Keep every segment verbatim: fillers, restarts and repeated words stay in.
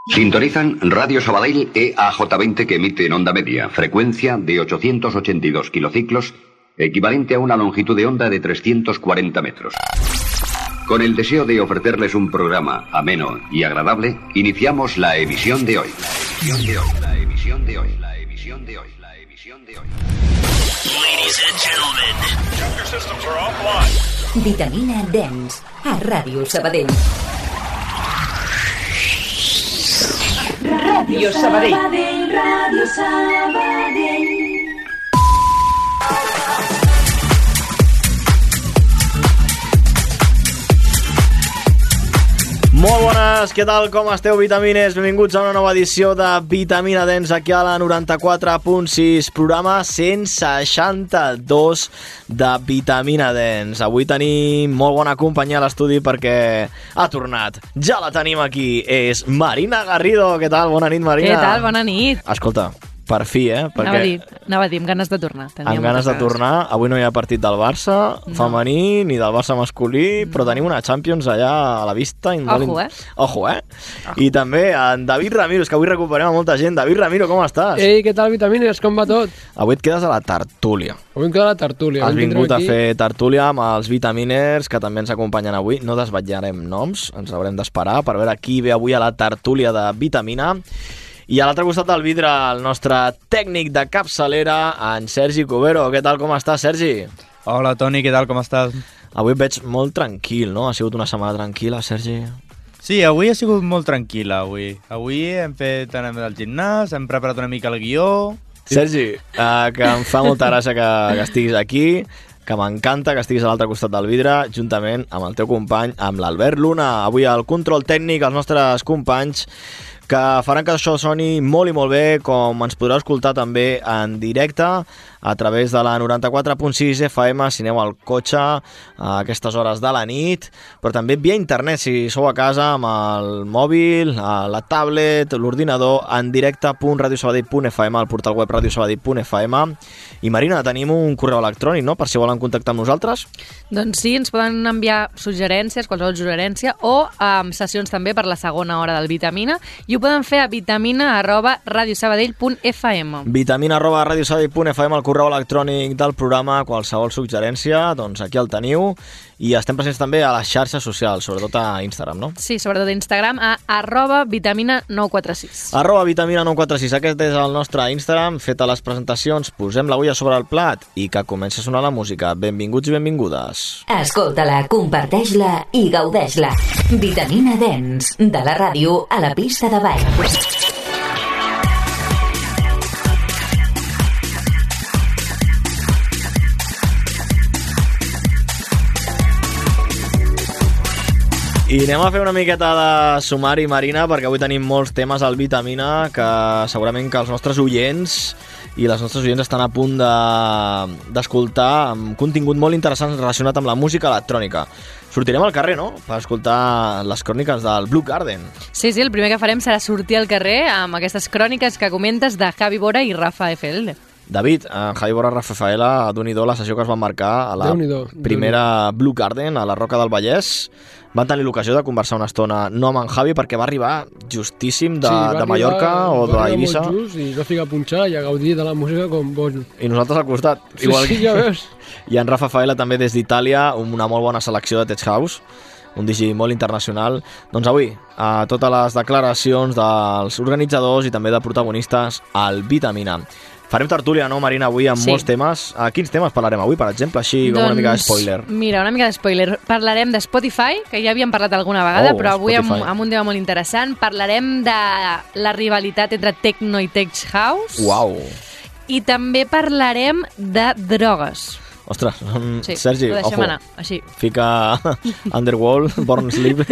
Sintonizan Radio Sabadell E A J veinte que emite en onda media, frecuencia de ochocientos ochenta y dos kilociclos, equivalente a una longitud de onda de trescientos cuarenta metros. Con el deseo de ofrecerles un programa ameno y agradable, iniciamos la emisión de hoy. La emisión de hoy, la emisión de hoy, la emisión de hoy, la emisión de hoy. Ladies and gentlemen, your systems are offline. Vitamina Dance a Ràdio Sabadell. Ràdio Sabadell. Ràdio Sabadell. Molt bones, què tal, com esteu, vitamines? Benvinguts a una nova edició de Vitamina Dance aquí a la noranta-quatre punt sis, programa cent seixanta-dos de Vitamina Dance. Avui tenim molt bona companyia a l'estudi perquè ha tornat. Ja la tenim aquí, és Marina Garrido. Què tal? Bona nit, Marina. Què tal? Bona nit. Escolta, per fi, eh? Perquè anava a dir, anava a dir amb ganes de tornar. Tenia amb ganes de tornar. Avui no hi ha partit del Barça No. femení ni del Barça masculí, però tenim una Champions allà a la vista. i molt Ojo, in- eh? Ojo, eh? I també en David Ramiro, és que avui recuperem a molta gent. David Ramiro, com estàs? Ei, què tal, vitamines? Com va tot? Avui et quedes a la tertúlia. Avui em queda la tertúlia. Has Avui vingut a tindrem fer tertúlia amb els vitaminers que també ens acompanyen avui. No desvetllarem noms, ens haurem d'esperar per veure qui ve avui a la tertúlia de Vitamina. I a l'altre costat del vidre, el nostre tècnic de capçalera, en Sergi Cubero. Què tal, com estàs, Sergi? Hola, Toni, què tal, com estàs? Avui et veig molt tranquil, no? Ha sigut una setmana tranquil·la, Sergi? Sí, avui ha sigut molt tranquil·la, avui. Avui hem fet, anem al gimnàs, hem preparat una mica el guió. Sergi, uh, que em fa molta gràcia que, que estiguis aquí, que m'encanta que estiguis a l'altre costat del vidre, juntament amb el teu company, amb l'Albert Luna. Avui al control tècnic, els nostres companys, que faran que això soni molt i molt bé, com ens podreu escoltar també en directe a través de la noranta-quatre punt sis F M si aneu al cotxe a aquestes hores de la nit, però també via internet si sou a casa amb el mòbil, a la tablet, l'ordinador, en directe punt radiosabadell punt f m, al portal web radiosabadell punt f m. I Marina, tenim un correu electrònic, no?, per si volen contactar amb nosaltres. Doncs sí, ens poden enviar suggerències, qualsevol suggerència, o um, sessions també per la segona hora del Vitamina, i ho poden fer a vitamina arroba radiosabadell punt f m. Vitamina arroba radiosabadell punt f m, el correu electrònic del programa, qualsevol suggerència, doncs aquí el teniu. I estem presents també a les xarxes socials, sobretot a Instagram, no? Sí, sobretot a Instagram, a arroba vitamina nou quatre sis. Arroba vitamina nou quatre sis, aquest és el nostre Instagram. Feta les presentacions, posem l'agulla sobre el plat i que comença a sonar la música. Benvinguts i benvingudes. Escolta-la, comparteix-la i gaudeix-la. Vitamina Dance, de la ràdio a la pista de ball. I anem a fer una miqueta de sumari, Marina, perquè avui tenim molts temes al Vitamina que segurament que els nostres oients i les nostres oients estan a punt de, d'escoltar amb contingut molt interessant relacionat amb la música electrònica. Sortirem al carrer, no?, per escoltar les cròniques del Blue Garden. Sí, sí, el primer que farem serà sortir al carrer amb aquestes cròniques que comentes de Javi Bora i Rafa F L. David, en Javi Borra Rafaela, Déu-n'hi-do la sessió que es van marcar a la Déu-n'hi-do, primera Blue Garden a la Roca del Vallès. Van tenir l'ocasió de conversar una estona, no amb en Javi, perquè va arribar justíssim de, Sí, va de Mallorca arribar, o va arribar d'Eivissa. molt just i va ficar a punxar i a gaudir de la música com bon. I nosaltres al costat. Sí, sí, ja veus. I en Rafa Faela també des d'Itàlia, una molt bona selecció de Tech House, un D J molt internacional. Doncs avui, a totes les declaracions dels organitzadors i també de protagonistes al Vitamina. Farem tertúlia, no, Marina, avui amb Sí. molts temes. A quins temes parlarem avui, per exemple, així com una mica de spoiler? Mira, una mica de spoiler. Parlarem de Spotify, que ja havíem parlat alguna vegada, Oh, però avui amb, Spotify. amb un tema molt interessant. Parlarem de la rivalitat entre Tecno i Tech House. Uau! I també parlarem de drogues. Ostres, um, Sí, Sergi, ho deixem ojo, anar, així. fica Underworld, Born Sleep.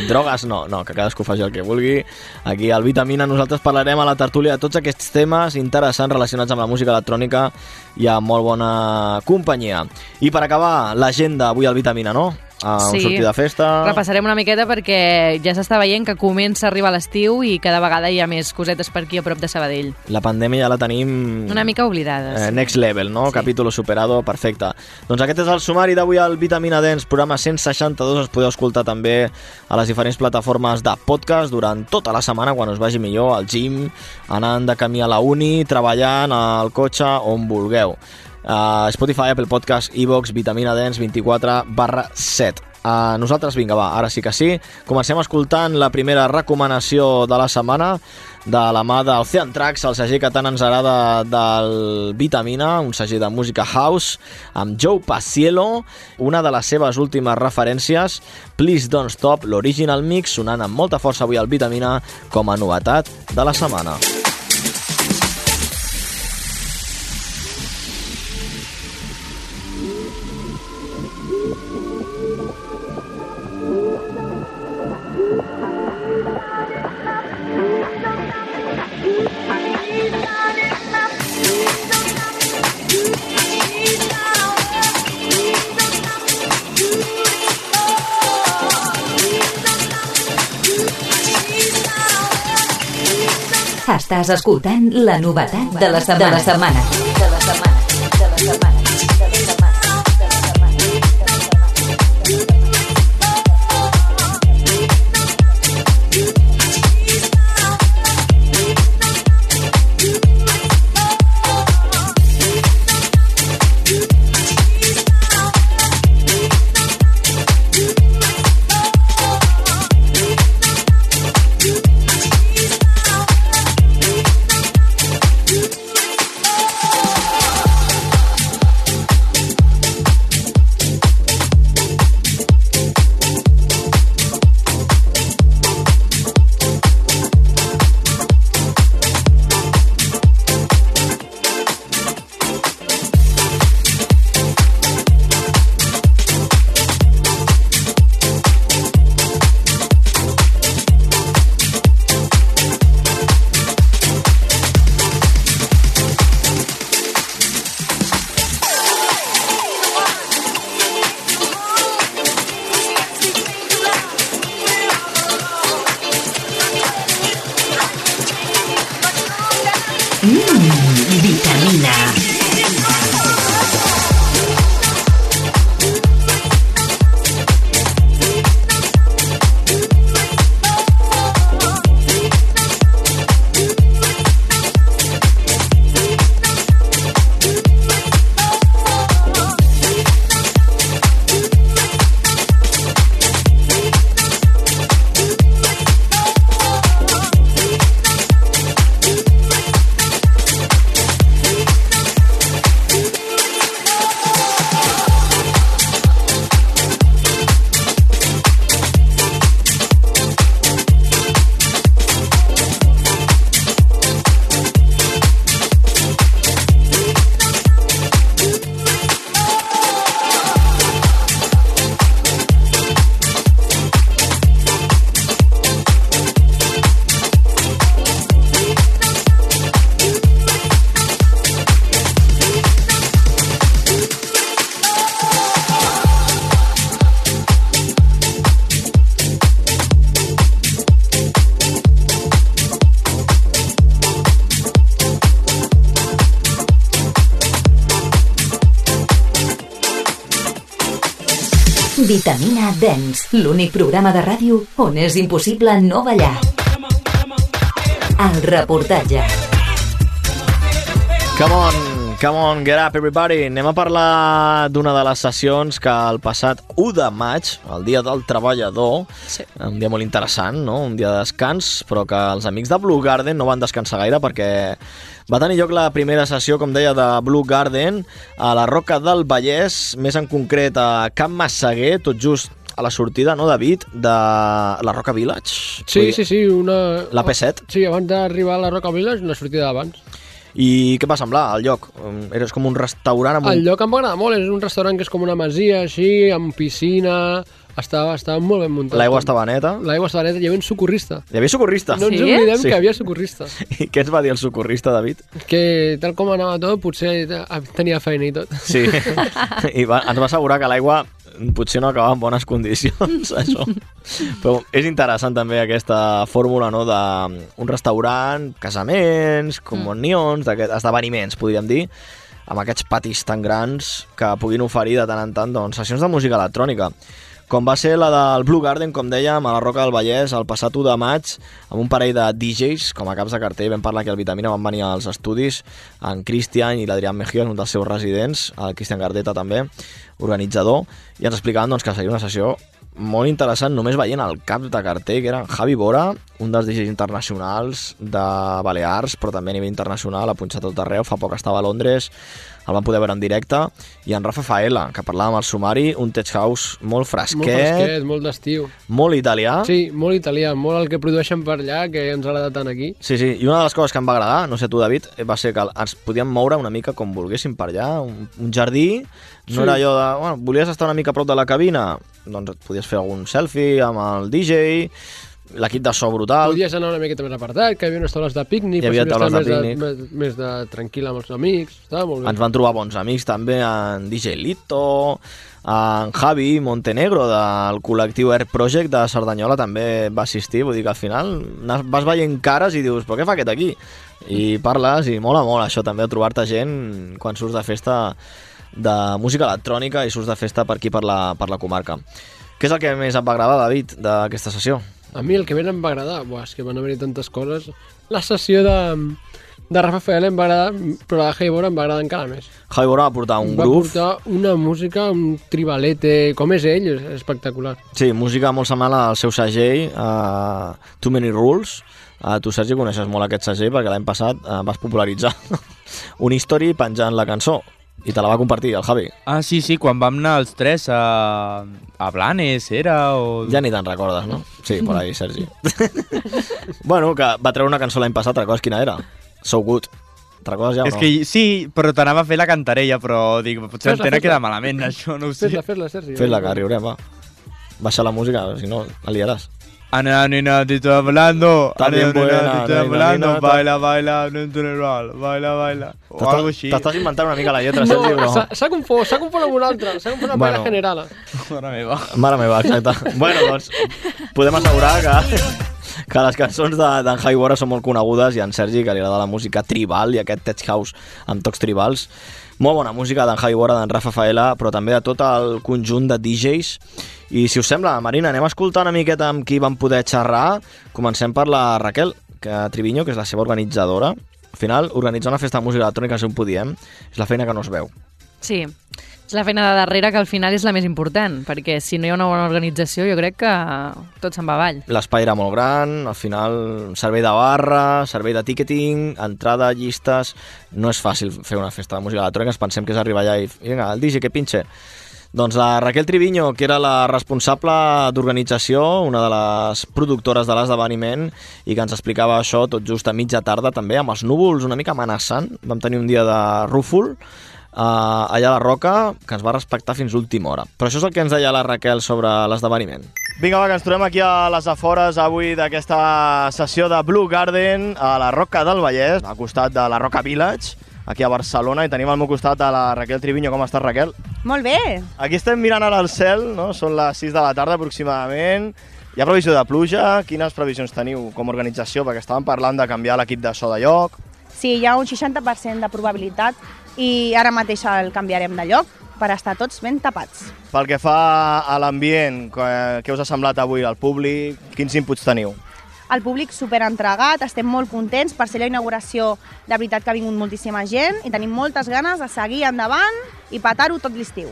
Drogues no, no, que cadascú faci el que vulgui. Aquí al Vitamina nosaltres parlarem a la tertúlia de tots aquests temes interessants relacionats amb la música electrònica i amb molt bona companyia. I per acabar, l'agenda avui al Vitamina, no? a Sí. un sortir de festa... Repassarem una miqueta perquè ja s'està veient que comença a arribar l'estiu i cada vegada hi ha més cosetes per aquí a prop de Sabadell. La pandèmia ja la tenim... Una mica oblidades. Eh, next level, no? Sí. Capítulo superado, perfecte. Doncs aquest és el sumari d'avui al Vitamina Dens, programa cent seixanta-dos. Ens podeu escoltar també a les diferents plataformes de podcast durant tota la setmana, quan us vagi millor, al gym, anant de camí a la uni, treballant, al cotxe, on vulgueu. Uh, Spotify, Apple Podcast, iVoox, Vitamina Dens vint-i-quatre barra set. Uh, nosaltres, vinga, va, ara sí que sí. Comencem escoltant la primera recomanació de la setmana de la mà d'Ocean Tracks, el segell que tant ens agrada del Vitamina, un segell de música house, amb Joe Paciello, una de les seves últimes referències, Please Don't Stop, l'original mix, sonant amb molta força avui al Vitamina com a novetat de la setmana. Estàs escoltant la novetat de la setmana. De la setmana. De la setmana. De la setmana. Vitamina Dance, l'únic programa de ràdio on és impossible no ballar. El reportatge. Come on, come on, get up everybody. Anem a parlar d'una de les sessions que el passat u de maig, el dia del treballador, sí. Un dia molt interessant, no? Un dia de descans, però que els amics de Blue Garden no van descansar gaire perquè va tenir lloc la primera sessió, com deia, de Blue Garden a la Roca del Vallès, més en concret a Can Massaguer, tot just a la sortida, no, David, de la Roca Village? Sí, sí, sí, una... La P set? Sí, abans d'arribar a la Roca Village, una sortida d'abans. I què va semblar, el lloc? Era com un restaurant amb un... El lloc em va agradar molt, és un restaurant que és com una masia, així, amb piscina... Estava, estava molt ben muntat. L'aigua estava neta? L'aigua estava neta, hi havia un socorrista. Hi havia socorrista? No ens Sí? oblidem Sí. que hi havia socorrista. I què ens va dir el socorrista, David? Que tal com anava tot, potser tenia feina i tot. Sí, i va, ens va assegurar que l'aigua potser no acaba en bones condicions, això. Però és interessant també aquesta fórmula, no?, d'un restaurant, casaments, comunions, d'aquests esdeveniments, podríem dir, amb aquests patis tan grans que puguin oferir de tant en tant doncs, sessions de música electrònica. Com va ser la del Blue Garden, com dèiem, a la Roca del Vallès, el passat u de maig, amb un parell de D Js, com a caps de cartell. Vam parlar que al Vitamina van venir als estudis, en Cristian i l'Adrián Mejía, un dels seus residents, el Cristian Gardeta també, organitzador, i ens explicaven doncs, que seria una sessió molt interessant, només veient el cap de cartell, que era en Javi Bora, un dels D Js internacionals de Balears, però també a nivell internacional, ha punxat tot arreu, fa poc estava a Londres, el vam poder veure en directe, i en Rafa Faela, que parlàvem al sumari, un tech house molt fresquet, molt fresquet, molt d'estiu. Molt italià. Sí, molt italià, molt el que produeixen per allà, que ens agrada tant aquí. Sí, sí, i una de les coses que em va agradar, no sé tu, David, va ser que ens podíem moure una mica com volguéssim per allà, un, un jardí, no sí. Era allò de, bueno, volies estar una mica a prop de la cabina, doncs et podies fer algun selfie amb el D J, l'equip de so brutal. Podies anar una miqueta més apartat, que hi havia unes taules de pícnic, hi havia taules de més, pícnic. De, més, més de tranquil amb els amics, estava molt bé. Ens van trobar bons amics també, en D J Lito, en Javi Montenegro del col·lectiu Air Project de Cerdanyola també va assistir, vull dir que al final vas veient cares i dius, però què fa aquest aquí? I parles i mola molt això també, trobar-te gent quan surts de festa de música electrònica i surts de festa per aquí, per la, per la comarca. Què és el que més et va agradar, David, d'aquesta sessió? A mi el que més em va agradar, buah, és que van haver-hi tantes coses. La sessió de, de Rafa Faela em va agradar, però la de Javi Bora em va agradar encara més. Javi Bora va portar un va groove. Va portar una música, un tribalete, com és ell, és espectacular. Sí, música molt semblant al seu segell, uh, Too Many Rules. Uh, tu, Sergi, coneixes molt aquest segell perquè l'any passat uh, vas popularitzar un history penjant la cançó. I te la va compartir, el Javi. Ah, sí, sí, quan vam anar els tres a, a Blanes, era? O... Ja ni te'n recordes, no? Sí, per ahí, Sergi. Bueno, que va treure una cançó l'any passat, recordes quina era? So Good. Te'n recordes ja o és no? Que, sí, però t'anava a fer la cantarella, però dic, potser l'antena queda malament, això, no ho sé. Fes-la, fes-la, Sergi. Fes-la, que riurem, va. Baixa la música, si no, la liaràs. Ana, nena, te estoy hablando. También Ana, buena, nena, te estoy nena, hablando. nena, Baila, baila, no natural. Baila, baila. O algo així. T'estàs inventant una mica la lletra, No, Sergi, però... s'ha- s'ha confós, s'ha confós amb una altra, s'ha confós amb Bueno. la generala. Mare meva. Mare meva, exacte. Bueno, doncs, podem assegurar que, que les cançons de- d'en Javi Bora són molt conegudes i en Sergi, que li agrada la música tribal i aquest tech house amb tocs tribals. Molt bona música d'en Javi Bora, d'en Rafa Faela, però també de tot el conjunt de D Js. I si us sembla, Marina, anem a escoltar una miqueta amb qui vam poder xerrar. Comencem per la Raquel que Triviño, que és la seva organitzadora. Al final, organitzar una festa de música electrònica, si ho podiem, és la feina que no es veu. Sí, és la feina de darrere que al final és la més important, perquè si no hi ha una bona organització jo crec que tot se'n va avall. L'espai era molt gran, al final servei de barra, servei de ticketing, entrada, llistes... No és fàcil fer una festa de música electrònica, ens pensem que és arribar allà i... Vinga, el D J que pinche. Doncs la Raquel Triviño, que era la responsable d'organització, una de les productores de l'esdeveniment, i que ens explicava això tot just a mitja tarda, també, amb els núvols una mica amenaçant. Vam tenir un dia de rúfol, Uh, allà a la Roca, que ens va respectar fins l'última hora. Però això és el que ens deia la Raquel sobre l'esdeveniment. Vinga, va, que ens trobem aquí a les afores avui d'aquesta sessió de Blue Garden a la Roca del Vallès, al costat de la Roca Village, aquí a Barcelona, i tenim al meu costat a la Raquel Triviño. Com estàs, Raquel? Molt bé. Aquí estem mirant ara al cel, no? Són les sis de la tarda aproximadament. Hi ha previsió de pluja? Quines previsions teniu com a organització? Perquè estàvem parlant de canviar l'equip de so de lloc. Sí, hi ha un seixanta per cent de probabilitat i ara mateix el canviarem de lloc per estar tots ben tapats. Pel que fa a l'ambient, què us ha semblat avui al públic? Quins inputs teniu? El públic superentregat, estem molt contents per ser la inauguració. De veritat que ha vingut moltíssima gent i tenim moltes ganes de seguir endavant i petar-ho tot l'estiu.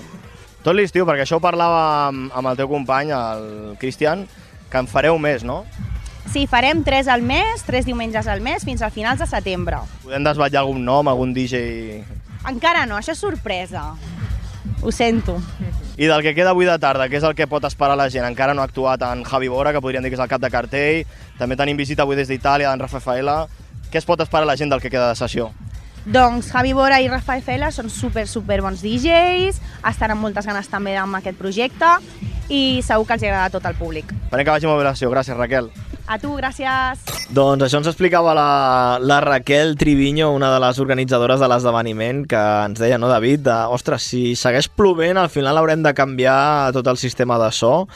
Tot l'estiu, perquè això ho parlava amb, amb el teu company, el Cristian, que en fareu més, no? Sí, farem tres al mes, tres diumenges al mes, fins a finals de setembre. Podem desvetllar algun nom, algun D J... Encara no, això és sorpresa. Ho sento. I del que queda avui de tarda, què és el que pot esperar la gent? Encara no ha actuat en Javi Bora, que podríem dir que és el cap de cartell. També tenim visita avui des d'Itàlia, d'en Rafa Faela. Què es pot esperar la gent del que queda de sessió? Doncs Javi Bora i Rafa Faela són super, super bons D Js, estan amb moltes ganes també amb aquest projecte i segur que els agrada a tot el públic. Esperem que vagi molt bé la sessió. Gràcies, Raquel. A tu, gràcies. Doncs això ens explicava la, la Raquel Triviño, una de les organitzadores de l'esdeveniment, que ens deia, no, David, de, ostres, si segueix plovent, al final haurem de canviar tot el sistema de so.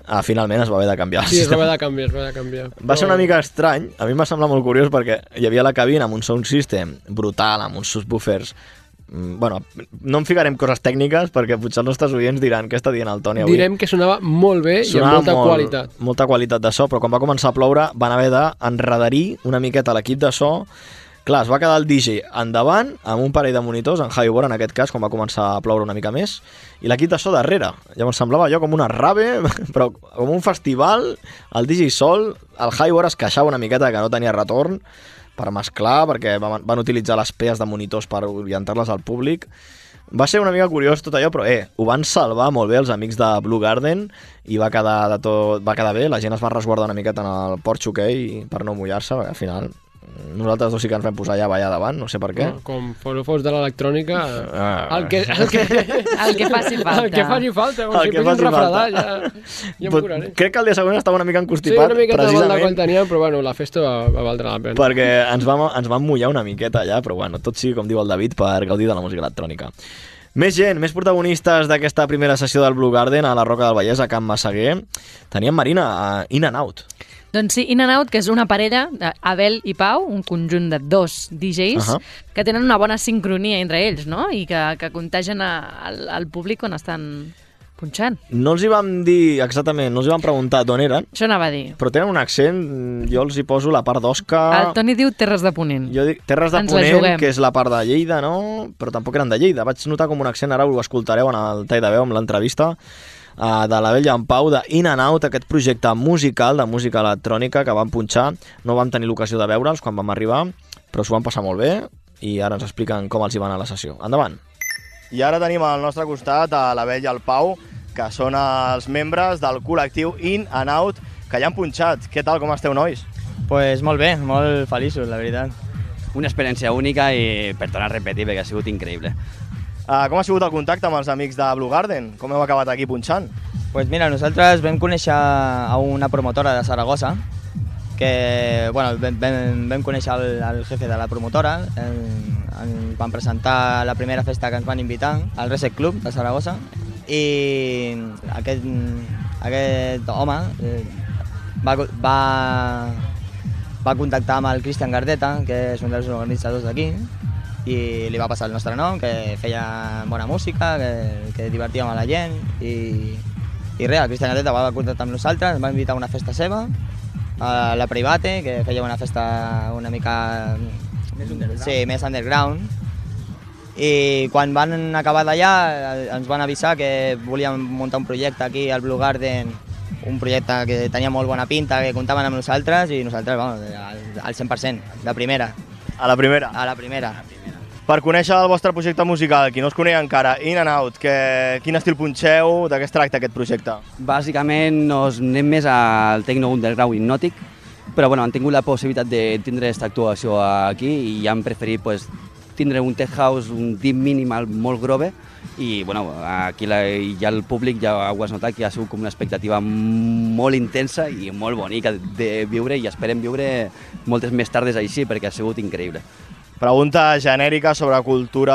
Ah, finalment es va haver de canviar. Sí, es va haver de canviar, es va haver de canviar. Va ser una mica estrany, a mi em va semblar molt curiós perquè hi havia la cabina amb un sound system brutal, amb uns subwoofers. Bueno, no em ficarem coses tècniques perquè potser els nostres oients diran què està dient el Toni avui. Direm que sonava molt bé sonava i amb molta molt, qualitat. Molta qualitat de so, però quan va començar a ploure van haver d'enredarir una miqueta l'equip de so. Clar, es va quedar el D J endavant, amb un parell de monitors, en Javi Bora en aquest cas, quan va començar a ploure una mica més, i l'equip de so darrere. Llavors semblava allò com una rave, però com un festival, el D J sol, el Javi Bora es queixava una miqueta que no tenia retorn per mesclar, perquè van, van utilitzar les pees de monitors per orientar-les al públic. Va ser una mica curiós tot allò, però eh, ho van salvar molt bé els amics de Blue Garden i va quedar, de tot, va quedar bé, la gent es va resguardar una miqueta en el porxo okay, per no mullar-se, perquè al final nosaltres dos sí que ens vam posar ja a ballar davant, no sé per què. Com fos de l'electrònica, ah, el, que, el, que, el que faci falta. El que faci falta, com el si fes un refredar, ja, ja em curaré. Crec que el dia següent estava una mica encostipat, sí, una miqueta precisament. de quan teníem, però bueno, la festa va, va valdre la pena. Perquè ens vam, ens vam mullar una miqueta allà, però bueno, tot sigui, com diu el David, per gaudir de la música electrònica. Més gent, més protagonistes d'aquesta primera sessió del Blue Garden a la Roca del Vallès, a Can Massaguer. Teníem, Marina, a In and Out. Doncs sí, In and Out, que és una parella, Abel i Pau, un conjunt de dos D Js, uh-huh. que tenen una bona sincronia entre ells, no? I que, que contagien a, al, al públic quan estan punxant. No els hi vam dir exactament, no els hi vam preguntar d'on eren. Això anava a dir. Però tenen un accent, jo els hi poso la part d'Osca... El Toni diu Terres de Ponent. Jo dic Terres de Ens Ponent, que és la part de Lleida, no? Però tampoc eren de Lleida. Vaig notar com un accent, ara ho escoltareu en el tall de veu, amb l'entrevista, Uh, de l'Abel i en Pau, de In and Out, aquest projecte musical de música electrònica que vam punxar. No vam tenir l'ocasió de veure'ls quan vam arribar, però s'ho van passar molt bé i ara ens expliquen com els hi van a la sessió. Endavant! I ara tenim al nostre costat a l'Abel i el Pau, que són els membres del col·lectiu In and Out, que ja han punxat. Què tal, com esteu, nois? Pues molt bé, molt feliços, la veritat. Una experiència única i per tornar a repetir, perquè ha sigut increïble. Uh, com ha sigut el contacte amb els amics de Blue Garden? Com heu acabat aquí punxant? Pues mira, nosaltres vam conèixer a una promotora de Saragossa, que bueno, vam, vam, vam conèixer el, el jefe de la promotora, el, el, van presentar la primera festa que ens van invitar, al Reset Club de Saragossa, i aquest, aquest home eh, va, va, va contactar amb el Cristian Gardeta, que és un dels organitzadors d'aquí, i li va passar el nostre nom, que feia bona música, que, que divertíem a la gent, i, i res, el Cristian Gardeta va contactar amb nosaltres, ens va invitar a una festa seva, a la Private, que feia una festa una mica... Més underground. Sí, més underground. I quan van acabar d'allà ens van avisar que volíem muntar un projecte aquí al Blue Garden, un projecte que tenia molt bona pinta, que comptaven amb nosaltres, i nosaltres, vamos, al, al cent per cent, de primera. A la primera? A la primera. Per conèixer el vostre projecte musical, qui no us coneix encara, In and Out, que, quin estil punxeu, de què es tracta aquest projecte? Bàsicament nos anem més al techno underground hipnòtic, però bueno, han tingut la possibilitat de tindre aquesta actuació aquí i han preferit pues, tindre un tech house, un deep minimal molt grove, i bueno, aquí la, ja el públic ja ho has notat que ha sigut com una expectativa molt intensa i molt bonica de viure, i esperem viure moltes més tardes així perquè ha sigut increïble. Pregunta genèrica sobre cultura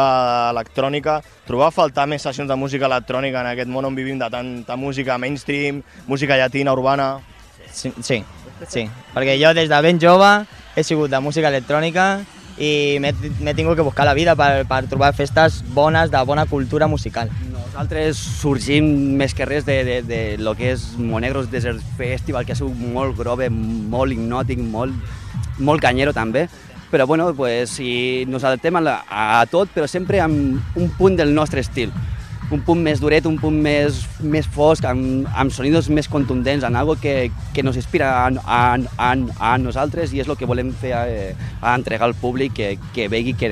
electrònica. Trobeu a faltar més sessions de música electrònica en aquest món on vivim de tanta música mainstream, música llatina, urbana? Sí, sí, sí, perquè jo des de ben jove he sigut de música electrònica i m'he tingut que buscar la vida per, per trobar festes bones, de bona cultura musical. Nosaltres sorgim més que res de, de, de lo que és Monegros Desert Festival, que ha sigut molt grove, molt hipnòtic, molt, molt canyero també, però bueno, pues, si nos adaptem a, la, a tot, però sempre amb un punt del nostre estil. Un punt més duret, un punt més, més fosc, amb, amb sonidos més contundents, en algo que, que nos inspira a, a, a, a nosaltres, i és el que volem fer a, a entregar al públic, que, que vegi que,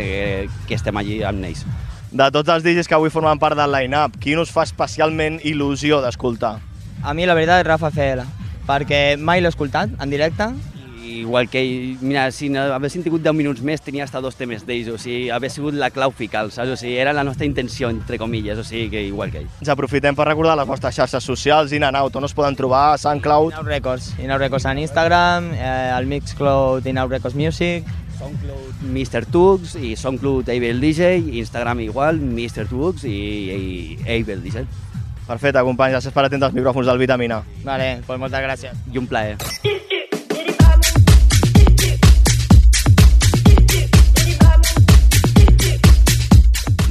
que estem allí amb ells. De tots els D Js que avui formen part del line-up, quin us fa especialment il·lusió d'escoltar? A mi la veritat és Rafa F L, perquè mai l'he escoltat en directe, Igual que ell, mira, si no haguessin tingut deu minuts més, tenia hasta dos temes d'ells, o sigui, hauria sigut la clau fical, saps? O sigui, era la nostra intenció, entre comilles, o sigui, que igual que ell. Ens aprofitem per recordar les vostres xarxes socials, In and Out, on es poden trobar, SoundCloud... In Out Records, In Out Records en Instagram, eh, el Mixcloud In Out Records Music, SoundCloud mister Tux i SoundCloud Abel D J, Instagram igual, mister Tux i, i Abel D J. Perfecte, companys, gràcies per atendre els micròfons del Vitamina. Vale, pues moltes gràcies. I un plaer.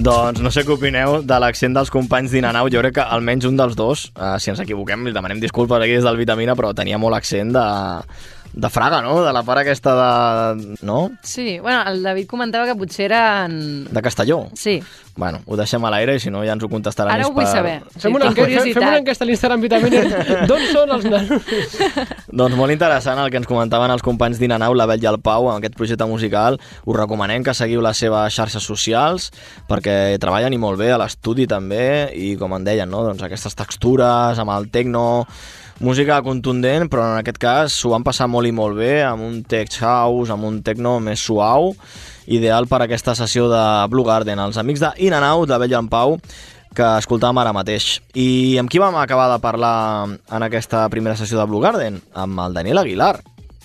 Doncs no sé què opineu de l'accent dels companys d'In and Out. Jo crec que almenys un dels dos, eh, si ens equivoquem, li demanem disculpes aquí des del Vitamina, però tenia molt accent de... de Fraga, no? De la part aquesta de... no? Sí, bueno, el David comentava que potser eren... De Castelló? Sí. Bueno, ho deixem a l'aire i si no ja ens ho contestaran. Ara ho vull per... saber. Fem, sí, una enquesta, fem una enquesta a l'Instagram Vitamina. D'on són els nanos? Doncs molt interessant el que ens comentaven els companys d'In and Out, l'Abel i el Pau, amb aquest projecte musical. Us recomanem que seguiu les seves xarxes socials perquè treballen i molt bé a l'estudi també i com en deien, no? Doncs aquestes textures amb el techno, música contundent, però en aquest cas s'ho van passar molt i molt bé, amb un tech house, amb un techno més suau, ideal per a aquesta sessió de Blue Garden. Els amics de In and Out, l'Abel i en Pau, que escoltàvem ara mateix. I amb qui vam acabar de parlar en aquesta primera sessió de Blue Garden? Amb el Daniel Aguilar,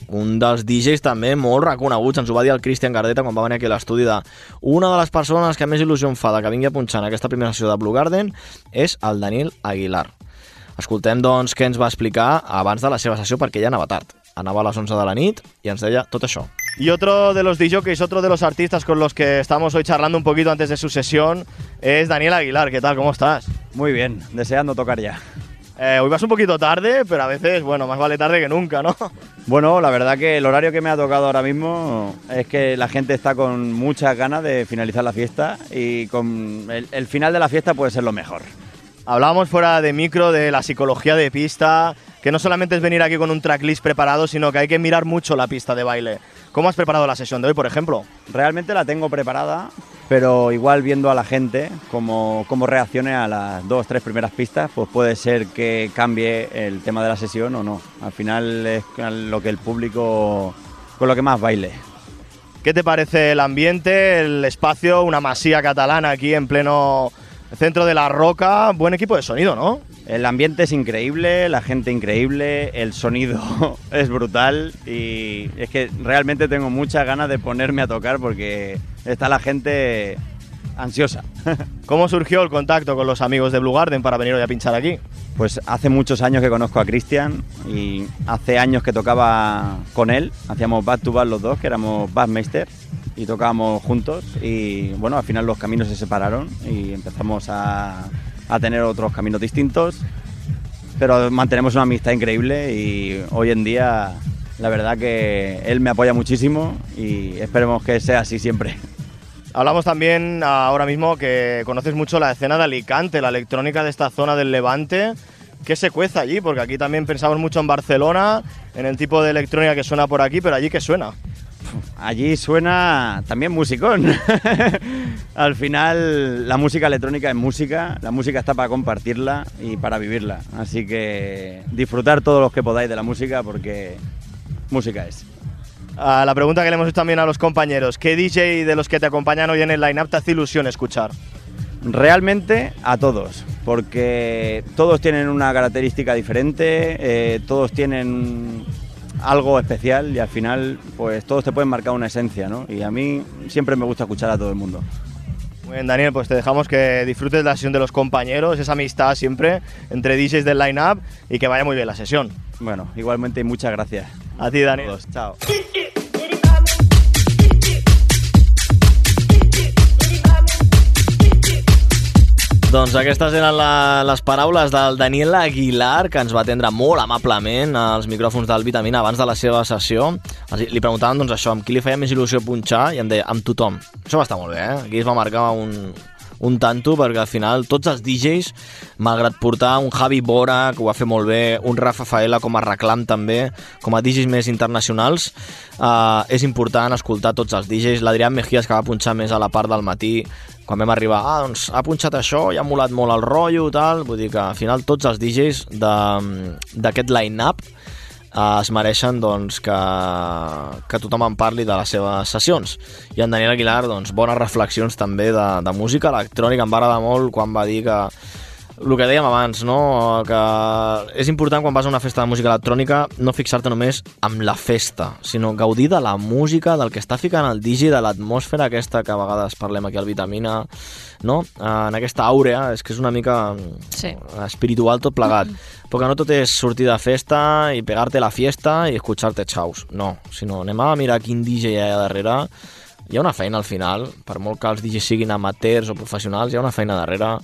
un dels D Js també molt reconeguts. Ens ho va dir el Cristian Gardeta quan va venir aquí a l'estudi de una de les persones que més il·lusió em fa de que vingui a punxar en aquesta primera sessió de Blue Garden és el Daniel Aguilar. Escoltem, doncs, què ens va explicar abans de la seva sessió, perquè ja anava tard. Anava a las once de la nit y ens deia tot això. Y otro de los D Js, otro de los artistas con los que estamos hoy charlando un poquito antes de su sesión es Daniel Aguilar. ¿Qué tal? ¿Cómo estás? Muy bien, deseando tocar ya. Eh, hoy vas un poquito tarde, pero a veces, bueno, más vale tarde que nunca, ¿no? Bueno, la verdad que el horario que me ha tocado ahora mismo es que la gente está con muchas ganas de finalizar la fiesta y con el, el final de la fiesta puede ser lo mejor. Hablábamos fuera de micro de la psicología de pista, que no solamente es venir aquí con un tracklist preparado, sino que hay que mirar mucho la pista de baile. ¿Cómo has preparado la sesión de hoy, por ejemplo? Realmente la tengo preparada, pero igual viendo a la gente cómo, cómo reaccione a las dos, tres primeras pistas, pues puede ser que cambie el tema de la sesión o no. Al final es lo que el público, con lo que más baile. ¿Qué te parece el ambiente, el espacio, una masía catalana aquí en pleno centro de la Roca? Buen equipo de sonido, ¿no? El ambiente es increíble, la gente increíble, el sonido es brutal y es que realmente tengo muchas ganas de ponerme a tocar porque está la gente ansiosa. ¿Cómo surgió el contacto con los amigos de Blue Garden para venir hoy a pinchar aquí? Pues hace muchos años que conozco a Cristian y hace años que tocaba con él, hacíamos back to back los dos, que éramos bassmeister y tocábamos juntos y bueno, al final los caminos se separaron y empezamos a, a tener otros caminos distintos, pero mantenemos una amistad increíble y hoy en día la verdad que él me apoya muchísimo y esperemos que sea así siempre. Hablamos también ahora mismo que conoces mucho la escena de Alicante, la electrónica de esta zona del Levante. ¿Qué se cueza allí? Porque aquí también pensamos mucho en Barcelona, en el tipo de electrónica que suena por aquí, pero allí ¿qué suena? Allí suena también musicón. Al final la música electrónica es música, la música está para compartirla y para vivirla. Así que disfrutar todos los que podáis de la música porque música es. Uh, la pregunta que le hemos hecho también a los compañeros, ¿qué D J de los que te acompañan hoy en el line-up te hace ilusión escuchar? Realmente a todos, porque todos tienen una característica diferente, eh, todos tienen algo especial y al final pues todos te pueden marcar una esencia, ¿no? Y a mí siempre me gusta escuchar a todo el mundo. Muy bien, Daniel, pues te dejamos que disfrutes de la sesión de los compañeros, esa amistad siempre entre D Js del line-up y que vaya muy bien la sesión. Bueno, igualmente y muchas gracias. A ti, Daniel. Todos, chao. Doncs aquestes eren la, les paraules del Daniel Aguilar, que ens va atendre molt amablement als micròfons del Vitamina abans de la seva sessió. Li preguntaven doncs, això, amb qui li feia més il·lusió punxar, i em deia, amb tothom. Això va estar molt bé, eh? Aquí es va marcar un, un tanto, perquè al final tots els D Js, malgrat portar un Javi Bora, que ho va fer molt bé, un Rafa Faela com a reclam també, com a D Js més internacionals, eh, és important escoltar tots els D Js. L'Adrián Mejías, que va punxar més a la part del matí, quan vam arribar, ah, doncs ha punxat això i ha molat molt el rotllo i tal, vull dir que al final tots els D Js d'aquest line-up eh, es mereixen doncs, que, que tothom en parli de les seves sessions. I en Daniel Aguilar, doncs, bones reflexions també de, de música electrònica. Em va agradar molt quan va dir que el que dèiem abans, no? Que és important quan vas a una festa de música electrònica no fixar-te només en la festa, sinó gaudir de la música, del que està ficant el D J, de l'atmosfera aquesta que a vegades parlem aquí al Vitamina, no? En aquesta àurea, és que és una mica sí. espiritual tot plegat. Però que no tot és sortir de festa i pegar-te la fiesta i escuchar-te xaus. No, sinó anem a mirar quin D J hi ha darrere. Hi ha una feina al final, per molt que els D Js siguin amateurs o professionals, hi ha una feina darrere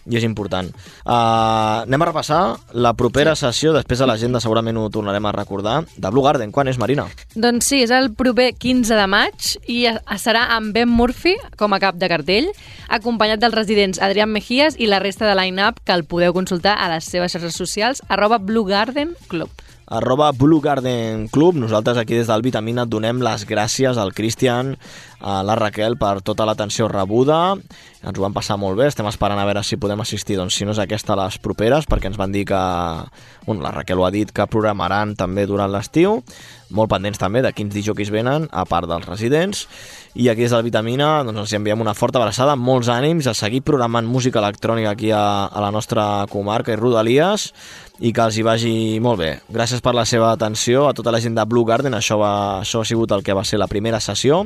i és important. Uh, anem a repassar la propera sí. sessió, després a l'agenda segurament ho tornarem a recordar, de Blue Garden. Quan és, Marina? Doncs sí, és el proper quinze de maig i serà amb Ben Murphy com a cap de cartell, acompanyat dels residents Adrián Mejías i la resta de line-up, que el podeu consultar a les seves xarxes socials, arroba Blue Garden Club. arroba Blue Garden Club. Nosaltres aquí des del Vitamina et donem les gràcies al Cristian, a la Raquel per tota l'atenció rebuda. Ens ho vam passar molt bé, estem esperant a veure si podem assistir, doncs si no és aquesta, les properes, perquè ens van dir que, bueno, la Raquel ho ha dit, que programaran també durant l'estiu, molt pendents també de quins disjockeys venen, a part dels residents. I aquí des del Vitamina doncs els enviem una forta abraçada, molts ànims a seguir programant música electrònica aquí a, a la nostra comarca i rodalies, i que els hi vagi molt bé. Gràcies per la seva atenció a tota la gent de Blue Garden. Això, va, això ha sigut el que va ser la primera sessió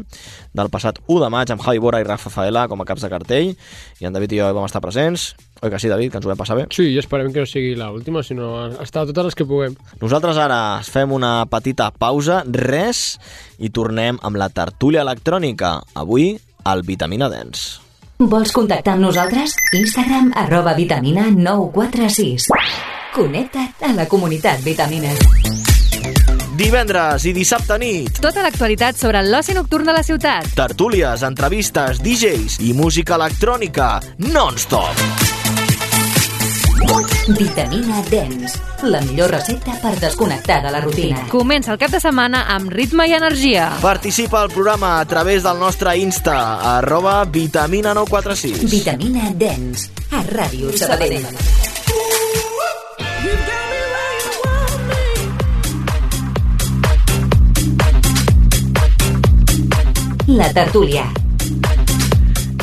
del passat u de maig amb Javi Bora i Rafa Faela com a caps de cartell, i en David i jo vam estar presents. Oi que sí, David, que ens ho vam passar bé? Sí, i esperem que no sigui l'última, sinó estar totes les que puguem. Nosaltres ara fem una petita pausa, res, i tornem amb la tertúlia electrònica, avui al Vitamina Dance. Vols contactar amb nosaltres? Instagram arroba vitamina nou quatre sis. Connecta't a la comunitat Vitamina. Divendres i dissabte nit. Tota l'actualitat sobre l'oci nocturn de la ciutat. Tertúlies, entrevistes, D Js i música electrònica non-stop. Vitamina Dance, la millor recepta per desconnectar de la rutina. Comença el cap de setmana amb ritme i energia. Participa al programa a través del nostre Insta, arroba Vitamina nou quatre sis. Vitamina Dance, a Ràdio Sabadell. La tertúlia.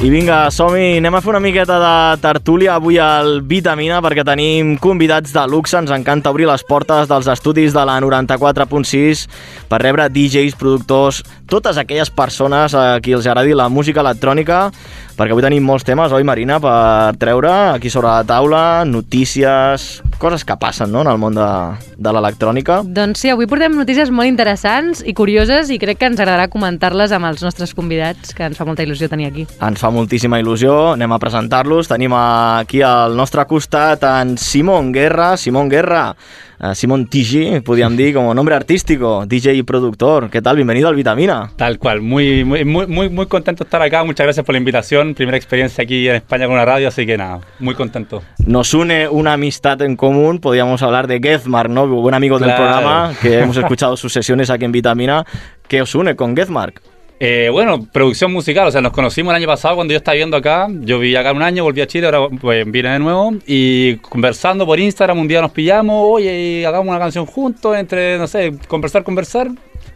I vinga, som-hi, anem a fer una miqueta de tertúlia avui al Vitamina, perquè tenim convidats de luxe. Ens encanta obrir les portes dels estudis de la noranta-quatre punt sis per rebre D Js, productors, totes aquelles persones a qui els agradi la música electrònica, perquè avui tenim molts temes, oi, Marina, per treure aquí sobre la taula, notícies, coses que passen, no?, en el món de, de l'electrònica. Doncs sí, avui portem notícies molt interessants i curioses, i crec que ens agradarà comentar-les amb els nostres convidats, que ens fa molta il·lusió tenir aquí. Ens fa moltíssima il·lusió, anem a presentar-los. Tenim aquí al nostre costat en Simón Guerra. Simón Guerra, Uh, Simón T G, podríamos decir, como nombre artístico, D J y productor. ¿Qué tal? Bienvenido al Vitamina. Tal cual, muy, muy, muy, muy, muy contento de estar acá. Muchas gracias por la invitación. Primera experiencia aquí en España con una radio, así que nada, muy contento. Nos une una amistad en común, podríamos hablar de Gezmark, ¿no? Buen amigo del claro. programa, que hemos escuchado sus sesiones aquí en Vitamina. ¿Qué os une con Gezmark? Eh, bueno, producción musical, o sea, nos conocimos el año pasado cuando yo estaba viviendo acá. Yo viví acá un año, volví a Chile, ahora pues, vine de nuevo. Y conversando por Instagram, un día nos pillamos, oye, hagamos una canción juntos, entre, no sé, conversar, conversar.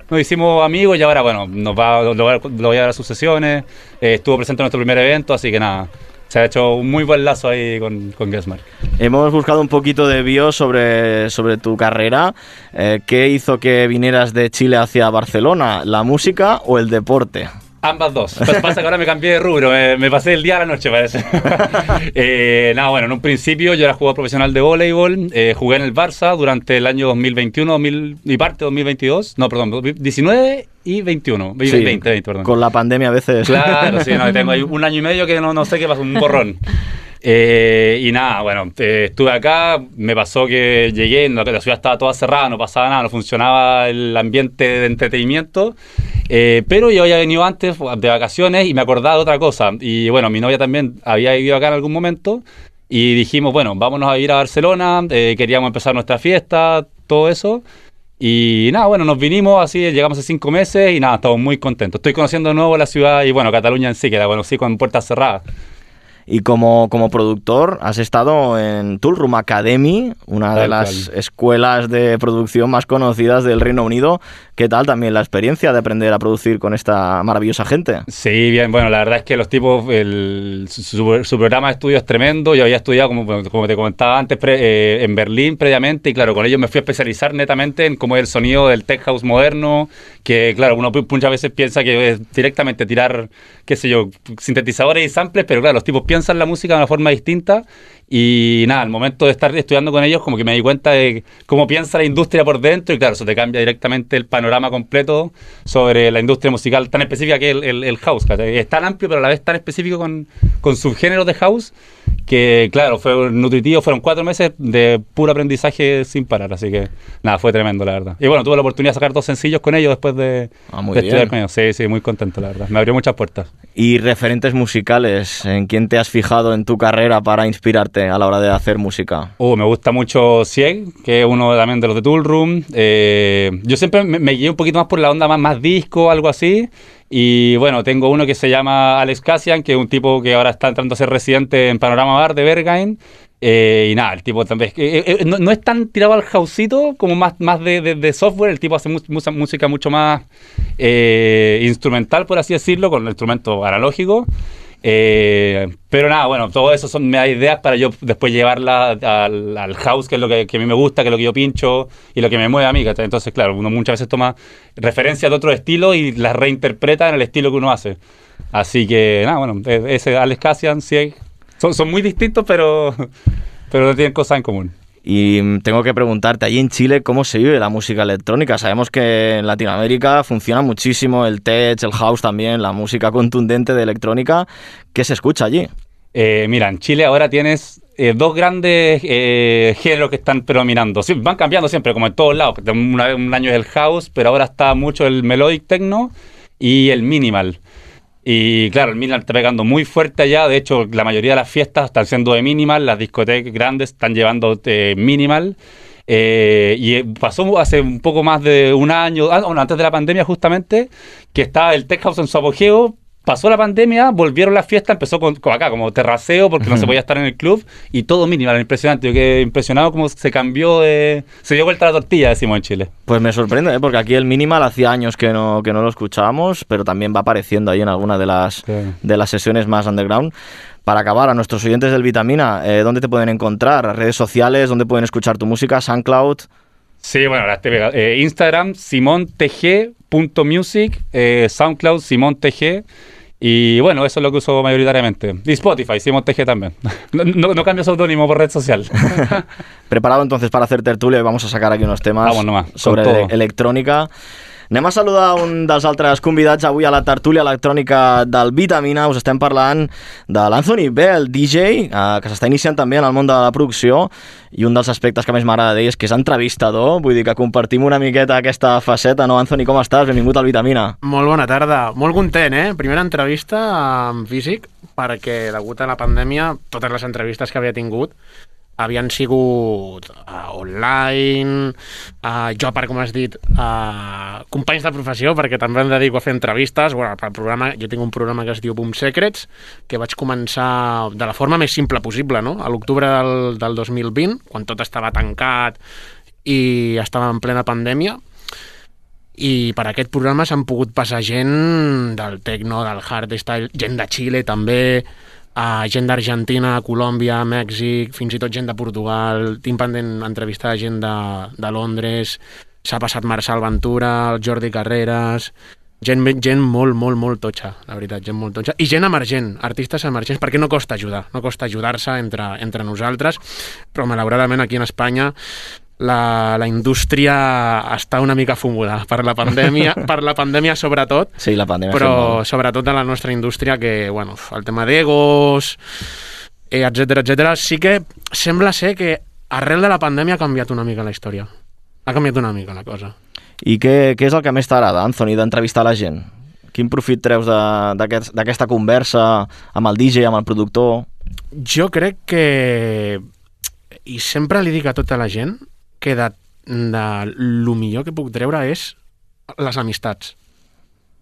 Nos hicimos amigos y ahora, bueno, nos va, lo, lo voy a dar a sus sesiones. Eh, estuvo presente en nuestro primer evento, así que nada. Se ha hecho un muy buen lazo ahí con, con Gezmark. Hemos buscado un poquito de bio sobre, sobre tu carrera. Eh, ¿Qué hizo que vinieras de Chile hacia Barcelona? ¿La música o el deporte? Ambas dos. Pues pasa que ahora me cambié de rubro, me, me pasé el día a la noche, parece. eh, nada, bueno, en un principio yo era jugador profesional de voleibol, eh, jugué en el Barça durante el año dos mil veintiuno dos mil, y parte dos mil veintidós, no, perdón, dos mil diecinueve y veintiuno, sí, veinte, veinte, perdón. Con la pandemia a veces. Claro, sí, no, tengo ahí un año y medio que no, no sé qué pasó, un borrón. Eh, y nada, bueno, eh, estuve acá, me pasó que llegué, la ciudad estaba toda cerrada, no pasaba nada, no funcionaba el ambiente de entretenimiento, eh, pero yo había venido antes de vacaciones y me acordaba de otra cosa, y bueno, mi novia también había vivido acá en algún momento, y dijimos, bueno, vámonos a ir a Barcelona, eh, queríamos empezar nuestra fiesta, todo eso. Y nada, bueno, nos vinimos así, llegamos hace cinco meses y nada, estamos muy contentos. Estoy conociendo de nuevo la ciudad y bueno, Cataluña en sí, que la conocí con puertas cerradas. Y como, como productor has estado en Toolroom Academy, una de las escuelas de producción más conocidas del Reino Unido. ¿Qué tal también la experiencia de aprender a producir con esta maravillosa gente? Sí, bien, bueno, la verdad es que los tipos, el, su, su programa de estudio es tremendo. Yo había estudiado, como, como te comentaba antes, pre, eh, en Berlín previamente, y claro, con ellos me fui a especializar netamente en cómo es el sonido del tech house moderno, que claro, uno muchas veces piensa que es directamente tirar, qué sé yo, sintetizadores y samples, pero claro, los tipos piensan la música de una forma distinta. Y nada, al momento de estar estudiando con ellos, como que me di cuenta de cómo piensa la industria por dentro, y claro, eso te cambia directamente el panorama completo sobre la industria musical tan específica que es el, el, el house. Es tan amplio, pero a la vez tan específico con, con subgéneros de house, que claro, fue nutritivo, fueron cuatro meses de puro aprendizaje sin parar, así que nada, fue tremendo, la verdad. Y bueno, tuve la oportunidad de sacar dos sencillos con ellos después de, ah, muy de bien. estudiar con ellos. Sí, sí, muy contento, la verdad. Me abrió muchas puertas. ¿Y referentes musicales? ¿En quién te has fijado en tu carrera para inspirarte a la hora de hacer música? Uh, me gusta mucho Sieg, que es uno también de los de Toolroom. Eh, yo siempre me, me guié un poquito más por la onda más, más disco, algo así. Y bueno, tengo uno que se llama Alex Cassian, que es un tipo que ahora está entrando a ser residente en Panorama Bar de Berghain. Eh, y nada, el tipo también eh, eh, no, no es tan tirado al houseito como más, más de, de, de software. El tipo hace mu música mucho más eh, instrumental, por así decirlo, con el instrumento analógico. Eh, pero nada, bueno, todo eso son, me da ideas para yo después llevarla al, al house, que es lo que, que a mí me gusta, que es lo que yo pincho y lo que me mueve a mí. Entonces, claro, uno muchas veces toma referencias de otro estilo y las reinterpreta en el estilo que uno hace. Así que, nada, bueno, ese Alex Cassian, Sieg, son, son muy distintos, pero, pero tienen cosas en común. Y tengo que preguntarte, allí en Chile, ¿cómo se vive la música electrónica? Sabemos que en Latinoamérica funciona muchísimo el tech, el house también, la música contundente de electrónica. ¿Qué se escucha allí? Eh, mira, en Chile ahora tienes eh, dos grandes eh, géneros que están predominando. Sí, van cambiando siempre, como en todos lados. Una, un año es el house, pero ahora está mucho el melodic techno y el minimal. Y claro, el minimal está pegando muy fuerte allá. De hecho, la mayoría de las fiestas están siendo de minimal. Las discotecas grandes están llevando eh, minimal. Eh, y pasó hace un poco más de un año, ah, bueno, antes de la pandemia justamente, que estaba el tech house en su apogeo. Pasó la pandemia, volvieron las fiestas, empezó con, con acá, como terraceo, porque no se podía estar en el club, y todo minimal, impresionante. Yo quedé impresionado cómo se cambió, de, se dio vuelta la tortilla, decimos en Chile. Pues me sorprende, ¿eh? Porque aquí el minimal hacía años que no, que no lo escuchábamos, pero también va apareciendo ahí en alguna de las, sí. de las sesiones más underground. Para acabar, a nuestros oyentes del Vitamina, eh, ¿dónde te pueden encontrar? ¿Redes sociales? ¿Dónde pueden escuchar tu música? ¿SoundCloud? Sí, bueno, eh, Instagram, simontg punto music, eh, SoundCloud, simontg. Y bueno, eso es lo que uso mayoritariamente. Y Spotify, Simon T G también. No, no, no cambio seudónimo por red social. Preparado entonces para hacer tertulia, vamos a sacar aquí unos temas sobre todo. electrònica. Anem a saludar un dels altres convidats avui a la tertúlia electrònica del Vitamina. Us estem parlant de l'Anthony Bell, D J, eh, que s'està iniciant també en el món de la producció, i un dels aspectes que més m'agrada d'ell és que és entrevistador, vull dir que compartim una miqueta aquesta faceta, no? Anthony, com estàs? Benvingut al Vitamina. Molt bona tarda, molt content, eh? Primera entrevista en físic, perquè degut a la pandèmia totes les entrevistes que havia tingut havien sigut uh, online, uh, jo, per com has dit, uh, companys de professió, perquè també em dedico a fer entrevistes. Bueno, pel programa, jo tinc un programa que es diu Boom Secrets, que vaig començar de la forma més simple possible, no? A l'octubre del, del dos mil vint, quan tot estava tancat i estava en plena pandèmia, i per aquest programa s'han pogut passar gent del techno, del hardstyle, gent de Xile també, Uh, gent d'Argentina, Colòmbia, Mèxic, fins i tot gent de Portugal. Tinc pendent entrevistar gent de, de Londres, s'ha passat Marçal Ventura, el Jordi Carreras, gent, gent molt, molt, molt totxa, la veritat, gent molt totxa. I gent emergent, artistes emergents, perquè no costa ajudar, no costa ajudar-se entre, entre nosaltres, però malauradament aquí en Espanya La, la indústria està una mica fumuda per la pandèmia, per la pandèmia sobretot, sí, la pandèmia però sobretot de la nostra indústria, que bueno, el tema d'egos, eh, etcètera, etcètera, sí que sembla ser que arrel de la pandèmia ha canviat una mica la història. Ha canviat una mica la cosa. I què, què és el que més t'agrada, Anthony, d'entrevistar la gent? Quin profit treus d'aquesta aquest, conversa amb el D J, amb el productor? Jo crec que, i sempre li dic a tota la gent, que de, de lo millor que puc treure és les amistats,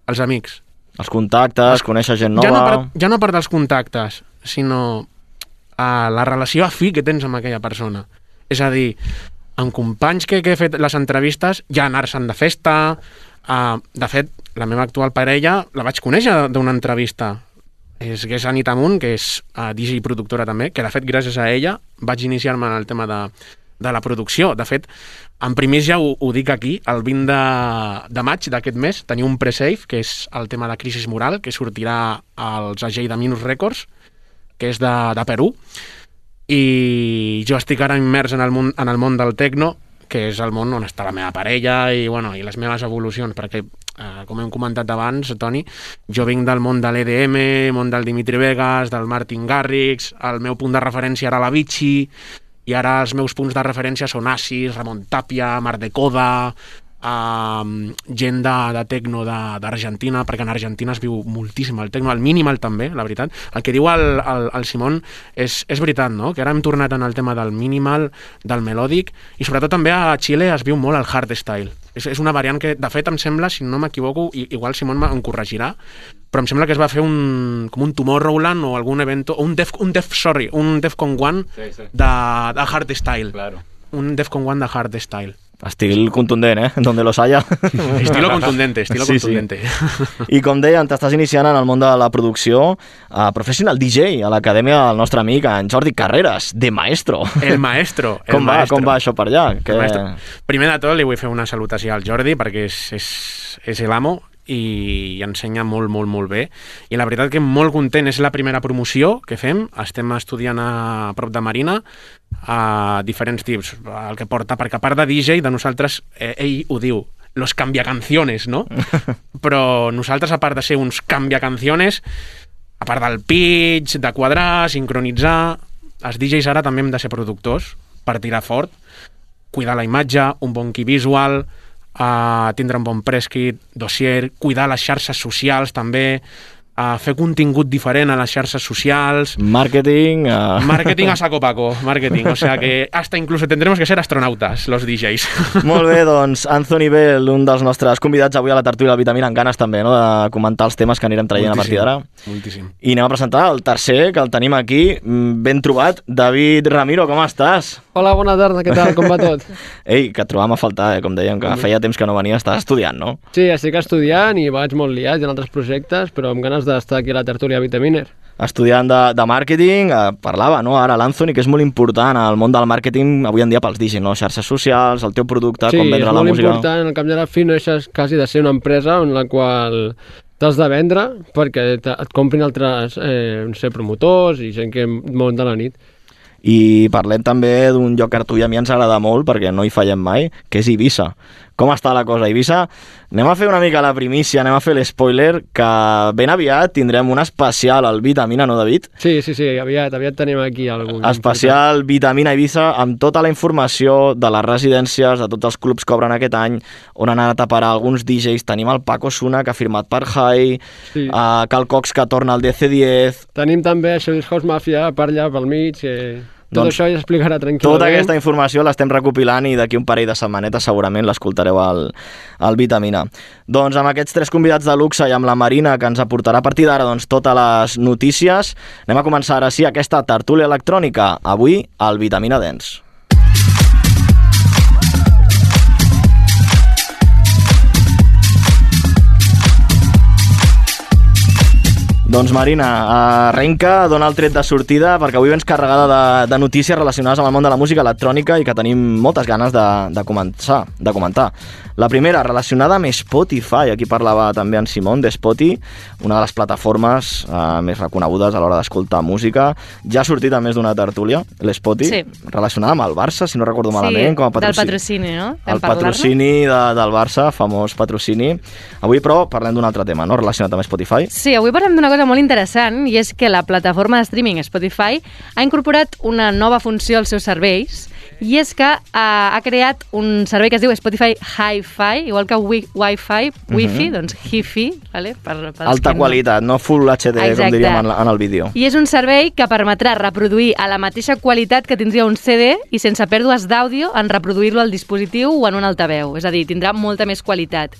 els amics. Els contactes, conèixer gent nova... Ja no per, ja no per dels contactes, sinó uh, la relació afí que tens amb aquella persona. És a dir, amb companys que, que he fet les entrevistes, ja anar-se'n de festa... Uh, de fet, la meva actual parella la vaig conèixer d'una entrevista. És, que és Anita Munt, que és uh, D J i productora també, que de fet gràcies a ella vaig iniciar-me en el tema de, de la producció. De fet, en primers ja ho, ho dic aquí, el vint de, de maig d'aquest mes teniu un pre-save, que és el tema de Crisis Moral, que sortirà als Agei de Minus Records, que és de, de Perú, i jo estic ara immers en el món, en el món del techno, que és el món on està la meva parella i, bueno, i les meves evolucions, perquè, eh, com hem comentat abans, Toni, jo vinc del món de l'E D M, món del Dimitri Vegas, del Martin Garrix, el meu punt de referència era la Vichy, i ara els meus punts de referència són Asis, Ramon Tapia, Mar de Coda, uh, gent de, de tecno d'Argentina, perquè en Argentina es viu moltíssim el tecno, el minimal també, la veritat. El que diu el, el, el Simon és, és veritat, no? Que ara hem tornat en el tema del minimal, del melòdic, i sobretot també a Xile es viu molt el hardstyle. És, és una variant que, de fet, em sembla, si no m'equivoco, igual Simon em corregirà, però em sembla que es va fer un, com un Tomorrowland o algun event, o un Def, un Def, sorry, un Defcon One sí, sí. de, de hardstyle. Claro. Un Defcon One de hardstyle. Estil contundent, eh? Donde los haya. Estilo contundente, estilo sí, contundente. Sí. I com deien, t'estàs iniciant en el món de la producció a Professional D J, a l'acadèmia del nostre amic, en Jordi Carreras, de Maestro. El Maestro. El com, maestro. Va, com va això per allà? Que... Primer de tot li vull fer una salutació al Jordi, perquè és, és, és l'amo i ensenya molt, molt, molt bé. I la veritat que molt content, és la primera promoció que fem, estem estudiant a prop de Marina, a diferents tips, el que porta, perquè a part de D J, de nosaltres, eh, ell ho diu, los cambiacanciones, no? Però nosaltres, a part de ser uns cambiacanciones, a part del pitch, de quadrar, sincronitzar, els D Js ara també hem de ser productors per tirar fort, cuidar la imatge, un bon key visual, Uh, tindre un bon press kit, dossier, cuidar les xarxes socials també, uh, fer contingut diferent a les xarxes socials, marketing uh... marketing a saco paco, marketing, o sea que hasta incluso tendremos que ser astronautas los D Js. Molt bé, doncs Anthony Bell, un dels nostres convidats avui a la tertúlia del Vitamina, amb ganes també, no?, de comentar els temes que anirem traient moltíssim, a partir d'ara. Moltíssim. I anem a presentar el tercer, que el tenim aquí, ben trobat. David Ramiro, com estàs? Hola, bona tarda, què tal? Com va tot? Ei, que et trobàvem a faltar, eh? Com dèiem, que feia temps que no venia, estàs estudiant, no? Sí, estic estudiant i vaig molt liat en altres projectes, però amb ganes d'estar aquí a la tertúlia Vitaminer. Estudiant de, de màrqueting, eh, parlava, no?, ara l'Anthony, que és molt important al món del màrqueting avui en dia pels D Js, no?, xarxes socials, el teu producte, sí, com vendre la música. Sí, és molt important, al cap de la fi no deixes quasi de ser una empresa en la qual t'has de vendre perquè et comprin altres, eh, no sé, promotors i gent que munta la nit. I parlem també d'un lloc que a tu i a mi ens agrada molt, perquè no hi fallem mai, que és Eivissa. Com està la cosa a Eivissa? Anem a fer una mica la primícia, anem a fer l'espoiler, que ben aviat tindrem un especial al Vitamina, no, David? Sí, sí, sí, aviat, aviat tenim aquí algú. Especial Vitamina Eivissa, amb tota la informació de les residències, de tots els clubs que obren aquest any, on han anat a parar alguns D Js. Tenim el Paco Suna, que ha firmat per High, sí. uh, Cal Cox, que torna al D C diez... Tenim també Showbiz House Mafia per allà, pel mig, que... Tot doncs, això ja explicarà tranquil·lament. Tota aquesta informació l'estem recopilant i d'aquí un parell de setmanetes segurament l'escoltareu al, al Vitamina. Doncs amb aquests tres convidats de luxe i amb la Marina, que ens aportarà a partir d'ara doncs, totes les notícies, anem a començar ara sí aquesta tertúlia electrònica, avui al Vitamina Dance. Doncs Marina, arrenca, dona el tret de sortida, perquè avui vens carregada de, de notícies relacionades amb el món de la música electrònica i que tenim moltes ganes de, de, començar, de comentar. La primera, relacionada amb Spotify, aquí parlava també en Simon de Spotify, una de les plataformes eh, més reconegudes a l'hora d'escoltar música. Ja ha sortit a més d'una tertúlia, l'Spotify, sí. Relacionada amb el Barça, si no recordo sí, malament. Com a patrocini. Del patrocini, no? El patrocini de, del Barça, famós patrocini. Avui, però, parlem d'un altre tema, no?, relacionat amb Spotify. Sí, avui parlem d'una cosa molt interessant, i és que la plataforma de streaming Spotify ha incorporat una nova funció als seus serveis, i és que uh, ha creat un servei que es diu Spotify Hi-Fi, igual que wi Wi-Fi, Wi-Fi, uh-huh. doncs Hi-Fi, vale? per, per alta qualitat, no full H D, Exacte. com diríem en, en el vídeo. I és un servei que permetrà reproduir a la mateixa qualitat que tindria un C D i sense pèrdues d'àudio en reproduir-lo al dispositiu o en un altaveu, és a dir, tindrà molta més qualitat.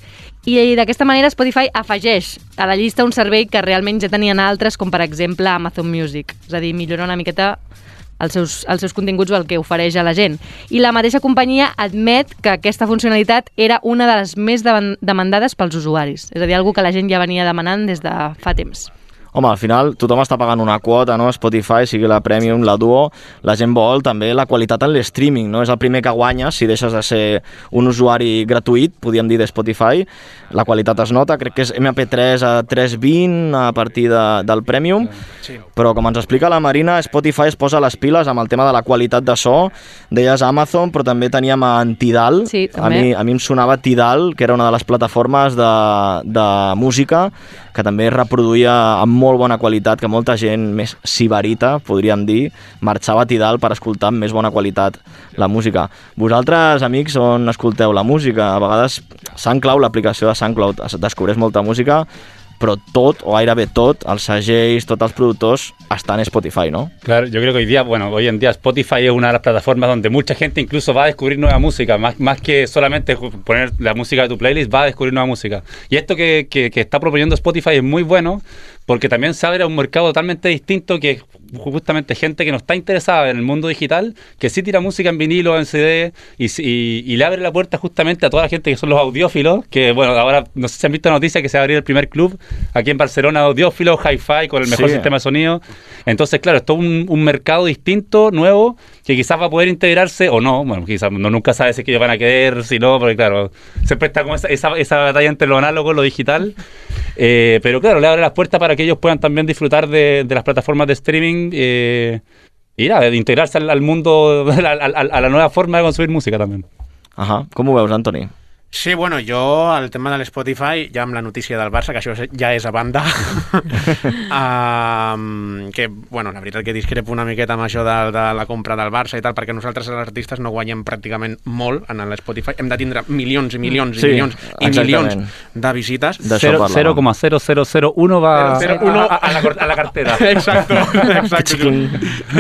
I d'aquesta manera Spotify afegeix a la llista un servei que realment ja tenien altres, com per exemple Amazon Music. És a dir, millora una miqueta els seus, els seus continguts o el que ofereix a la gent. I la mateixa companyia admet que aquesta funcionalitat era una de les més demandades pels usuaris. És a dir, una cosa que la gent ja venia demanant des de fa temps. Home, al final tothom està pagant una quota, no? Spotify, sigui la Premium, la Duo, la gent vol també la qualitat en l'streaming, no? És el primer que guanyes si deixes de ser un usuari gratuït, podríem dir, de Spotify. La qualitat es nota, crec que és M P tres a tres vint a partir de, del Premium, sí. Però com ens explica la Marina, Spotify es posa les piles amb el tema de la qualitat de so. Deies Amazon, però també teníem en Tidal. Sí, a, mi, a mi em sonava Tidal, que era una de les plataformes de, de música, que també reproduïa amb molt bona qualitat, que molta gent més sibarita, podríem dir, marxava a Tidal per escoltar amb més bona qualitat la música. Vosaltres, amics, on escolteu la música? A vegades SoundCloud, l'aplicació de SoundCloud, descobreix molta música, però tot, o gairebé tot, els segells, tots els productors, están en Spotify, ¿no? Claro, yo creo que hoy día, bueno, hoy en día Spotify es una de las plataformas donde mucha gente incluso va a descubrir nueva música, más, más que solamente poner la música de tu playlist, va a descubrir nueva música. Y esto que, que, que está proponiendo Spotify es muy bueno, porque también se abre a un mercado totalmente distinto, que es justamente gente que no está interesada en el mundo digital, que sí tira música en vinilo, en C D, y, y, y le abre la puerta justamente a toda la gente que son los audiófilos, que bueno, ahora no sé si han visto la noticia que se va a abrir el primer club aquí en Barcelona, audiófilos, hi-fi, con el mejor Sí. sistema de sonido. Entonces, claro, esto es un, un mercado distinto, nuevo, que quizás va a poder integrarse o no. Bueno, quizás no, nunca sabe si es que ellos van a querer, si no, porque claro, siempre está como esa, esa, esa batalla entre lo análogo y lo digital. Eh, pero claro, le abre las puertas para que ellos puedan también disfrutar de, de las plataformas de streaming eh, y nada, de integrarse al, al mundo, a, a, a la nueva forma de consumir música también. Ajá. Com ho veus, Antoni? Sí, bueno, jo, el tema de l'Spotify, ja amb la notícia del Barça, que això ja és a banda, um, que, bueno, la veritat que discrepo una miqueta amb això de, de la compra del Barça i tal, perquè nosaltres els artistes no guanyem pràcticament molt en l'Spotify, hem de tindre milions i milions Sí, i milions i exactament. milions de visites. cero coma cero cero cero uno va Cero, cero, uno a, a, la, cor- a la cartera. Exacto, exacto.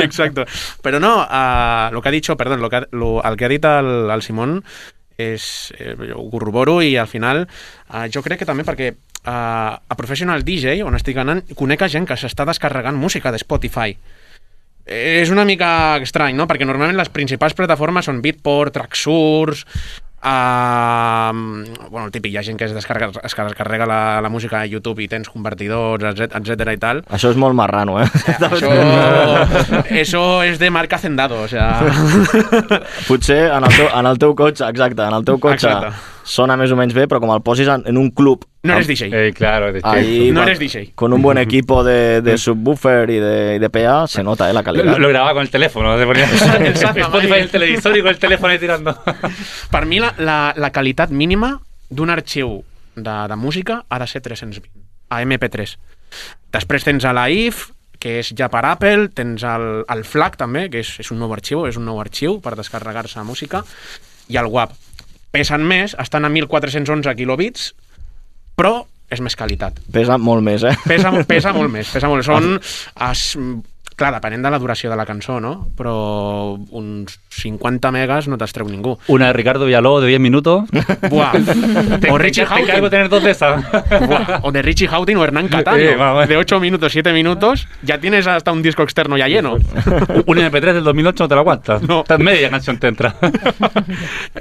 Exacto. Pero no, uh, lo que ha dicho, perdón, lo que ha, lo, el que ha dit el, el Simón és, eh, ho corroboro i al final eh, jo crec que també perquè eh, a Professional D J, on estic anant, conec a gent que s'està descarregant música de Spotify. Eh, és una mica estrany, no? Perquè normalment les principals plataformes són Beatport, Traxsource, Uh, bueno, el típic, hi ha gent que es descarrega, es descarrega la, la música a YouTube i tens convertidors, etcètera i tal. Això és molt marrano, eh? Això, eso és de marca Hacendado, o sea... Potser en el, teu, en el teu cotxe, exacte, en el teu cotxe Exacte. sona més o menys bé, però com el posis en, en un club... No eres D J. Eh, claro, de Ahí, no con, eres D J. Con un buen equipo de, de subwoofer y de, y de P A, se nota, eh, la Lo, calidad. lo grababa con el teléfono, se ponía El Santa Spotify Mai. en el televisor y con el teléfono ahí tirando. Per mi la, la, la qualitat mínima d'un arxiu de, de música ha de ser tres-cents vint, a M P tres. Després tens a la I F, que és ja per Apple, tens el, el FLAC també, que és, és un nou arxiu, és un nou arxiu per descarregar-se música, i el W A V. Pesen més, estan a mil quatre-cents onze quilobits, però és més qualitat. Pesa molt més, eh? Pesa, pesa molt més, pesa molt. Són, es, clar, depenent de la duració de la cançó, no? Però uns cinquanta megas no te'ls treu ningú. Una de Ricardo Villalobos de diez minutos. Buah. Te, O te, Richie te Houghton. encargo tener dos de esas. Buah, o de Richie Houghton o Hernán Cataño, Sí, vamos. de ocho minutos, siete minutos, ya tienes hasta un disco externo ya lleno. Un M P tres del dos mil ocho no te lo aguantas. No. Media canción te entra.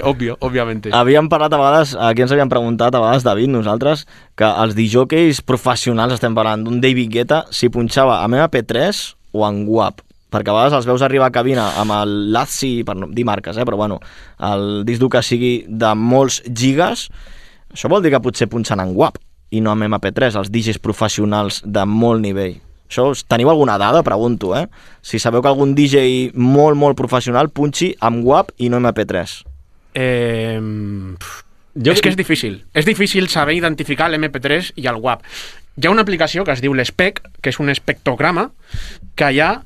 Obvio, òbviamente. Havíem parlat a vegades, aquí ens havíem preguntat a vegades, David, nosaltres, que els disjockeys professionals, estem parlant d'un David Guetta, si punxava amb M P tres o en W A V. Perquè a vegades els veus arribar a cabina amb el Lazzi, per no dir marques, eh, però bueno, el disc dur que sigui de molts gigas, això vol dir que potser punxen en W A V i no amb M P tres, els D Js professionals de molt nivell. Això, teniu alguna dada? Pregunto, eh? Si sabeu que algun D J molt, molt professional punxi amb W A V i no M P tres. Eh, jo... És que és difícil. És difícil saber identificar l'M P tres i el W A V. Hi ha una aplicació que es diu l'Spec, que és un espectrograma, que allà,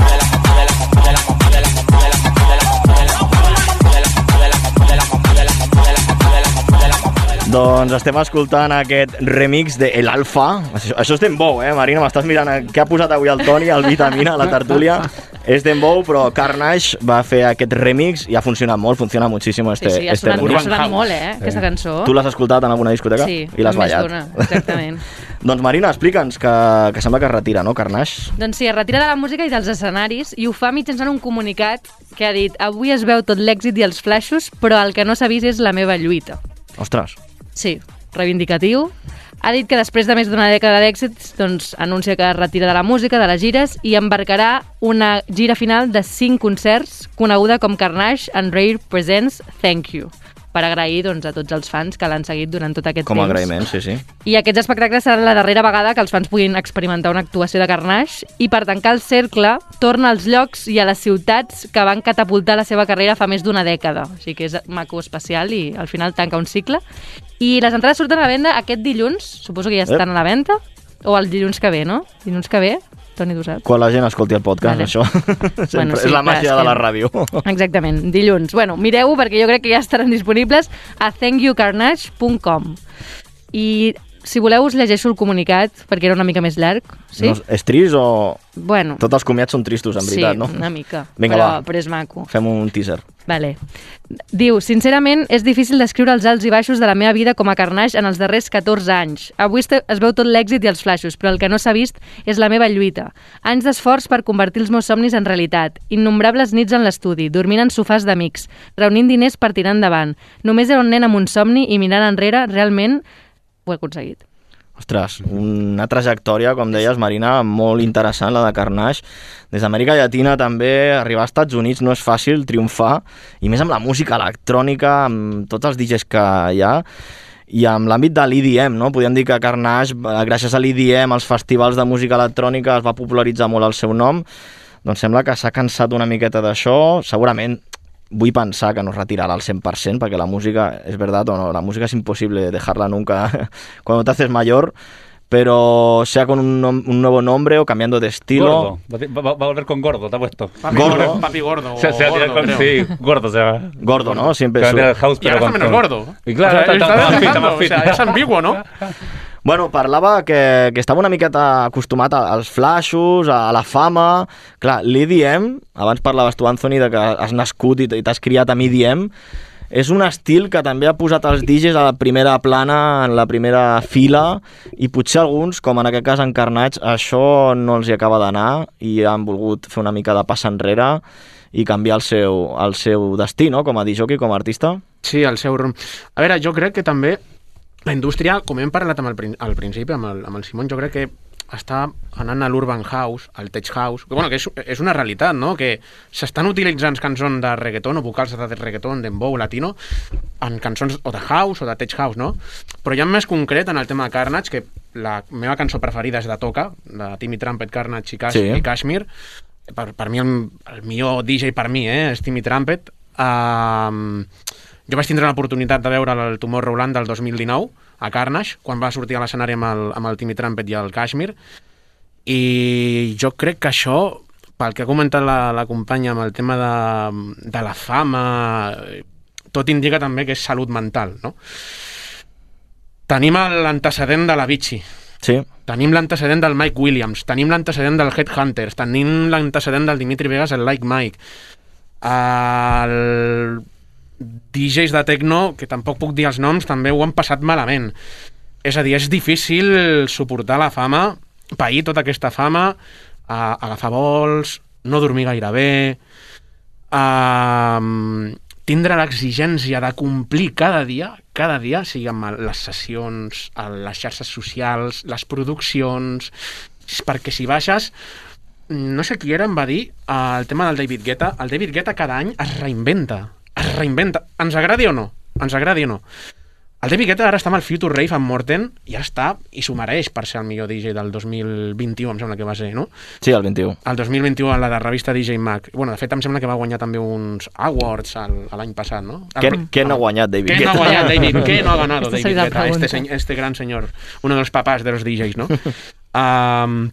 Doncs estem escoltant aquest remix de El Alfa. Això, això és Dembow, eh, Marina? M'estàs mirant què ha posat avui el Toni, el Vitamina, a la tertúlia. És Dembow, però Carnage va fer aquest remix i ha funcionat molt, funciona moltíssim este, sí, sí, ha este sonat, remix. ha sonat molt, eh, aquesta cançó. Tu l'has escoltat en alguna discoteca? Sí, i l'has més ballat. d'una, exactament. Doncs Marina, explica'ns que, que sembla que es retira, no, Carnage? Doncs sí, es retira de la música i dels escenaris i ho fa mitjançant un comunicat que ha dit: avui es veu tot l'èxit i els flaixos, però el que no s'ha vist és la meva lluita. Ostres. Sí, reivindicatiu. ha dit que després de més d'una dècada d'èxits doncs, anuncia que es retira de la música, de les gires, i embarcarà una gira final de cinc concerts coneguda com Carnage and Rare Presents Thank You, per agrair doncs, a tots els fans que l'han seguit durant tot aquest Com a temps. agraïment, sí, sí. I aquests espectacles seran la darrera vegada que els fans puguin experimentar una actuació de Carnage, i per tancar el cercle torna als llocs i a les ciutats que van catapultar la seva carrera fa més d'una dècada. O sigui que és maco, especial, i al final tanca un cicle. I les entrades surten a la venda aquest dilluns, suposo que ja estan a la venda, o el dilluns que ve, no? Dilluns que ve, Toni, tu saps? Quan la gent escolti el podcast, Vale. això. Sempre Bueno, sí, és la clar, màgia és de que- la ràdio. Exactament, dilluns. Bueno, mireu-ho perquè jo crec que ja estaran disponibles a thank you carnage punt com. I si voleu us llegeixo el comunicat perquè era una mica més llarg. Sí? No, és trist o... Bueno. Tots els comiats són tristos, en veritat, sí, no? una mica. Vinga, però, va. però és maco. Fem un teaser. Vale. Diu, sincerament, és difícil descriure els alts i baixos de la meva vida com a Carnage en els darrers catorze anys. Avui este- es veu tot l'èxit i els flaixos, però el que no s'ha vist és la meva lluita. Anys d'esforç per convertir els meus somnis en realitat. Innombrables nits en l'estudi, dormint en sofàs d'amics, reunint diners per tirar endavant. Només era un nen amb un somni i mirant enrere, realment ho he aconseguit. Ostres, una trajectòria, com deies, Marina, molt interessant, la de Carnage. Des d'Amèrica Llatina també, arribar als Estats Units no és fàcil, triomfar, i més amb la música electrònica, amb tots els D Js que hi ha, i amb l'àmbit de l'E D M, no? Podríem dir que Carnage, gràcies a l'E D M, als festivals de música electrònica, es va popularitzar molt el seu nom. Doncs sembla que s'ha cansat una miqueta d'això, segurament vull pensar que no es retirarà al cent per cent, perquè la música, és veritat o no, la música és imposible dejarla nunca cuando te haces mayor, pero sea con un, nom- un nuevo nombre o cambiando de estilo. Gordo. Va, va- va a volver con gordo, te ha puesto. Papi Gordo. gordo. Papi gordo. Se, se va a tirar gordo, con, creo. sí, gordo se va. Gordo, ¿no? Siempre Se va a su- tirar el house, Y ahora pero está con menos todo. gordo. Y claro, O sea, está, está está más fit, dejando, está más fit. o sea, es ambiguo, ¿no? Bueno, parlava que, que estava una miqueta acostumat a- als flashes, a, a la fama. Clar, l'E D M, abans parlaves tu, Anthony, de que has nascut i t- i t'has criat amb E D M, és un estil que també ha posat els D Js a la primera plana, en la primera fila, i potser alguns, com en aquest cas en Carnage, això no els hi acaba d'anar i han volgut fer una mica de pas enrere i canviar el seu, el seu destí, no?, com a disjockey, com a artista. Sí, el seu rumb. A veure, jo crec que també la indústria, com hem parlat amb el, prin- al principi, amb el, amb el Simon, jo crec que està anant a l'urban house, al tech house, que, bueno, que és, és una realitat, no?, que s'estan utilitzant cançons de reggaeton o vocals de reggaeton, dembow, latino, en cançons o de house o de tech house, no? Però ja més concret en el tema de Carnage, que la meva cançó preferida és de Toca, de Timmy Trumpet, Carnage i, Cash, Sí. i Kashmir. Per, per mi el, el millor D J per mi, eh, és Timmy Trumpet. Um, jo vaig tindre l'oportunitat de veure el Tomorrowland del dos mil dinou a Carnage, quan va sortir a l'escenari amb, el, amb el Timmy Trumpet i el Kashmir, i jo crec que això, pel que ha comentat la, la companya amb el tema de, de la fama, tot indica també que és salut mental, no? Tenim l'antecedent de l'Avicii, Sí. tenim l'antecedent del Mike Williams, tenim l'antecedent del Headhunters, tenim l'antecedent del Dimitri Vegas, el Like Mike, el D Js de techno, que tampoc puc dir els noms, també ho han passat malament. És a dir, és difícil suportar la fama, pair tota aquesta fama, a, agafar vols, no dormir gaire bé, a, tindre l'exigència de complir cada dia, cada dia, sigui amb les sessions, a les xarxes socials, les produccions, perquè si baixes, no sé qui era, em va dir, el tema del David Guetta, el David Guetta cada any es reinventa, es reinventa, ens agradi o no, ens agradi o no. El David Guetta ara està amb el Future Rave amb Morten, i ja està, i s'ho mereix per ser el millor D J del dos mil vint-i-u, em sembla que va ser, no? Sí, el vint-i-u. El dos mil vint-i-u a la de revista D J Mag. Bueno, de fet, em sembla que va guanyar també uns awards el- l'any passat, no? Què, què no ha guanyat David ¿Qué Guetta? no ha guanyat David? ¿Qué no ha ganado Esta David sería la Guetta? Este, pregunta. se- este gran señor, uno de los papás de los D Js, no? um,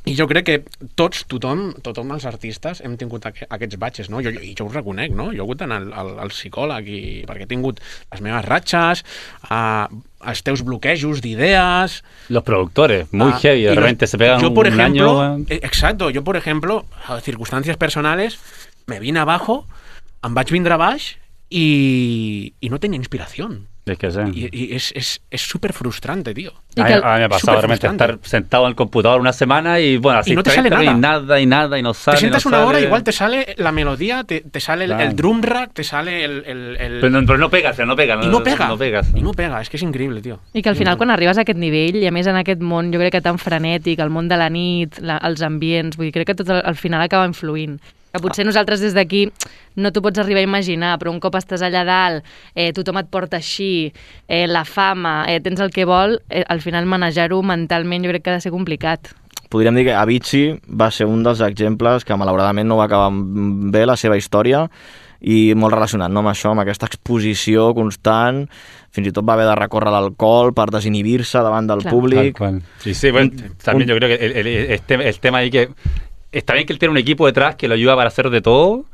I jo crec que tots, tothom, tothom els artistes hem tingut aqu aquests batxes, no? Jo, jo, I jo ho reconec, no? Jo he hagut d'anar al, al, al psicòleg i, perquè he tingut les meves ratxes, uh, els teus bloquejos d'idees... Los productores, muy Ah, heavy, y de los- repente se pegan yo, por un ejemplo, año... eh, exacto, yo por ejemplo, a circunstancias personales, me vine abajo, em vaig vindre baix i, i no tenia inspiració. Es que sí. Y, y es, es, es súper frustrante, tío. A mí, a mí me ha pasado realmente estar sentado en el computador una semana y bueno, así y no te sale nada. Y nada, y nada, y no sale. Te sientas no una sale. hora, igual te sale la melodía, te, te sale Claro. el, el drum rack, te sale el... el, el... Però, no, però no pega, no pega. I no pega. No pega. I no pega, és que és increïble, tio. I que al final, quan arribes a aquest nivell, i a més en aquest món, jo crec que tan frenètic, el món de la nit, la, els ambients, vull dir, crec que tot al, al final acaba influint. Que potser nosaltres des d'aquí no t'ho pots arribar a imaginar, però un cop estàs allà dalt, eh, tothom et porta així, eh, la fama, eh, tens el que vol, eh, al final manejar-ho mentalment jo crec que ha de ser complicat. Podríem dir que Avicii va ser un dels exemples que malauradament no va acabar bé la seva història i molt relacionat, no, amb això, amb aquesta exposició constant, fins i tot va haver de recórrer l'alcohol per desinhibir-se davant del Claro. públic. Tal cual. Sí, sí, bueno, también yo creo que el, el, el, tema, el tema ahí que está bien que él tiene un equipo detrás que lo ayuda para hacer de todo,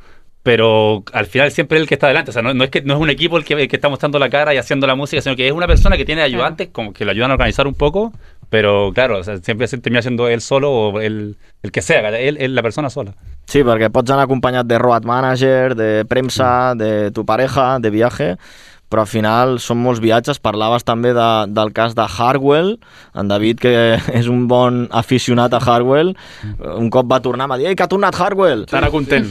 pero al final siempre es el que está adelante. O sea, no, no es que no es un equipo el que, el que está mostrando la cara y haciendo la música, sino que es una persona que tiene ayudantes como que lo ayudan a organizar un poco, pero claro, o sea, siempre se termina siendo él solo o el, el que sea, él, él la persona sola. Sí, perquè pots anar acompanyat de road manager, de premsa, de tu pareja, de viatge, però al final són molts viatges. Parlaves també de, del cas de Hardwell, en David, que és un bon aficionat a Hardwell, un cop va tornar, m'ha dit, ei, que ha tornat Hardwell! Estarà content.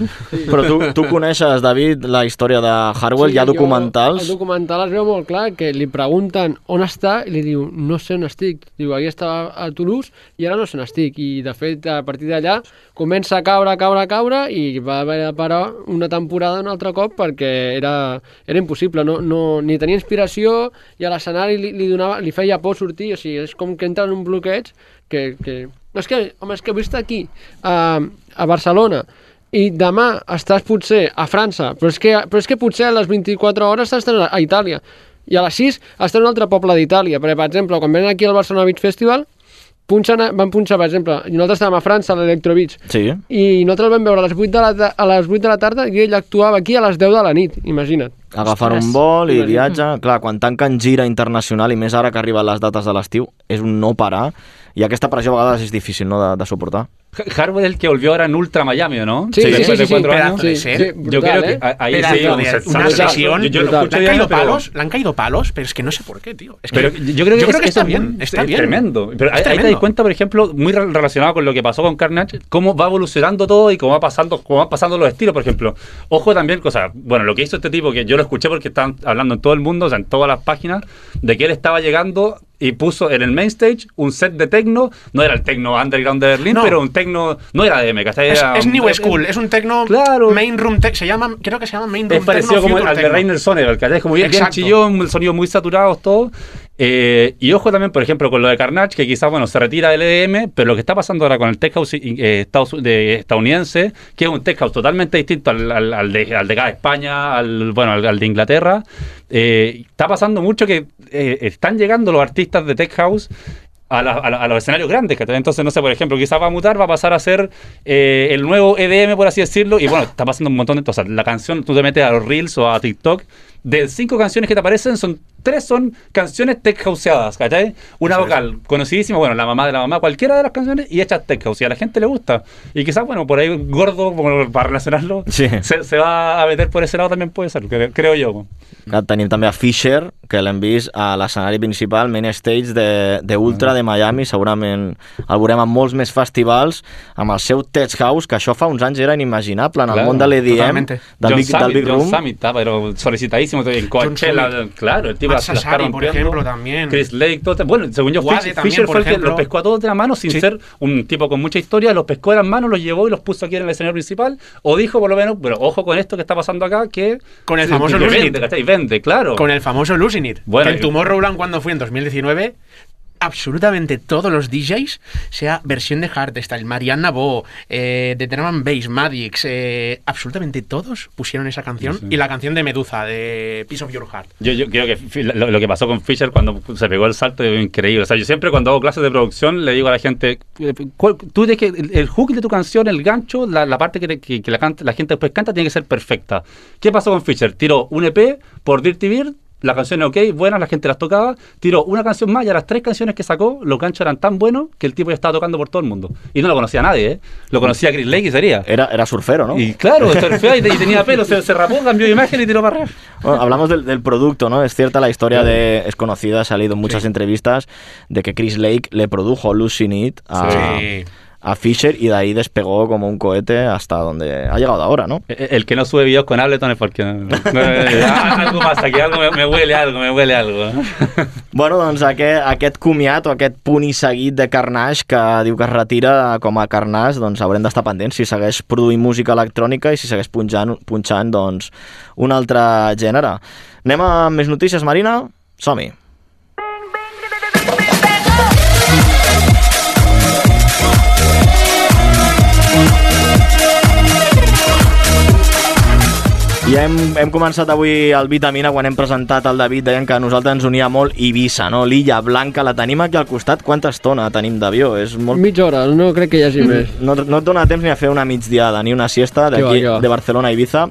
Però tu, tu coneixes, David, la història de Hardwell, Sí, hi ha jo- documentals... El documental es veu molt clar, que li pregunten on està i li diu, no sé on estic. Diu, ahir estava a Toulouse i ara no sé on estic. I de fet, a partir d'allà, comença a caure, a caure, a caure i va haver de parar una temporada un altre cop perquè era, era impossible. No, no, ni tenia inspiració i a l'escenari li, li, donava, li feia por sortir. O sigui, és com que entra en un bloqueig que... que... No, és que, home, és que vull estar aquí, a, a Barcelona, i demà estàs potser a França, però és que, però és que potser a les vint-i-quatre hores estàs a Itàlia, i a les sis estàs en un altre poble d'Itàlia, perquè, per exemple, quan venen aquí al Barcelona Beach Festival, punxen, van punxar, per exemple, i nosaltres estàvem a França, a l'Electro Beach, sí. i nosaltres el vam veure a les vuit de la, a les vuit de la tarda i ell actuava aquí a les deu de la nit, imagina't. Agafar un vol i viatge. Clar, quan tanquen gira internacional, i més ara que arriben les dates de l'estiu, és un no parar, i aquesta pressió a vegades és difícil, no?, de, de suportar. Hardwell es el que volvió ahora en Ultra Miami, ¿no? Sí, sí, Después sí, de sí, cuatro sí, años. sí, sí, Yo brutal, creo que ¿eh? ahí Pedazo sí, de- un set- una set- sesión yo, yo lo brutal. escucho Le han diario, caído pero- palos, le han caído palos, pero es que no sé por qué, tío. Es que, Pero yo creo que, es, está es bien, un- está es bien. tremendo. Pero ahí, Es ahí te das tremendo. cuenta, por ejemplo, muy re- relacionado con lo que pasó con Carnage, cómo va evolucionando todo y cómo va pasando, cómo van pasando los estilos, por ejemplo. Ojo también, cosa, bueno, lo que hizo este tipo, que yo lo escuché porque estaban hablando en todo el mundo, o sea, en todas las páginas, de que él estaba llegando y puso en el main stage un set de techno, no era el techno underground de Berlín, No. pero un techno, no era D M, ¿cachai? Es, Era es un- New School, es un techno Claro. main room tech, se llama, creo que se llama main room Es parecido techno, como future al de techno. Rainer Sonneberg, ¿cachai? Como bien, bien Exacto. chillón, el sonido muy saturados, todo. Eh, y ojo también, por ejemplo, con lo de Carnage, que quizás, bueno, se retira del E D M, pero lo que está pasando ahora con el tech house eh, Estados- de, estadounidense, que es un tech house totalmente distinto al, al, al de, al de acá de España, al, bueno, al, al de Inglaterra, eh, está pasando mucho que eh, están llegando los artistas de tech house a, la- a la- a los escenarios grandes, ¿cachai? Entonces, no sé, por ejemplo, quizás va a mutar, va a pasar a ser eh, el nuevo E D M, por así decirlo, y bueno, está pasando un montón de cosas. La canción, tú te metes a los Reels o a TikTok, de cinco canciones que te aparecen, son tres son canciones tech houseadas, ¿cachai? Una Eso es. vocal conocidísima, bueno, la mamá de la mamá, cualquiera de las canciones, y hechas tech house, y a la gente le gusta. Y quizás, bueno, por ahí gordo, como para relacionarlo, Sí. se, se va a meter por ese lado también puede ser, cre- creo yo. Que tenim també a Fisher, que l'hem vist a l'escenari principal, main stage de, de Ultra de Miami, segurament el veurem en molts més festivals, amb el seu Tech House, que això fa uns anys era inimaginable en el Claro, món de l'E D M, totalmente. del John Big, Summit, del Big John Room. Summit está, pero solicitadísimo en Coachella, Summit. claro, el tipo Matt la- la está Sassari, por rompiendo. ejemplo, también. Chris Lake, todo, bueno, según yo, Wade Fisher, también, Fisher por fue el que ejemplo. los pescó a todos de la mano sin Sí. ser un tipo con mucha historia, los pescó de las manos, los llevó y los puso aquí en el escenario principal, o dijo por lo menos, pero ojo con esto que está pasando acá, que Con el sí, famoso que Losing vende, It. ¿cachai? Vende, claro. Con el famoso Losing It. Bueno, que en y- Tomorrowland, cuando fui en dos mil diecinueve, absolutamente todos los D Js, sea versión de Hardstyle, Mariana Bo, eh, de Drum and Bass, Madix, eh, absolutamente todos pusieron esa canción, Sí, sí. y la canción de Medusa, de Piece of Your Heart. Yo, yo creo que fi- lo, lo que pasó con Fisher cuando se pegó el salto es increíble. O sea, yo siempre cuando hago clases de producción le digo a la gente, eh, ¿cuál- tú tienes que el, el hook de tu canción, el gancho, la, la parte que, te- que, que la, canta- la gente después canta tiene que ser perfecta. ¿Qué pasó con Fisher? Tiró un E P por Dirty Beard las canciones ok, buenas, la gente las tocaba, tiró una canción más y a las tres canciones que sacó, los ganchos eran tan buenos que el tipo ya estaba tocando por todo el mundo. Y no lo conocía nadie, ¿eh? Lo conocía Chris Lake y sería. Era, era surfero, ¿no? Y claro, surfeó y, y tenía pelo, se, se rapó, cambió de imagen y tiró para arriba. Bueno, hablamos del, del producto, ¿no? Es cierta la historia de... Es conocida, ha salido en muchas sí. entrevistas, de que Chris Lake le produjo Losing It a... Sí. a Fisher y de ahí despegó como un cohete hasta donde ha llegado ahora, ¿no? El, el que no sube videos con Ableton es porque no, no, algo pasa aquí, algo me, me huele algo, me huele algo. Bueno, doncs aquest, aquest comiat o aquest punt i seguit de Carnage que diu que es retira com a Carnage, doncs haurem d'estar pendents si segueix produint música electrònica i si segueix punxant, punxant doncs, un altre gènere. Anem a més notícies, Marina? Som-hi. I hem, hem començat avui el Vitamina quan hem presentat el David, deien que a nosaltres ens unia molt Eivissa, no? L'Illa Blanca, la tenim aquí al costat. Quanta estona tenim d'avió? És molt... Mitja hora, no crec que hi hagi més. No, no et dona temps ni a fer una migdiada ni una siesta d'aquí, de Barcelona a Ibiza.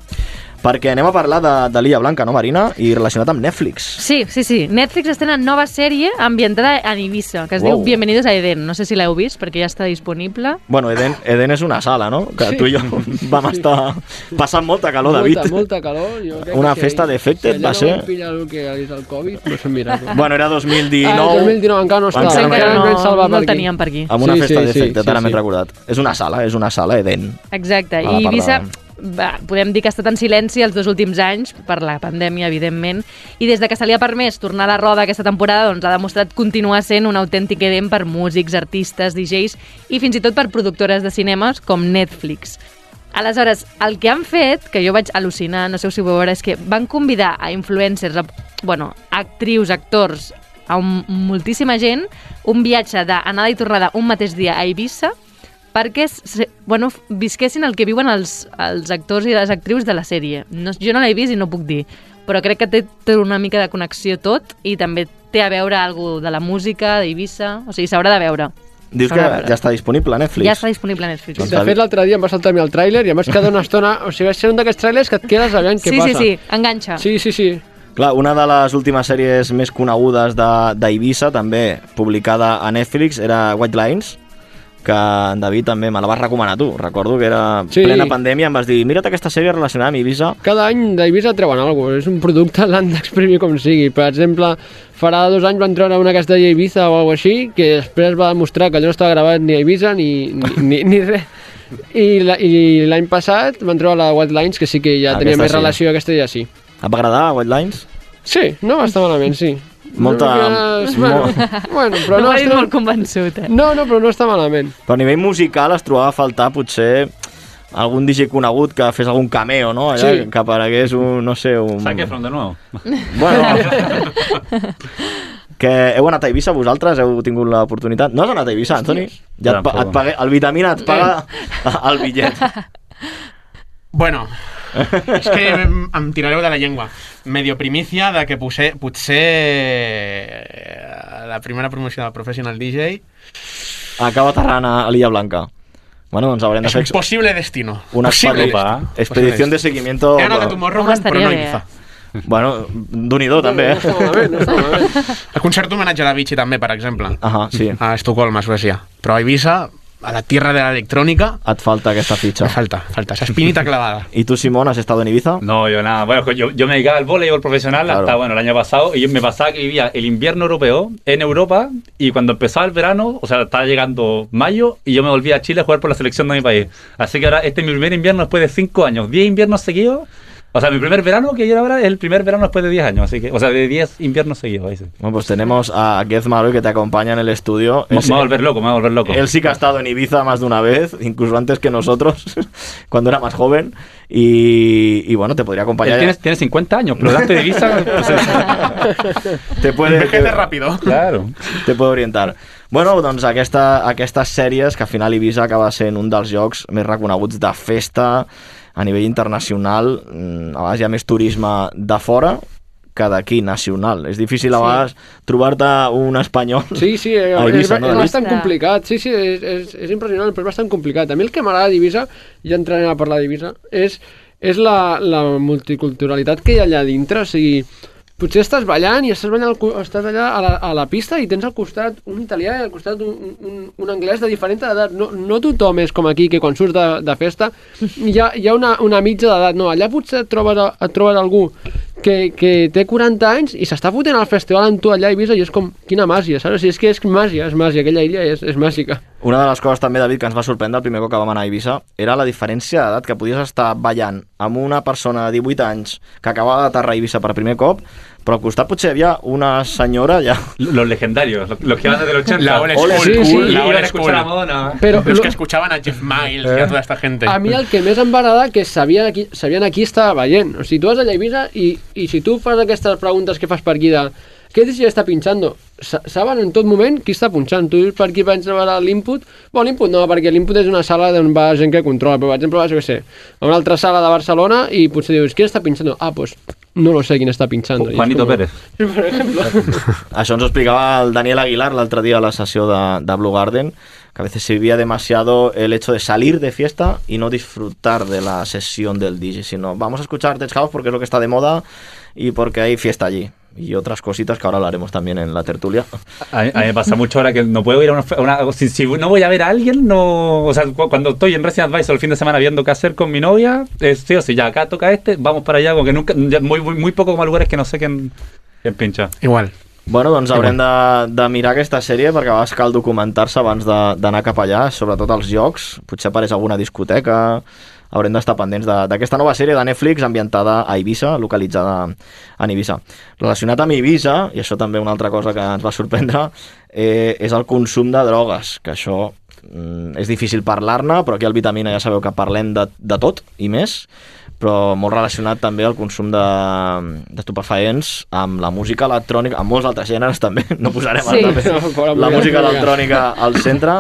Perquè anem a parlar de, de l'Illa Blanca, no, Marina? I relacionat amb Netflix. Sí, sí, sí. Netflix estrena nova sèrie ambientada en Ibiza, que es wow. diu Bienvenidos a Eden. No sé si l'heu vist, perquè ja està disponible. Bueno, Eden, Eden és una sala, no? Que sí. tu i jo vam estar passant molta calor, David. Molta, molta calor. Jo crec una que festa si, d'efectes si va ser... Si allà no vam pillar el que és el Covid, no és un miracle. Bueno, era dos mil dinou. Ah, dos mil dinou encara no estava. Encara, encara no, no, no el per teníem per aquí. Amb una sí, festa sí, d'efectes, sí, ara sí, m'he sí. recordat. És una sala, és una sala, Eden. Exacte, i Ibiza... Va, podem dir que ha estat en silenci els dos últims anys per la pandèmia, evidentment, i des de que se li ha permès tornar a la roda aquesta temporada, doncs ha demostrat continuar sent un autèntic Eden per músics, artistes, D Js i fins i tot per productores de cinemes com Netflix. Aleshores, el que han fet, que jo vaig al·lucinar, no sé si ho veurà, és que van convidar a influencers, a, bueno, actrius, actors, a un, moltíssima gent, un viatge d'anada i tornada un mateix dia a Ibiza, perquè bueno, visquessin el que viuen els, els actors i les actrius de la sèrie. No, jo no l'he vist i no puc dir, però crec que té, té una mica de connexió tot i també té a veure alguna de la música, d'Ibiza, o sigui, s'haurà de veure. Dius que ja està disponible a Netflix? Ja està disponible a Netflix. De fet, l'altre dia em va saltar a mi el tràiler i em vaig quedar una estona... O sigui, va ser un d'aquests tràilers que et quedes aviam què sí, passa. Sí, sí, sí, enganxa. Sí, sí, sí. Clar, una de les últimes sèries més conegudes d'Ibiza, també publicada a Netflix, era White Lines, que en David també me la vas recomanar tu. Recordo que era sí. plena pandèmia, em vas dir, mira't aquesta sèrie relacionada amb Ibiza. Cada any d'Ibiza treuen alguna cosa, és un producte, l'han d'exprimir com sigui. Per exemple, farà dos anys van treure una castella a Ibiza o alguna així, que després va demostrar que allò no estava gravat ni a Ibiza ni, ni, ni, ni res. I l'any passat van treure la White Lines, que sí que ja tenia més sí. relació, aquesta ja sí. Et va agradar White Lines? Sí, no va estar malament, sí. Molta... No, bueno, bueno, però no, no està està... molt convençut, eh? No, no, però no està malament. Però a nivell musical es trobava a faltar potser algun D J conegut que fes algun cameo, no? Allà, sí. Que aparegués un, no sé, un... Zac Efron de nou. Bueno... Que heu anat a Ibiza, vosaltres? Heu tingut l'oportunitat? No has anat a Ibiza, Antoni? Ja et, et pague, el Vitamina et paga el bitllet. Bueno, és que em tirareu de la llengua. Medio primicia de que potser, potser la primera promoció del Professional D J acaba aterrant a l'Illa Blanca. Bueno, doncs haurem de fer... És un possible destino. Una expedició de seguimiento... He anat a Tomorrowland, però no a Ibiza. Bueno, d'un-i-do, també, eh? No està malament, no està malament. El concert homenatge a la Avicii, també, per exemple. Ah, sí. A Estocolm, a Suècia. Però a Ibiza, a la tierra de la electrónica... Et falta aquesta fitxa. Me falta, falta, esa espinita clavada. ¿Y tú, Simón, has estado en Ibiza? No, yo nada. Bueno, yo, yo me dedicaba al voleibol profesional claro. hasta, bueno, el año pasado, y yo me pasaba que vivía el invierno europeo en Europa, y cuando empezaba el verano, o sea, estaba llegando mayo, y yo me volví a Chile a jugar por la selección de mi país. Así que ahora, este es mi primer invierno después de cinco años, diez inviernos seguidos. O sea, mi primer verano que yo ahora es el primer verano después de diez años, así que, o sea, de diez inviernos seguidos. Ahí sí. Bueno, pues tenemos a Gez Maroy que te acompaña en el estudio. Me, me va a volver loco, me va a volver loco. Él sí que ha estado en Ibiza más de una vez, incluso antes que nosotros, cuando era más joven, y, y bueno, te podría acompañar. Tienes, tienes cincuenta años, pero delante de Ibiza... Pues, te puede... Envejece rápido. Claro. Te puede orientar. Bueno, doncs aquesta, aquestes sèries, que al final Ibiza acaba sent un dels llocs més reconeguts de festa a nivell internacional. A vegades hi ha més turisme de fora que d'aquí, nacional. És difícil a vegades sí. trobar-te un espanyol sí, sí, a Ibiza. És, no? és bastant complicat. Sí, sí, és, és, és impressionant, però és bastant complicat. A mi el que m'agrada d'Ibiza, ja entrarem a parlar d'Ibiza, és, és la, la multiculturalitat que hi ha allà dintre. O sigui, potser estàs ballant i estàs ballant, al, estàs allà a la, a la pista i tens al costat un italià i al costat un, un, un anglès de diferent edat. No, no tothom és com aquí, que quan surts de, de festa hi ha, hi ha una, una mitja d'edat. No, allà potser et trobes, et trobes algú que, que té quaranta anys i s'està fotent al festival amb tu allà a Eivissa i és com, quina màgia, saps? Si és que és màgia, és màgia, aquella illa és, és màgica. Una de les coses també, David, que ens va sorprendre el primer cop que vam anar a Eivissa era la diferència d'edat, que podies estar ballant amb una persona de divuit anys que acabava d'aterrar a Eivissa per primer cop, però al costat potser hi havia una senyora ja... Los legendarios, los que van desde el ochenta. La old school, sí, sí, la old old school. A Madonna. Pero los que escuchaban a Jeff Miles eh. y a toda esta gente. A mi el que més em va agradar que sabien aquí, sabien aquí estava veient. O sigui, tu vas allà a Eivissa i, i si tu fas aquestes preguntes que fas per aquí de què D J està pinxando? Saben en tot moment qui està punxant. Tu per aquí vaig veure l'input. Bueno, l'input no, perquè l'input és una sala on va gent que controla, però per exemple vas, jo què sé, a una altra sala de Barcelona i potser dius, qui està pinxando? Ah, doncs pues, no lo sé quién está pinchando. Juanito com... Pérez. Per exemple. Això ens ho explicava el Daniel Aguilar l'altre dia a la sessió de, de Blue Garden, que a veces servía demasiado el hecho de salir de fiesta y no disfrutar de la sesión del D J, sino vamos a escuchar Tech House porque es lo que está de moda y porque hay fiesta allí. Y otras cositas que ahora hablaremos también en la tertulia. A mí, a mí me pasa mucho ahora que no puedo ir a una... una si, si no voy a ver a alguien, no... O sea, cuando estoy en Resident Advisor el fin de semana viendo qué hacer con mi novia, es, sí o sí, ya acá toca este, vamos para allá, porque nunca, ya muy, muy, muy poco como lugares que no sé quién, quién pincha. Igual. Bueno, doncs haurem de, de mirar aquesta sèrie perquè a vegades cal documentar-se abans d'anar cap allà, sobretot als llocs, potser apareix alguna discoteca, haurem d'estar pendents d'aquesta nova sèrie de Netflix ambientada a Eivissa, localitzada en Eivissa. Relacionat amb Eivissa, i això també una altra cosa que ens va sorprendre, eh, és el consum de drogues, que això mm, és difícil parlar-ne, però aquí al Vitamina ja sabeu que parlem de, de tot i més, però molt relacionat també al consum d'estupefaents amb la música electrònica, amb molts altres gèneres també, no posarem sí. també la música electrònica al centre,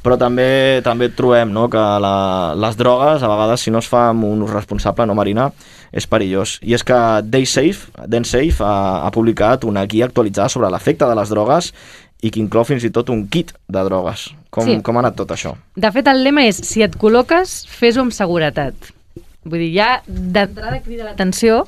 però també també trobem no, que la, les drogues, a vegades, si no es fa amb un ús responsable, no, Marina, és perillós. I és que DaySafe, DenSafe ha, ha publicat una guia actualitzada sobre l'efecte de les drogues i que inclou fins i tot un kit de drogues. Com, sí. com ha anat tot això? De fet, el lema és, si et col·loques, fes-ho amb seguretat. Vull dir, ja d'entrada crida l'atenció,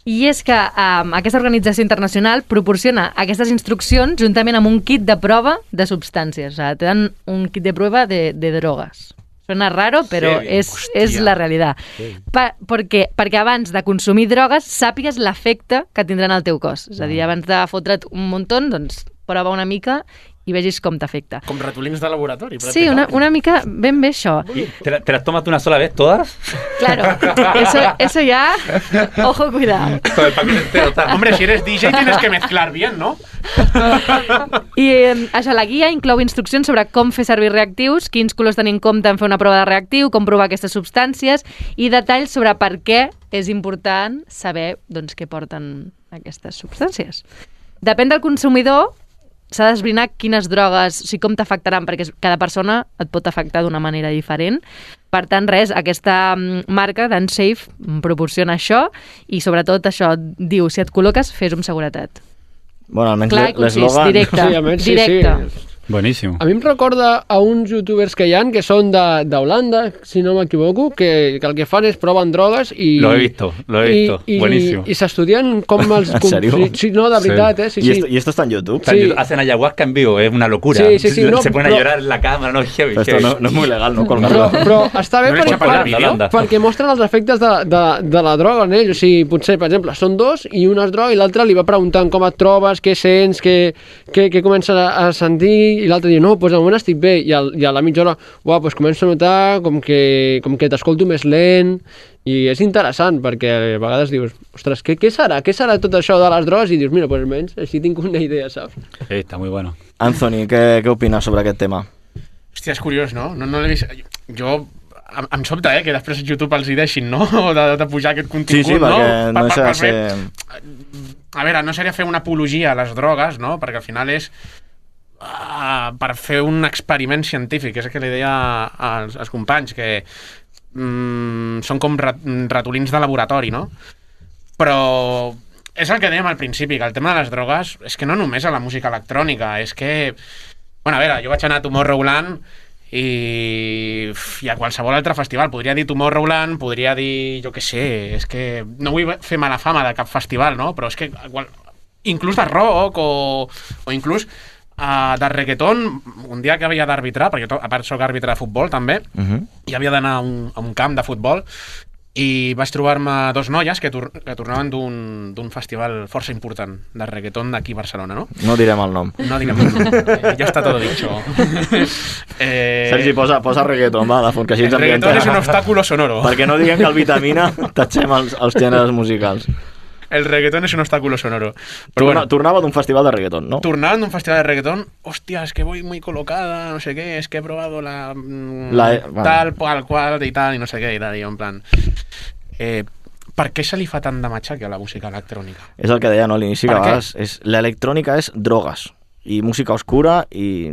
i és que um, aquesta organització internacional proporciona aquestes instruccions juntament amb un kit de prova de substàncies. O sigui, te dan un kit de prova de, de drogues. Suena raro, però sí, és, és la realitat. Sí. Pa, perquè, perquè abans de consumir drogues sàpigues l'efecte que tindran al teu cos. És a dir, abans de fotre't un muntó, doncs prova una mica i vegis com t'afecta. Com ratolins de laboratori. Sí, una, una mica ben bé això. ¿Te, ¿Te las tomas una sola vez todas? Claro, eso, eso ya, ojo, cuidado. Todo el paquete entero está. Hombre, si eres D J tienes que mezclar bien, ¿no? I eh, això, la guia inclou instruccions sobre com fer servir reactius, quins colors tenir en compte en fer una prova de reactiu, com provar aquestes substàncies i detalls sobre per què és important saber doncs, què porten aquestes substàncies. Depèn del consumidor, s'ha d'esbrinar quines drogues, o sigui, com t'afectaran, perquè cada persona et pot afectar d'una manera diferent. Per tant, res, aquesta marca, DenSafe, proporciona això i sobretot això, diu, si et col·loques, fes-ho amb seguretat. Bueno, almenys clar i concís, directe, sí, almenys, directe. Sí, sí. Buenísimo. A mi em recorda a uns youtubers que hi ha que són d'Holanda, si no m'equivoco, que, que el que fan és proven drogues i... Lo he visto, lo he visto, i, buenísimo. I, i s'estudien com els... ¿En serio? Sí, sí, no, de veritat, sí. eh? Sí, ¿Y, sí. esto, ¿Y esto está en YouTube? Sí. Hacen ayahuasca en vivo, es una locura. Sí, sí, sí, no, se ponen però... a llorar en la cámara, no, heavy, Esto heavy. no, no es muy legal, no? Però, però està bé no perquè, per, perquè mostren els efectes de, de, de la droga en ells. O sigui, potser, per exemple, són dos i un es droga i l'altre li va preguntant com et trobes, què sents, què, què, què comences a, a sentir, i l'altre diu, no, doncs de moment estic bé, i, al, i a la mitja hora, uah, doncs començo a notar com que, com que t'escolto més lent, i és interessant, perquè a vegades dius, ostres, què, què serà? Què serà tot això de les drogues? I dius, mira, doncs almenys així tinc una idea, saps? Sí, està muy bueno. Anthony, què, què opines sobre aquest tema? Hòstia, és curiós, no? No, no l'he vist... Jo... Em, em sobta, eh, que després YouTube els hi deixin, no? De, de pujar aquest contingut, sí, sí, no? perquè no deixa de ser... A veure, no seria fer una apologia a les drogues, no? Perquè al final és... Uh, per fer un experiment científic, és el que li deia als, als companys, que mm, són com rat, ratolins de laboratori, no? Però és el que dèiem al principi, que el tema de les drogues és que no només a la música electrònica, és que... Bueno, a veure, jo vaig anar a Tomorrowland i, i a qualsevol altre festival. Podria dir Tomorrowland, podria dir, jo què sé, és que no vull fer mala fama de cap festival, no? Però és que qual, inclús de rock o, o inclús uh, de reggaeton, un dia que havia d'arbitrar, perquè jo a part soc àrbitre de futbol també, uh-huh. i havia d'anar a, un, a un camp de futbol, i vaig trobar-me dos noies que, tor que tornaven d'un festival força important de reggaeton d'aquí a Barcelona, no? No direm el nom. No direm el nom. Eh, ja està tot dicho. eh... Sergi, posa, posa reggaeton, va, de fons, que així ens el reggaeton és un obstáculo sonoro. Perquè no diguem que el Vitamina tatxem els, els gèneres musicals. El reggaeton és un obstáculo sonoro. Però Torna, bueno, tornava d'un festival de reggaeton, ¿no? Tornava d'un festival de reggaeton. Hostia, es que voy muy colocada, no sé qué, es que he probado la... la tal, bueno. cual, cual, i tal, i no sé què, i tal, i en plan... Eh, per què se li fa tant de matxaque a la música electrònica? És el que deia, no, a l'inici, que a vegades l'electrònica és drogues i música oscura i...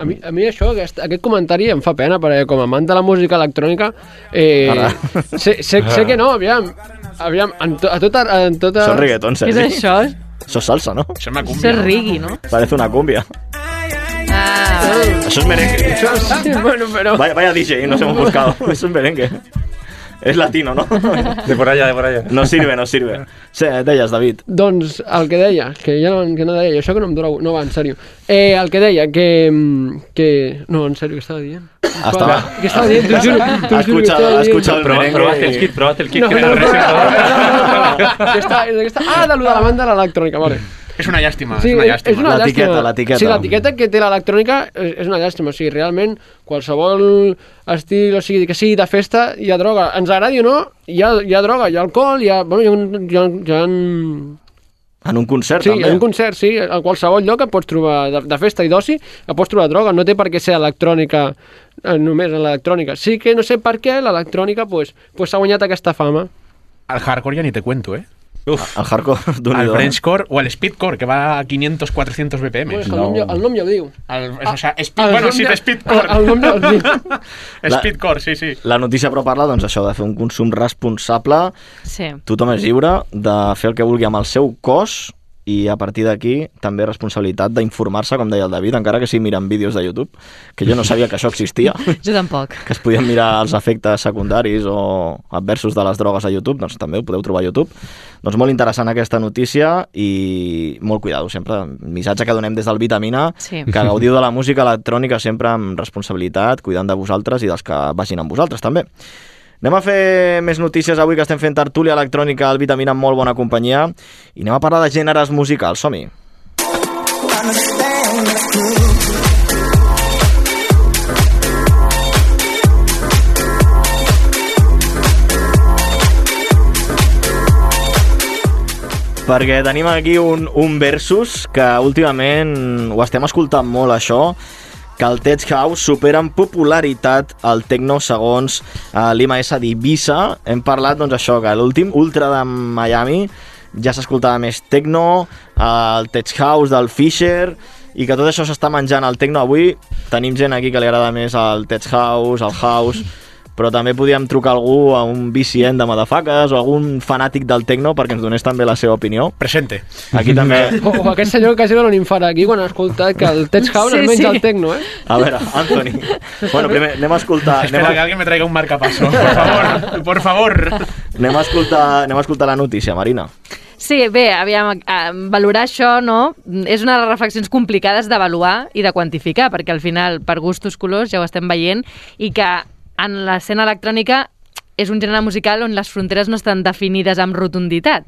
A mi, a mi això, aquest, aquest comentari em fa pena, perquè com a amant de la música electrònica, eh, sé, sé, sé que no, aviam, aviam, en, to, a tota, en tota... Això és reggaeton, Sergi. Què és això? Això és salsa, no? Això és una cumbia. Això és reggae, no? Parece una cumbia. Ah, això és merengue. Això sí, bueno, pero... Vaya, vaya D J, nos hemos buscado. Eso es merengue. És latino, no? De por allá, de por allá. No sirve, no sirve. Sí, deies, David. Doncs el que deia, que ja no, que no deia, això que no em dura... No, va, en sèrio. Eh, el que deia, que... que... No, en sèrio, què estava dient? Estava... Què estava dient? T'ho juro, t'ho juro, escucha, escucha el merengue. Probaste el kit, probaste el kit. No, no, no, no, no, ah, de lo de la banda de l'electrònica, vale. És una llàstima, sí, és una llàstima. És una l'etiqueta, l'etiqueta. Sí, l'etiqueta que té l'electrònica és una llàstima. O sigui, realment, qualsevol estil, o sigui, que sigui de festa, hi ha droga. Ens agradi o no, hi ha, hi ha droga, hi ha alcohol, hi ha... Bueno, hi ha, hi ha, hi ha... En un concert, sí, també. Sí, en un concert, sí. A qualsevol lloc et pots trobar, de, de festa i d'oci, et pots trobar droga. No té per què ser electrònica, eh, només en l'electrònica. Sí que no sé per què l'electrònica pues, pues, s'ha guanyat aquesta fama. El hardcore ja ni te cuento, eh? Uf, el hardcore d'un el Frenchcore o el speedcore, que va a quinientos cuatrocientos B P M. Bueno, el, nom ja, el nom ja ho diu. El, o sea, speed, bueno, sí, de speedcore. El, el nom ja ho diu. Speedcore, sí, sí. La notícia però parla, doncs, això de fer un consum responsable. Sí. Tothom és lliure de fer el que vulgui amb el seu cos i a partir d'aquí també responsabilitat d'informar-se, com deia el David, encara que sigui mirant vídeos de YouTube, que jo no sabia que això existia. Jo tampoc. Que es podien mirar els efectes secundaris o adversos de les drogues a YouTube, doncs també ho podeu trobar a YouTube. Doncs molt interessant aquesta notícia i molt cuidado sempre. Missatge que donem des del Vitamina, sí. Que gaudiu de la música electrònica sempre amb responsabilitat, cuidant de vosaltres i dels que vagin amb vosaltres també. Anem a fer més notícies avui que estem fent tertúlia electrònica al Vitamina amb molt bona companyia i anem a parlar de gèneres musicals. Som-hi! Perquè tenim aquí un, un versus que últimament ho estem escoltant molt, això, que el Tech House supera en popularitat el techno segons uh, l'I M A S d'Ibiza. Hem parlat, doncs, això, que l'últim Ultra de Miami ja s'escoltava més techno, uh, el Tech House del Fisher, i que tot això s'està menjant el techno. Avui tenim gent aquí que li agrada més el Tech House, el House, però també podíem trucar algú a un V C N de Madafaques o algun fanàtic del techno perquè ens donés també la seva opinió. Presente. Aquí també... O, o aquest senyor que ha sigut un infart aquí quan ha escoltat que el Tech House sí, es menja sí. el techno, eh? A veure, Anthony. Bueno, primer anem a escoltar... Espera anem a... que alguien me traiga un marcapaso, por favor, por favor. Anem a escoltar, anem a escoltar la notícia, Marina. Sí, bé, aviam, valorar això, no? És una de les reflexions complicades d'avaluar i de quantificar, perquè al final, per gustos, colors, ja ho estem veient, i que en l'escena electrònica és un gènere musical on les fronteres no estan definides amb rotunditat.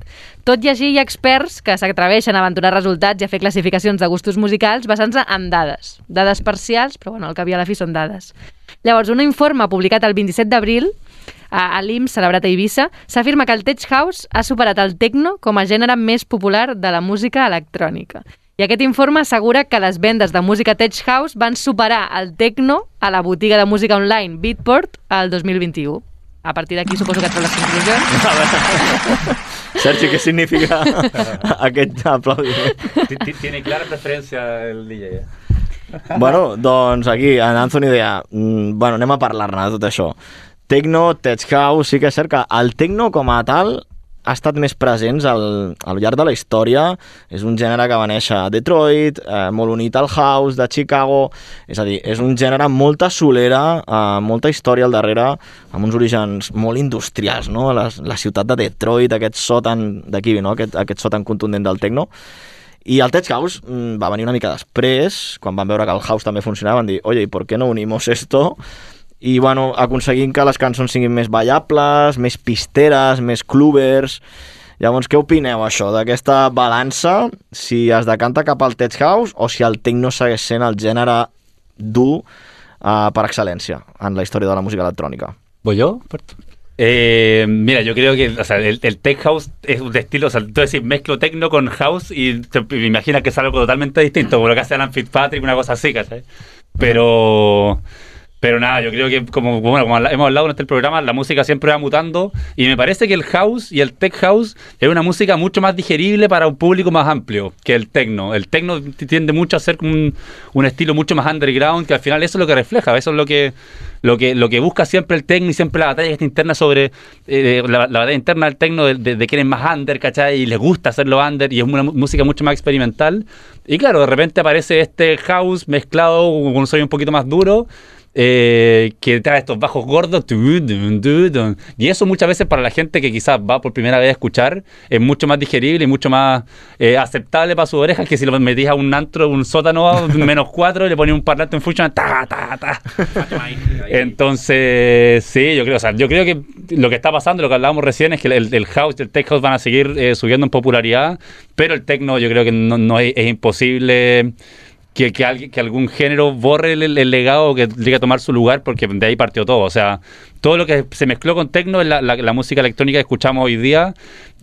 Tot i així hi ha experts que s'atreveixen a aventurar resultats i a fer classificacions de gustos musicals basant-se en dades. Dades parcials, però bueno, al cap i a la fi són dades. Llavors, un informe publicat el vint-i-set d'abril a l'I M S, celebrat a Eivissa, s'afirma que el Tech House ha superat el techno com a gènere més popular de la música electrònica. I aquest informe assegura que les vendes de música Tech House van superar el techno a la botiga de música online Beatport el dos mil vint-i-u. A partir d'aquí suposo que et les conclusions. Sergi, què significa aquest aplaudiment? Tiene clara preferència el D J. Bueno, doncs aquí, en Anthony deia, mm, bueno, anem a parlar-ne de tot això. Techno, Tech House, sí que és cert que el techno com a tal ha estat més presents al, al llarg de la història. És un gènere que va néixer a Detroit, eh, molt unit al house de Chicago, és a dir, és un gènere amb molta solera, eh, molta història al darrere, amb uns orígens molt industrials, no? La, la ciutat de Detroit, aquest so tan d'aquí, no? aquest, aquest so tan contundent del techno. I el Tech House mm, va venir una mica després, quan van veure que el house també funcionava, van dir, oye, ¿y por qué no unimos esto? I, bueno, aconseguint que les cançons siguin més ballables, més pisteres, més clubbers. Llavors, què opineu, això, d'aquesta balança, si es decanta cap al Tech House o si el techno segueix sent el gènere dur uh, per excel·lència en la història de la música electrònica? ¿Voy yo? Eh, mira, yo creo que o sea, el, el Tech House es un estilo, o sea, tú decís mezclo techno con house y te, me imaginas que es algo totalmente distinto, como lo que hace Alan Fitzpatrick, una cosa así, ¿cachai? Pero... Pero nada, yo creo que como, bueno, como hemos hablado en este programa, la música siempre va mutando y me parece que el house y el tech house es una música mucho más digerible para un público más amplio que el techno. El techno tiende mucho a ser un, un estilo mucho más underground, que al final eso es lo que refleja, eso es lo que lo que lo que busca siempre el techno y siempre la batalla está interna sobre eh, la, la batalla interna del techno de, de, de quién es más under, ¿cachai? Y les gusta hacerlo under y es una música mucho más experimental. Y claro, de repente aparece este house mezclado con un sonido un poquito más duro. Eh, que trae estos bajos gordos y eso muchas veces para la gente que quizás va por primera vez a escuchar es mucho más digerible y mucho más eh, aceptable para sus orejas que si lo metís a un antro, un sótano menos cuatro y le ponís un parlante en function ta, ta, ta. Entonces sí, yo creo, o sea, yo creo que lo que está pasando, lo que hablábamos recién es que el, el house y el tech house van a seguir eh, subiendo en popularidad, pero el techno yo creo que no, no es, es imposible Que, que, alguien, que algún género borre el, el legado o que llegue a tomar su lugar, porque de ahí partió todo. O sea, todo lo que se mezcló con techno es la, la, la música electrónica que escuchamos hoy día.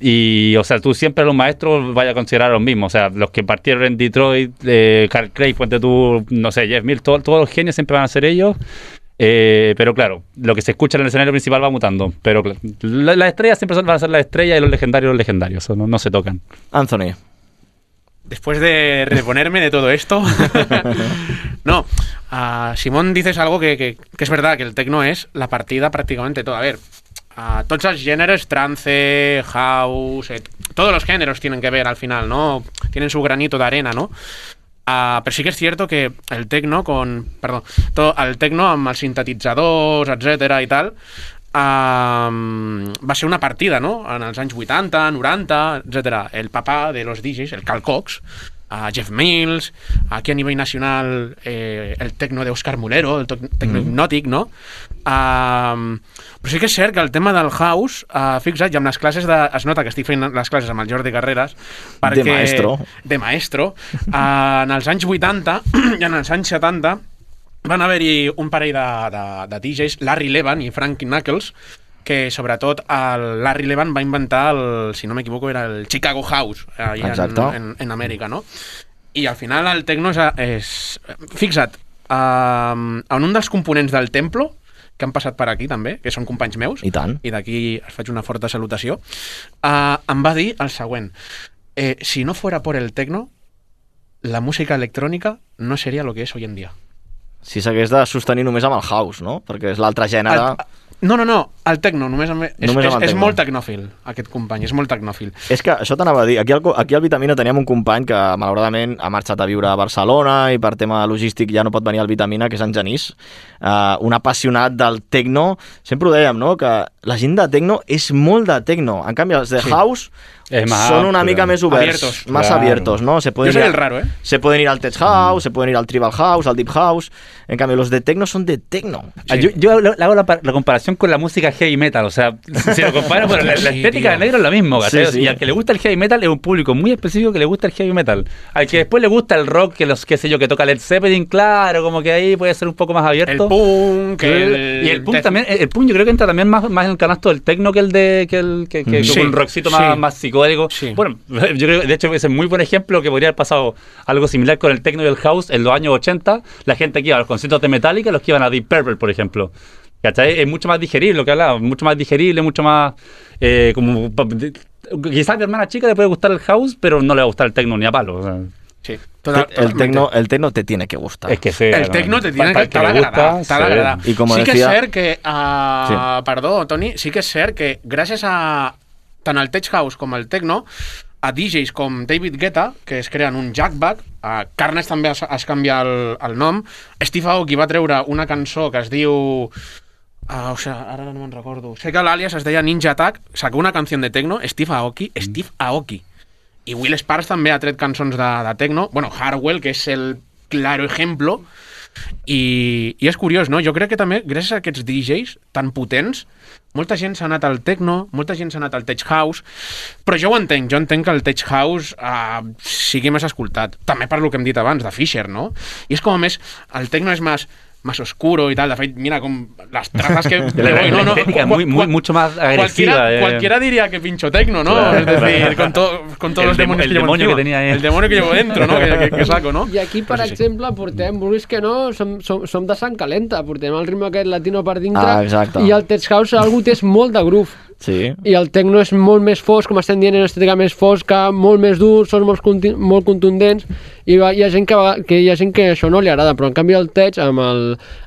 Y, o sea, tú siempre a los maestros vayas a considerar los mismos. O sea, los que partieron en Detroit, eh, Carl Craig, ponte tú, no sé, Jeff Mills, todo, todos los genios siempre van a ser ellos. Eh, pero claro, lo que se escucha en el escenario principal va mutando. Pero la, las estrellas siempre van a ser las estrellas y los legendarios los legendarios. No, no se tocan. Anthony. Después de reponerme de todo esto, no, uh, Simón, dices algo que, que, que es verdad, que el techno es la partida prácticamente toda. A ver, uh, tots els gèneres, trance, house, eh, todos los géneros tienen que ver al final, ¿no? Tienen su granito de arena, ¿no? Uh, pero sí que es cierto que el techno con, perdón, todo, el techno amb els sintetitzadors, etcètera i tal, Uh, va ser una partida, no? En els anys vuitanta, noranta, etcètera. El papà de los D Js, el Carl Cox, uh, Jeff Mills, aquí a nivell nacional eh, el techno d'Òscar Mulero, el techno hipnòtic, no? Uh, però sí que és cert que el tema del house, uh, fixa't, i amb les classes de, es nota que estic fent les classes amb el Jordi Carreras perquè, de maestro de maestro uh, en els anys vuitanta i en els anys setanta van haver-hi un parell de, de, de D Js, Larry Levan i Frank Knuckles, que sobretot el Larry Levan va inventar el, si no m'equivoco, era el Chicago House allà en, en, en Amèrica, no? I al final el techno és... és fixa't, uh, en un dels components del Templo, que han passat per aquí també, que són companys meus, i tant, i d'aquí es faig una forta salutació, uh, em va dir el següent: eh, si no fuera por el techno, la música electrònica no seria lo que és hoy en día. Si s'hagués de sostenir només amb el house, no? Perquè és l'altre gènere... El, no, no, no, el techno, només amb, és, només amb és, és techno. molt tecnòfil, aquest company, és molt tecnòfil. És que això t'anava a dir, aquí al, aquí al Vitamina teníem un company que malauradament ha marxat a viure a Barcelona i per tema logístic ja no pot venir al Vitamina, que és en Genís, uh, un apassionat del techno. Sempre ho dèiem, no?, que la gent de techno és molt de techno, en canvi els de sí. house más, son una mica més oberts, abiertos, más claro. abiertos, ¿no? Se pueden Yo soy ir, el raro, ¿eh? Se pueden ir al tech house, mm. se pueden ir al tribal house, al deep house. En cambio, los de techno son de techno. Sí. Yo, yo hago la, la comparación con la música heavy metal, o sea, si lo comparo, bueno, la, la estética sí, de negro es lo mismo, sí, sí. Y al que le gusta el heavy metal es un público muy específico que le gusta el heavy metal. Al que después le gusta el rock, que los, qué sé yo, que toca Led Zeppelin, claro, como que ahí puede ser un poco más abierto. El punk, el... Y el punk también, el punk yo creo que entra también más, más en el canasto del techno que el de, que el, que, que sí, un rockcito sí. más, más psicodélico. Sí. Bueno, yo creo, de hecho, ese es muy buen ejemplo que podría haber pasado algo similar con el techno y el house en los años ochenta. La gente que iba a los conciertos de Metallica, los que iban a Deep Purple, por ejemplo. ¿Cachai? Es mucho más digerible lo que hablaba, mucho más digerible, mucho más eh, como quizás a mi hermana chica le puede gustar el house, pero no le va a gustar el techno ni a palo. O sea. Sí. Toda, el techno, el techno te tiene que gustar. Es que sí, el techno te tiene que, que agradar. Sí. I com sí decía, que és cert que, uh, sí. perdó, Toni, sí que és cert que gràcies a tant el Tech House com el Techno, a D Js com David Guetta, que es creen un jackback, a Carnage també es, es canvia el, el nom, Steve Aoki va treure una cançó que es diu... Uh, o sigui, ara no me'n recordo. Sé que l'àlies es deia Ninja Attack, sacó una canció de Techno, Steve Aoki, mm. Steve Aoki. I Will Sparks també ha tret cançons de, de Techno. Bueno, Hardwell, que és el claro ejemplo. I, i és curiós, no? Jo crec que també, gràcies a aquests D Js tan potents, molta gent s'ha anat al techno, molta gent s'ha anat al tech house, però jo ho entenc, jo entenc que el tech house uh, sigui més escoltat. També per lo que hem dit abans, de Fisher, no? I és com a més, el techno és més... más oscuro y tal, de fet, mira com las trazas que... la, la, no, no, la muy, muy, mucho más agresiva. Cualquiera, eh. cualquiera diría que pincho tecno, ¿no? Claro, es decir, claro. con, to, con todos el los demonios el que llevo demonio encima. que tenía ahí. El demonio que llevo dentro, ¿no? que, que, que saco, no? I aquí, per pues exemple, sí. portem, vulguis que no, som, som, som de sang calenta, portem el ritme aquest latino per dintre, ah, exacte. i el tech house algú té molt de groove. Sí. I el techno és molt més fosc, com estem dient, en estètica més fosca, molt més dur, són molt, conti- molt contundents, i va, hi ha gent que, que hi ha gent que això no li agrada, però en canvi el tech, amb el,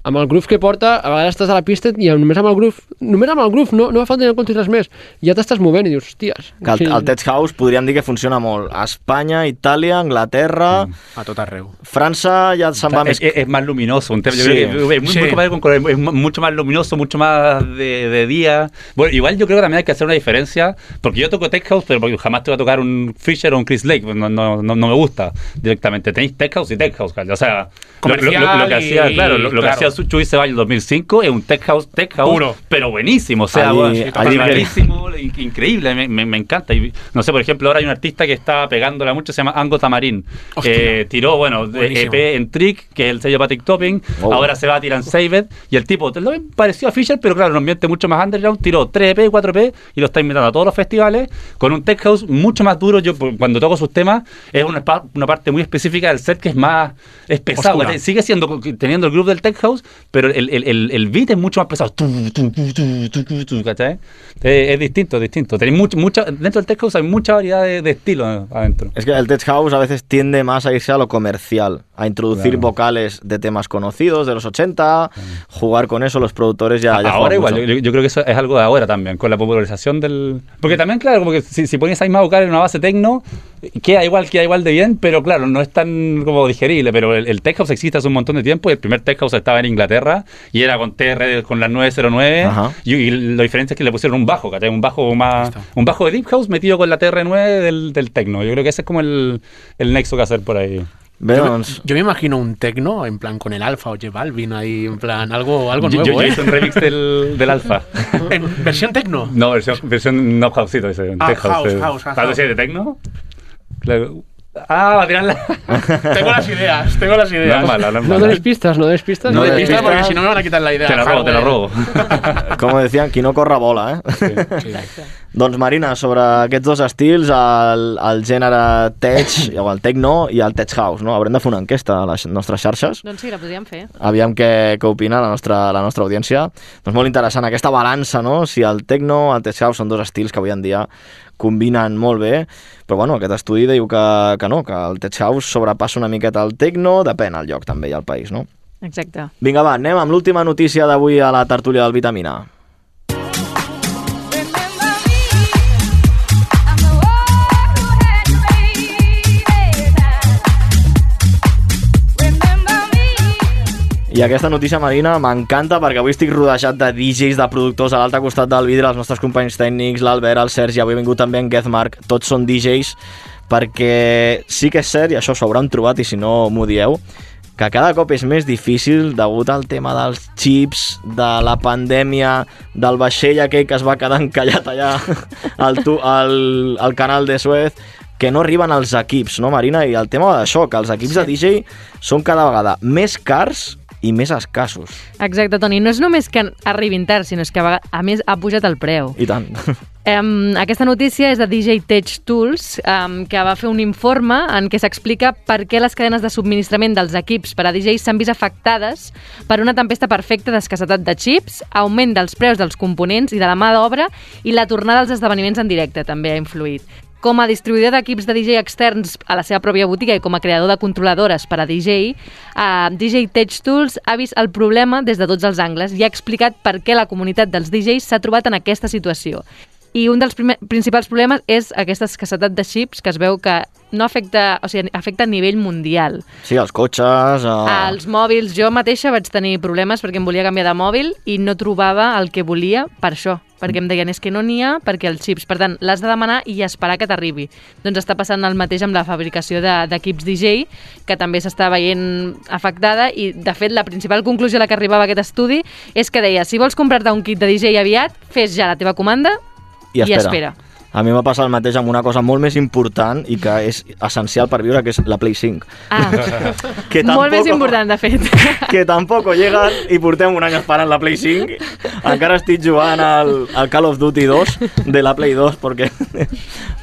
amb el groove que porta, a vegades estàs a la pista i només amb el groove, només amb el groove, no, no fa falta ni comptis res més, ja t'estàs movent i dius, hòsties. Que el, el tech house podríem dir que funciona molt a Espanya, Itàlia, Anglaterra... Mm. A tot arreu. França ja se'n va es, més... Es, es más luminoso, un tema, yo sí. creo que es, muy, sí. muy comparado con color, es mucho más luminoso, mucho más de, de día. Bueno, igual yo creo que también hay que hacer una diferencia, porque yo toco tech house, pero porque jamás te voy a tocar un Fisher o un Chris Lake, no, no, no, no me gusta directamente. Tenéis tech house y tech house, o sea, lo, lo, lo, lo que hacía, y, claro, lo, lo claro. que hacía Chuy Ceballos en dos mil cinco es un tech house, tech house, puro, pero buenísimo, o sea, allí, allí buenísimo, increíble, me, me, me encanta. Y, no sé, por ejemplo, ahora hay un artista que está pegándola mucho, se llama Ango Tamarín, eh, tiró, bueno, E P en Trick, que es el sello Patrick Topping, oh. ahora se va a tirar en Saved, y el tipo, lo pareció a Fisher, pero claro, en un ambiente mucho más underground, tiró tres E P, cuatro E P, y lo está invitando a todos los festivales, con un tech house mucho más duro. Yo cuando toco sus temas, es una, una parte muy específica del set que es más, es pesado, sigue siendo, teniendo el groove del tech house, pero el, el, el, el beat es mucho más pesado, tu, tu, tu, tu, tu, tu, tu, ¿cachai? Es, es distinto, es distinto. Tenéis mucho, mucha, dentro del tech house hay mucha variedad de, de estilos adentro. Es que el tech house a veces tiende más a irse a lo comercial, a introducir claro. vocales de temas conocidos de los ochenta, jugar con eso, los productores ya... ya ahora igual, yo, yo creo que eso es algo de ahora también, con la popularización del... Porque también, claro, como que si, si pones ahí más vocales en una base tecno, queda igual, queda igual de bien, pero claro, no es tan como digerible, pero el, el tech house existe hace un montón de tiempo, y el primer tech house estaba en Inglaterra, y era con T R, con las nueve cero nueve, y, y la diferencia es que le pusieron un bajo, ¿cachai? Un bajo más... Un bajo de deep house metido con la T R nueve del, del tecno. Yo creo que ese es como el, el nexo que hacer por ahí. Yo, yo me imagino un tecno en plan con el Alfa o J Balvin ahí, en plan algo, algo yo, nuevo. Yo, yo ¿eh? hice un remix del, del Alfa. ¿En versión tecno? No, versión, versión no houseito. Ese, ah, tech house, house. house, house. ¿Sabes de tecno? Claro. Ah, va a tirarla. Tengo las ideas, tengo las ideas. No es mala, no es mala. No des pistas, no des pistas. No, no des pistas porque si no me van a quitar la idea. Te la robo, te la robo. Com decían, qui no corre vola, eh? Sí, sí. Doncs Marina, sobre aquests dos estils, el, el gènere tech, o el techno i el tech house, no? Haurem de fer una enquesta a les nostres xarxes. Doncs sí, la podríem fer. Aviam què, què opina la nostra, la nostra audiència. Doncs molt interessant aquesta balança, no? Si el techno, el tech house són dos estils que avui en dia combinen molt bé, però bueno, aquest estudi diu que, que no, que el tech house sobrepassa una miqueta el techno, depèn el lloc també i el país, no? Exacte. Vinga, va, anem amb l'última notícia d'avui a la tertúlia del Vitamina. I aquesta notícia, Marina, m'encanta perquè avui estic rodejat de D Js, de productors a l'altre costat del vidre, els nostres companys tècnics, l'Albert, el Sergi, avui ha vingut també en Gezmark, tots són D Js, perquè sí que és cert, i això s'ho hauran trobat i si no m'ho dieu, que cada cop és més difícil degut al tema dels xips, de la pandèmia, del vaixell aquell que es va quedar encallat allà al, tu, al, al canal de Suez, que no arriben els equips, no, Marina? I el tema d'això, que els equips sí. de D J són cada vegada més cars i més escassos. Exacte, Toni. No és només que arribin tard, sinó que a, a més ha pujat el preu. I tant. Um, aquesta notícia és de D J Tech Tools, um, que va fer un informe en què s'explica per què les cadenes de subministrament dels equips per a D Js s'han vist afectades per una tempesta perfecta d'escassetat de xips, augment dels preus dels components i de la mà d'obra, i la tornada als esdeveniments en directe també ha influït. Com a distribuïdor d'equips de D J externs a la seva pròpia botiga i com a creador de controladores per a D J, uh, D J Tech Tools ha vist el problema des de tots els angles i ha explicat per què la comunitat dels D Js s'ha trobat en aquesta situació. I un dels primer, principals problemes és aquesta escassetat de xips que es veu que no afecta, o sigui, afecta a nivell mundial. Sí, els cotxes... Uh... Els mòbils, jo mateixa vaig tenir problemes perquè em volia canviar de mòbil i no trobava el que volia per això, perquè em deien és que no n'hi ha perquè els xips, per tant, l'has de demanar i esperar que t'arribi. Doncs està passant el mateix amb la fabricació d'equips de, D J, que també s'està veient afectada i, de fet, la principal conclusió a la que arribava aquest estudi és que deia, si vols comprar-te un kit de D J aviat, fes ja la teva comanda i espera. I espera. A mi m'ha passat el mateix amb una cosa molt més important i que és essencial per viure, que és la Play cinc. Ah, que tampoco, molt més important, de fet. Que tampoc llegan i portem un any esperant la Play cinc. Encara estic jugant al, al Call of Duty dos de la Play dos, perquè,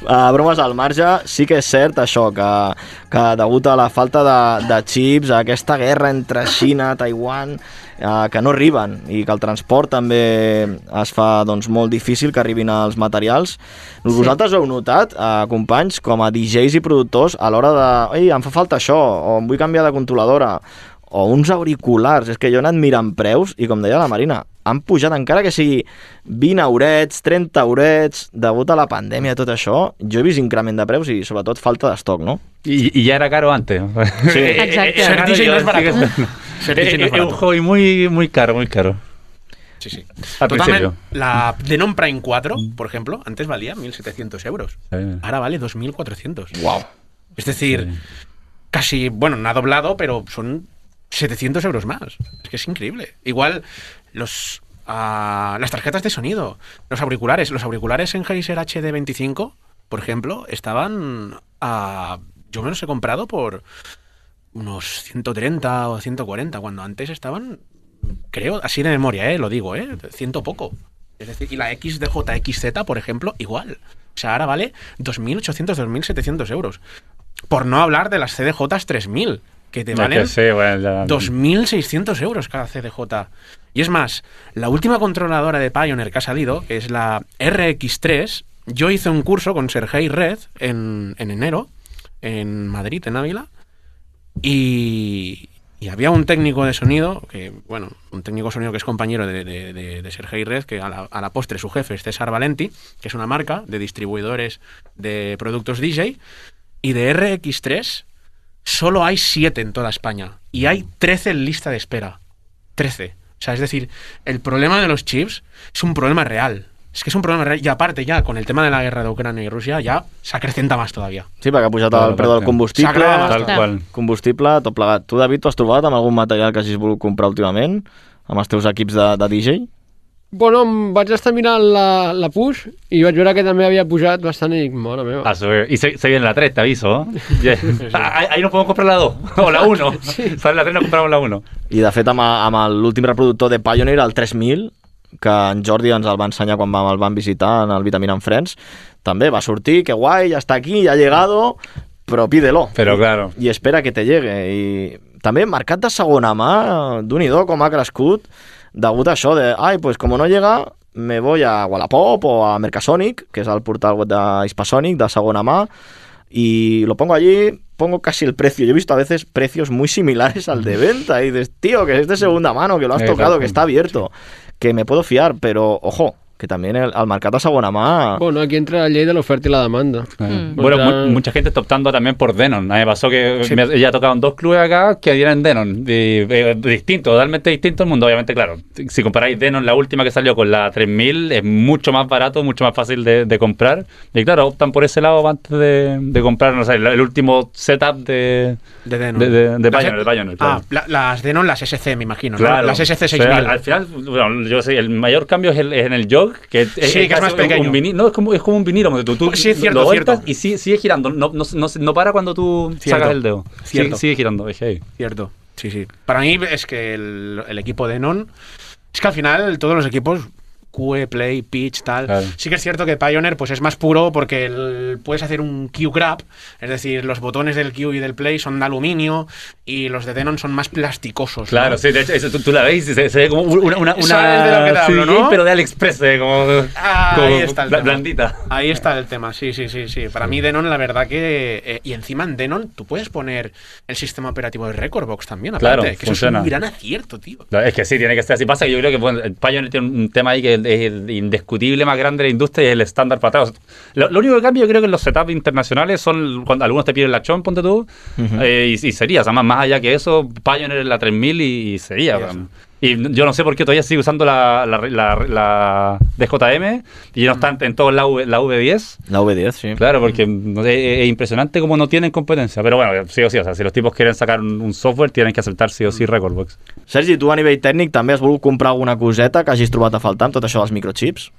a bromes al marge, sí que és cert això, que, que degut a la falta de, de xips, a aquesta guerra entre Xina, Taiwan, eh, que no arriben i que el transport també es fa doncs, molt difícil que arribin els materials. Vosaltres sí. Heu notat, eh, companys, com a D Js i productors, a l'hora de... Ei, em fa falta això, o em vull canviar de controladora, o uns auriculars. És que jo he anat mirant preus i, com deia la Marina, han pujat, encara que sigui vint eurets, trenta eurets, degut a la pandèmia i tot això, jo he vist increment de preus i, sobretot, falta d'estoc, ¿no? Y, y ya era caro antes. Sí. Exacto. Ser D J no es barato. Ser D J no es Es un barato. hobby muy, muy caro, muy caro. Sí, sí. Al Totalmente. principio. La Denon Prime cuatro, por ejemplo, antes valía mil setecientos euros. Sí. Ahora vale dos mil cuatrocientos. Wow. Es decir, Sí. casi, bueno, no ha doblado, pero son setecientos euros más. Es que es increíble. Igual los uh, las tarjetas de sonido, los auriculares, los auriculares en Sennheiser H D veinticinco, por ejemplo, estaban a... Yo me los he comprado por unos ciento treinta o ciento cuarenta, cuando antes estaban, creo, así de memoria, ¿eh? Lo digo, ¿eh? Ciento poco. Es decir, y la X D J X Z, por ejemplo, igual. O sea, ahora vale dos mil ochocientos, dos mil setecientos euros. Por no hablar de las C D Js tres mil, que te Es valen que sí, bueno, ya- dos mil seiscientos euros cada C D J. Y es más, la última controladora de Pioneer que ha salido, que es la R X tres, yo hice un curso con Sergei Red en, en enero, en Madrid, en Ávila, y, y había un técnico de sonido, que bueno, un técnico de sonido que es compañero de, de, de, de Sergei Red, que a la, a la postre su jefe es César Valenti, que es una marca de distribuidores de productos D J, y de R X tres solo hay siete en toda España, y hay trece en lista de espera. trece. O sea, es decir, el problema de los chips es un problema real. Es que és un problema real. I a part, ja, con el tema de la guerra d'Ucrània i Rússia, ja s'acrecenta més todavía. Sí, perquè ha pujat el preu del combustible, Tal qual. combustible, tot plegat. Tu, David, t'ho has trobat amb algun material que hagis volgut comprar últimament? Amb els teus equips de, de D J? Bueno, em vaig estar mirant la, la Push i vaig veure que també havia pujat bastant i dic, mare meva. Ah, sube. Y se, se viene la tres, te aviso. Yeah. Ah, ahí, ahí no podemos comprar la dos o la uno. Sí. Sale la tres, no compramos la uno. I, de fet, amb, amb l'últim reproductor de Pioneer, el tres mil, que en Jordi ens el va ensenyar quan vam, el vam visitar en el Vitamina and Friends, també va sortir, que guai, ja està aquí, ja ha llegado, però pídelo. Pero claro. I espera que te llegue. I també mercat de segona mà, d'un-i-do com ha crescut, degut a això de, ai, pues como no llega, me voy a Wallapop o a Mercasonic, que és el portal web de Hispasonic, de segona mà, y lo pongo allí, pongo casi el precio. Yo he visto a veces precios muy similares al de venta, y dices, tío, que es de segunda mano, que lo has tocado, que está abierto, que me puedo fiar, pero, ojo, que también el, el mercat de segona mà... Bueno, aquí entra la ley de la oferta y la demanda. Mm. Bueno, mu mucha gente está optando también por Denon. A mí me pasó que Sí. me, ya tocaron dos clubes acá que dieron Denon. Y, eh, distinto, totalmente distinto el mundo. Obviamente, claro, si comparáis Denon, la última que salió con la tres mil, es mucho más barato, mucho más fácil de, de comprar. Y claro, optan por ese lado antes de, de comprar, no sé, el, el último setup de, De Denon. de, de, de Las- Pioneer, de Pioneer, claro. Ah, la- las Denon, las S C, me imagino, ¿no? Claro. Las S C O sea, seis mil. al, al final, bueno, yo sé, el mayor cambio es, el, es en el jog, que es, Sí, que es casi más pequeño. Un vinilo, no, es como, es como un vinilo, donde tú, tú Sí, es cierto, lo vueltas cierto. y sigue, sigue girando, no, no, no, no para cuando tú Cierto. sacas el dedo. Sigue, Cierto. sigue girando, es heavy. Cierto, sí, sí. Para mí es que el, el equipo Denon, es que al final todos los equipos, Q E, Play, Pitch, tal, Claro. sí que es cierto que Pioneer pues es más puro porque el- puedes hacer un Q grab, es decir, los botones del Q y del Play son de aluminio y los de Denon son más plasticosos. Claro, ¿no? sí, de hecho, eso, tú, tú la ves y se, se ve como una, una, una ¿Sabes de lo que te hablo, C D J, no? pero de AliExpress, eh, como, Ah, como ahí está el bla- tema. blandita. Ahí está el tema, sí, sí, sí, sí. Para mí Denon, la verdad que... eh, y encima en Denon tú puedes poner el sistema operativo de Recordbox también, aparte, Claro, que eso funciona. es un gran acierto, tío. Es que sí, tiene que ser así. Pasa que yo creo que bueno, el Pioneer tiene un tema ahí que el, el indiscutible más grande de la industria y es el estándar para atrás. Lo, lo único que cambia yo creo que los setups internacionales son cuando algunos te piden la chon, ponte tú, uh-huh. eh, y, y sería, o sea, más, más allá que eso, Pioneer es la tres mil y, y sería. Yes. Y yo no sé por qué todavía sigue usando la, la, la, la D J M y no están en todos la, la V diez. La V diez, sí. Claro, porque no sé, es impresionante cómo no tienen competencia. Pero bueno, sí o sí, o sea, si los tipos quieren sacar un, un software, tienen que aceptar sí o sí Recordbox. Sergi, tu a nivell tècnic també has volgut comprar alguna coseta que hagis trobat a faltar amb tot això dels microchips?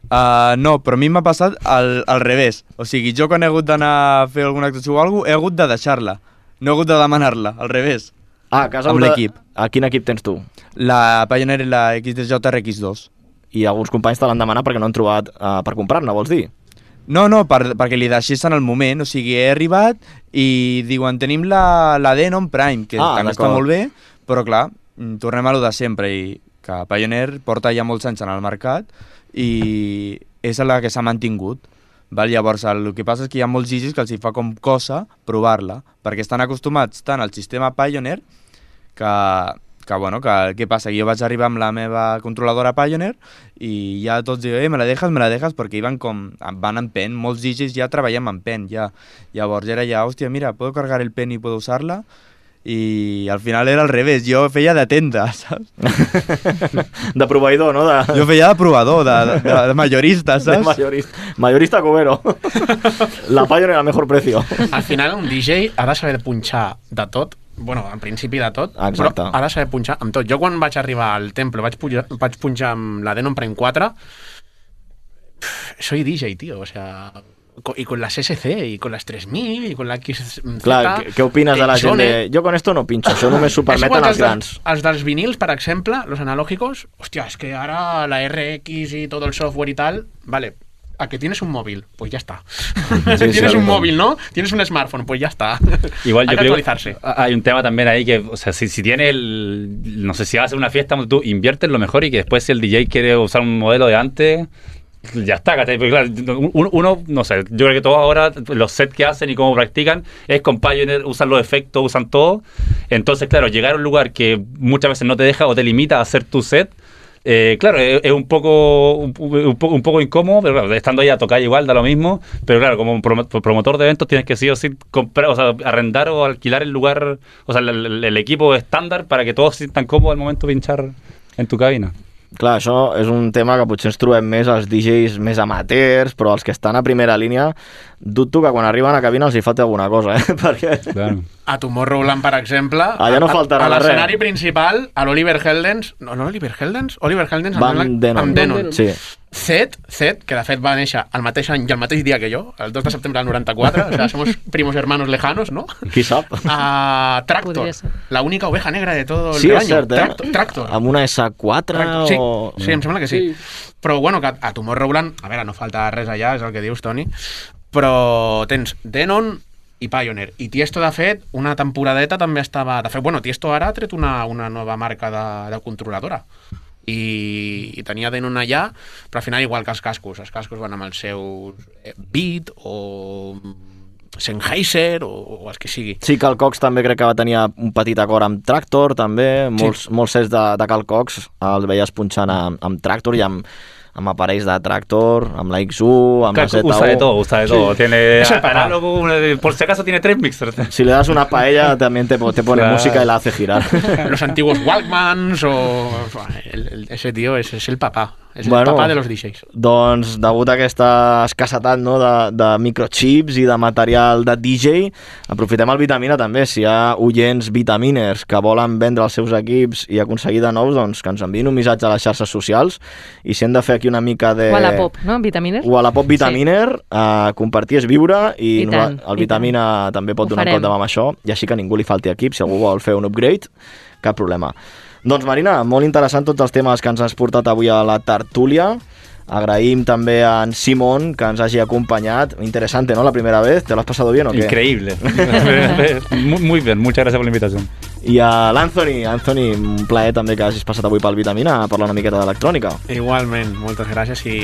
Uh, no, però a mi m'ha passat al, al revés. O sigui, jo quan he hagut d'anar a fer alguna actuació o alguna cosa, he hagut de deixar-la. No he hagut de demanar-la, al revés. Ah, que has amb l'equip. A quin equip tens tu? La Pioneer i la X D J R X dos. I alguns companys te l'han demanat perquè no han trobat uh, per comprar-ne, vols dir? No, no, per, perquè li deixés en el moment. O sigui, he arribat i diuen, tenim la, la Denon Prime, que ah, també està molt bé, però clar, tornem a lo de sempre, i que Pioneer porta ja molts anys en el mercat i és la que s'ha mantingut. Val? Llavors, el que passa és que hi ha molts gigis que els hi fa com cosa provar-la, perquè estan acostumats tant al sistema Pioneer que, que bueno, que què passa? Que jo vaig arribar amb la meva controladora Pioneer i ja tots diuen, eh, me la dejas, me la dejas, perquè van com, van en pen, molts gigis ja treballem en pen, ja. Llavors era ja, hòstia, mira, puedo cargar el pen y puedo usarla, i al final era al revés, jo feia de tenda, saps? De proveïdor, no? De... Jo feia de provador, de, de, de mayorista, saps? De mayorista, mayorista cubero. La Pioneer al mejor precio. Al final un D J ha de saber punxar de tot, bueno, en principi de tot, exacte, però ha de saber punxar amb tot. Jo quan vaig arribar al Temple vaig punxar, vaig punxar amb la Denon Prime quatre, soy D J, tío, o sea... y con las S C, y con las tres mil, y con la X Z... Clar, què, què opines de la gent de... Jo con esto no pincho, això només s'ho permeten els grans. Els dels vinils, per exemple, los analógicos, hòstia, es que ara la R X y todo el software y tal, vale, a que tienes un móvil, pues ya está. Sí, tienes sí, un móvil, ¿no? Tienes un smartphone, pues ya está. Igual hay yo que actualizarse. Creo, hay un tema también ahí que, o sea, si, si tiene el... No sé, si vas a hacer una fiesta, tú inviertes lo mejor y que después si el D J quiere usar un modelo de antes... Ya está, porque claro, uno, no sé, yo creo que todos ahora los sets que hacen y cómo practican es con Pioneer, usan los efectos, usan todo. Entonces, claro, llegar a un lugar que muchas veces no te deja o te limita a hacer tu set, eh, claro, es, es un poco un, un, poco, un poco incómodo, pero claro, estando ahí a tocar igual da lo mismo, pero claro, como promotor de eventos tienes que sí o sí comprar, o sea, arrendar o alquilar el lugar, o sea, el, el, el equipo estándar para que todos se sientan cómodos al momento de pinchar en tu cabina. Clar, això és un tema que potser ens trobem més als D Js més amateurs, però els que estan a primera línia, dubto que quan arriben a cabina els hi falta alguna cosa, eh? Perquè... Claro. A Tomorrowland, per exemple, allà no faltarà a, a l'escenari principal, a l'Oliver Heldens, no, no Oliver Heldens? Oliver Heldens Van amb, Denon. amb Denon. Sí. Zed, Zed, que de fet va néixer el mateix any i el mateix dia que jo, el dos de setembre del noranta-quatre, o sea, somos primos hermanos lejanos, ¿no? Qui sap? Uh, Tractor, la única oveja negra de todo el sí, rebaño. Sí, és cert, eh? Tractor, Tractor. Amb una S quatre Tractor. Sí, o... sí, em sembla que sí. sí. Però bueno, que a Tomorrowland, a veure, no falta res allà, és el que dius, Toni, però tens Denon i Pioneer. I Tiesto, de fet, una temporadeta també estava... De fet, bueno, Tiesto ara ha tret una, una nova marca de, de controladora. I, i tenia Denon allà, però al final igual que els cascos. Els cascos van amb els seus Beat o Sennheiser o, o els que sigui. Sí, Carl Cox també crec que va tenir un petit acord amb Tractor, també. Molts, sí. molts sets de, de Carl Cox els veies punxant amb, amb Tractor i amb, amb aparells de Tractor, amb la X U, amb claro, la Z U. Usa de todo, usa de todo. Sí. Tiene análogo, por si acaso tiene tres mixers. Si le das una paella también te, te pone claro. música y la hace girar. Los antiguos Walkmans o... El, el, ese tío es, es el papá. És bueno, el papà de los D Js. Doncs, degut a aquesta escassetat, no, de, de microchips i de material de D J, aprofitem el Vitamina també. Si hi ha oients vitaminers que volen vendre els seus equips i aconseguir de nous, doncs que ens enviïn un missatge a les xarxes socials i si hem de fer aquí una mica de... Wallapop, no? Vitaminer? Wallapop Vitaminer, sí. uh, compartir és viure i, I tant, el Vitamina i també pot donar un cop de mà amb això i així que ningú li falti equip. Si algú vol fer un upgrade, cap problema. Doncs Marina, molt interessant tots els temes que ens has portat avui a la tertúlia. Agraïm també a en Simón que ens hagi acompanyat. Interesante, ¿no? La primera vez. ¿Te lo has pasado bien o qué? Increíble. muy, muy bien. Muchas gracias por la invitación. I a l'Anthony, Anthony, un plaer també que hagis passat avui pel Vitamina a parlar una miqueta d'electrònica. Igualment, moltes gràcies i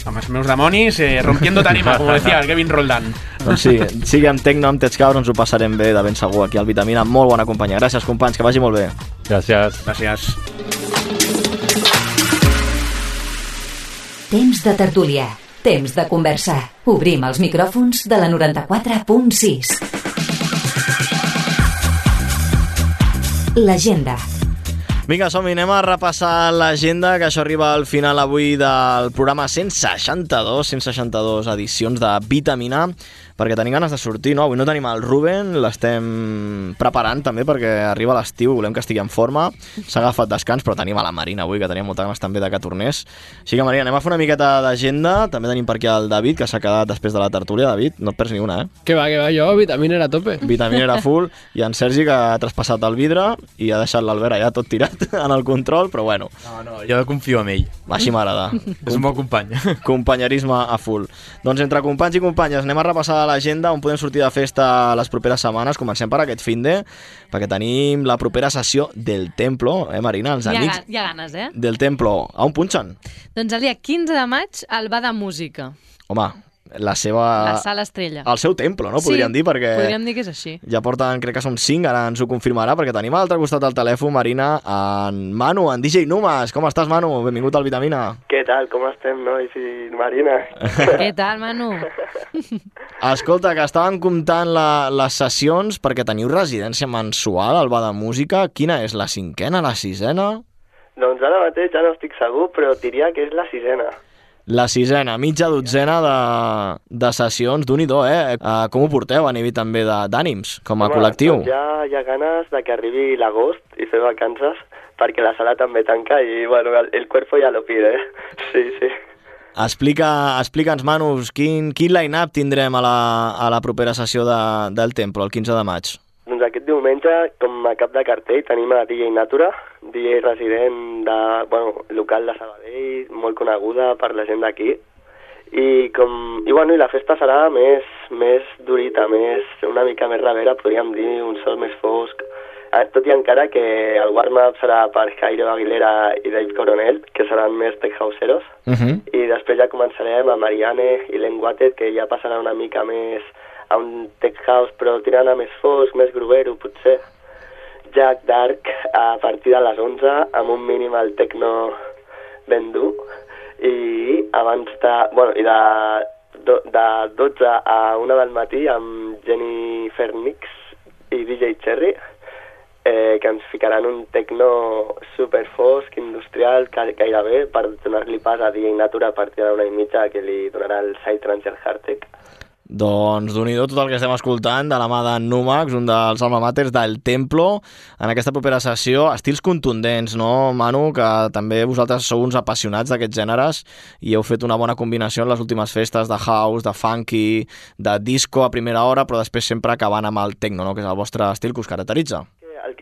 amb els meus demonis eh, rompiendo tarima, com decía el Kevin Roldán. Doncs sí, sigui amb Tecno, amb Tetscaur, ens ho passarem bé de ben segur aquí al Vitamina. Molt bona companyia. Gràcies, companys, que vagi molt bé. Gràcies. Gràcies. Temps de tertúlia. Temps de conversar. Obrim els micròfons de la noranta-quatre punt sis. L'agenda. Vinga, som-hi, anem a repassar l'agenda, que això arriba al final avui del programa cent seixanta-dos, cent seixanta-dos edicions de Vitamina, perquè tenim ganes de sortir, no? Avui no tenim el Ruben, l'estem preparant també perquè arriba l'estiu, volem que estigui en forma, s'ha agafat descans, però tenim a la Marina avui, que teníem molta ganes també de que tornés. Així que, Marina, anem a fer una miqueta d'agenda, també tenim per aquí el David, que s'ha quedat després de la tertúlia. David, no et perds ni una, eh? Que va, que va, jo, Vitamina era a tope. Vitamina era full, i en Sergi, que ha traspassat el vidre i ha deixat l'Albert allà tot tirat en el control, però bueno. No, no, jo confio en ell. Així m'agrada. És un bon company. Companyerisme a full. Doncs entre companys i companyes anem a repassar l'agenda on podem sortir de festa les properes setmanes. Comencem per aquest finde, perquè tenim la propera sessió del Templo, eh, Marina? Els hi, ha, amics hi ha ganes, eh? del Templo. A on punxen? Doncs el dia quinze de maig al Bar de Música. Home, la seva... La Sala Estrella. El seu templo, no? Podríem sí, dir, perquè... podríem dir que és així. Ja porten, crec que són cinc, ara ens ho confirmarà, perquè tenim a l'altre costat del telèfon, Marina, en Manu, en D J Numas. Com estàs, Manu? Benvingut al Vitamina. Què tal? Com estem, nois i Marina? Què tal, Manu? Escolta, que estàvem comptant la, les sessions perquè teniu residència mensual al Bar de Música. Quina és, la cinquena, la sisena? Doncs ara mateix ja no estic segur, però diria que és la sisena. La sisena, mitja dotzena de, de sessions, d'un-i-do, eh? Uh, com ho porteu a nivell també d'ànims, com a Home, col·lectiu? Doncs ja hi ha ganes de que arribi l'agost i fer vacances, perquè la sala també tanca i, bueno, el, el cuerpo ja lo pide, eh? Sí, sí. Explica, explica'ns, Manus, quin, quin line-up tindrem a la, a la propera sessió de, del Templo, el quinze de maig? Doncs aquest diumenge, com a cap de cartell, tenim a D J Natura, D J resident de, bueno, local de Sabadell, molt coneguda per la gent d'aquí. I, com, i, bueno, i la festa serà més, més durita, més, una mica més ravera, podríem dir, un sol més fosc. Tot i encara que el warm-up serà per Jairo Aguilera i Dave Coronel, que seran més tech houseeros. Uh -huh. I després ja començarem a Marianne i Len Watted, que ja passarà una mica més a un tech house, però tirant a més fosc, més grovero, potser. Jack Dark a partir de les onze, amb un mínim al techno ben dur. I abans de... Bueno, i de, de dotze a una del matí amb Jennifer Nix i D J Cherry, eh, que ens ficaran un techno super fosc, industrial, gairebé, per donar-li pas a D J Natura a partir d'una i mitja, que li donarà el Psytrance i el Hardtech. Doncs d'un-i-do tot el que estem escoltant de la mà de Numax, un dels alma maters del Templo, en aquesta propera sessió. Estils contundents, no, Manu? Que també vosaltres sou uns apassionats d'aquests gèneres i heu fet una bona combinació en les últimes festes de house, de funky, de disco a primera hora, però després sempre acabant amb el techno, no? Que és el vostre estil que us caracteritza.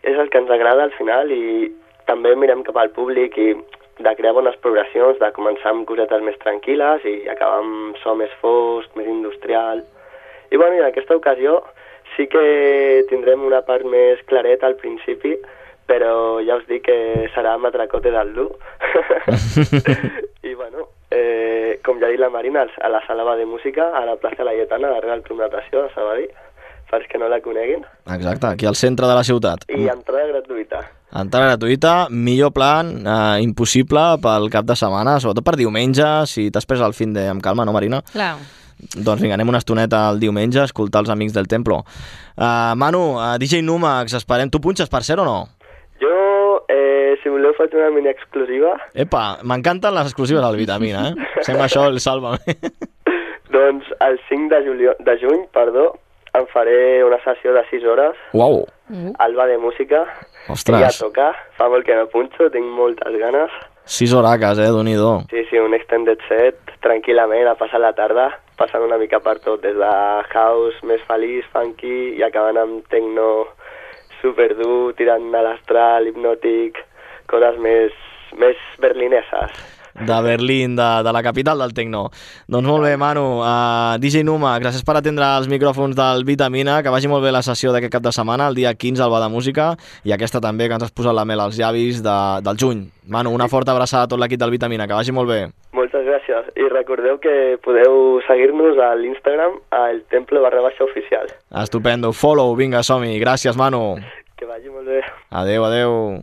És el que ens agrada al final i també mirem cap al públic i de crear bones progressions, de començar amb cosetes més tranquil·les i acabar amb so més fosc, més industrial. I bueno, i en aquesta ocasió sí que tindrem una part més clareta al principi, però ja us dic que serà matracote del dur. I bueno, eh, com ja ha dit la Marina, a la sala de música, a la plaça Laietana, darrere del Club Natació de Sabadell, per que no la coneguin. Exacte, aquí al centre de la ciutat. I entrada gratuïta. Entrada gratuïta, millor plan, eh, impossible pel cap de setmana, sobretot per diumenge, si t'espres al fin de amb calma, no, Marina? Clar. Doncs vinga, anem una estoneta el diumenge a escoltar els amics del Templo. Uh, Manu, uh, D J Numax, esperem. Tu punxes per ser o no? Jo, eh, si voleu, faig una mini exclusiva. Epa, m'encanten les exclusives al Vitamina, eh? Sembla això el Sálvame. Doncs el cinc de, julio, de juny, perdó, em faré una sessió de sis hores. Uau! Al Bar de Música. Ostres! I a tocar. Fa molt que no punxo, tinc moltes ganes. Sis horaques, eh? Déu-n'hi-do. Sí, sí, un extended set, tranquil·lament, a passar la tarda, passant una mica per tot, des de house més feliç, funky, i acabant amb techno superdur, tirant a l'astral, hipnòtic, coses més, més berlineses. De Berlín, de, de la capital del techno. Doncs molt bé, Manu. Uh, D J Numa, gràcies per atendre els micròfons del Vitamina, que vagi molt bé la sessió d'aquest cap de setmana, el dia quinze al Bar de Música, i aquesta també, que ens has posat la mel als llavis de, del juny. Manu, una forta abraçada a tot l'equip del Vitamina, que vagi molt bé. Moltes gràcies. I recordeu que podeu seguir-nos a l'Instagram, al Temple barra baixa oficial. Estupendo. Follow, vinga, som-hi. Gràcies, Manu. Que vagi molt bé. Adeu, adeu.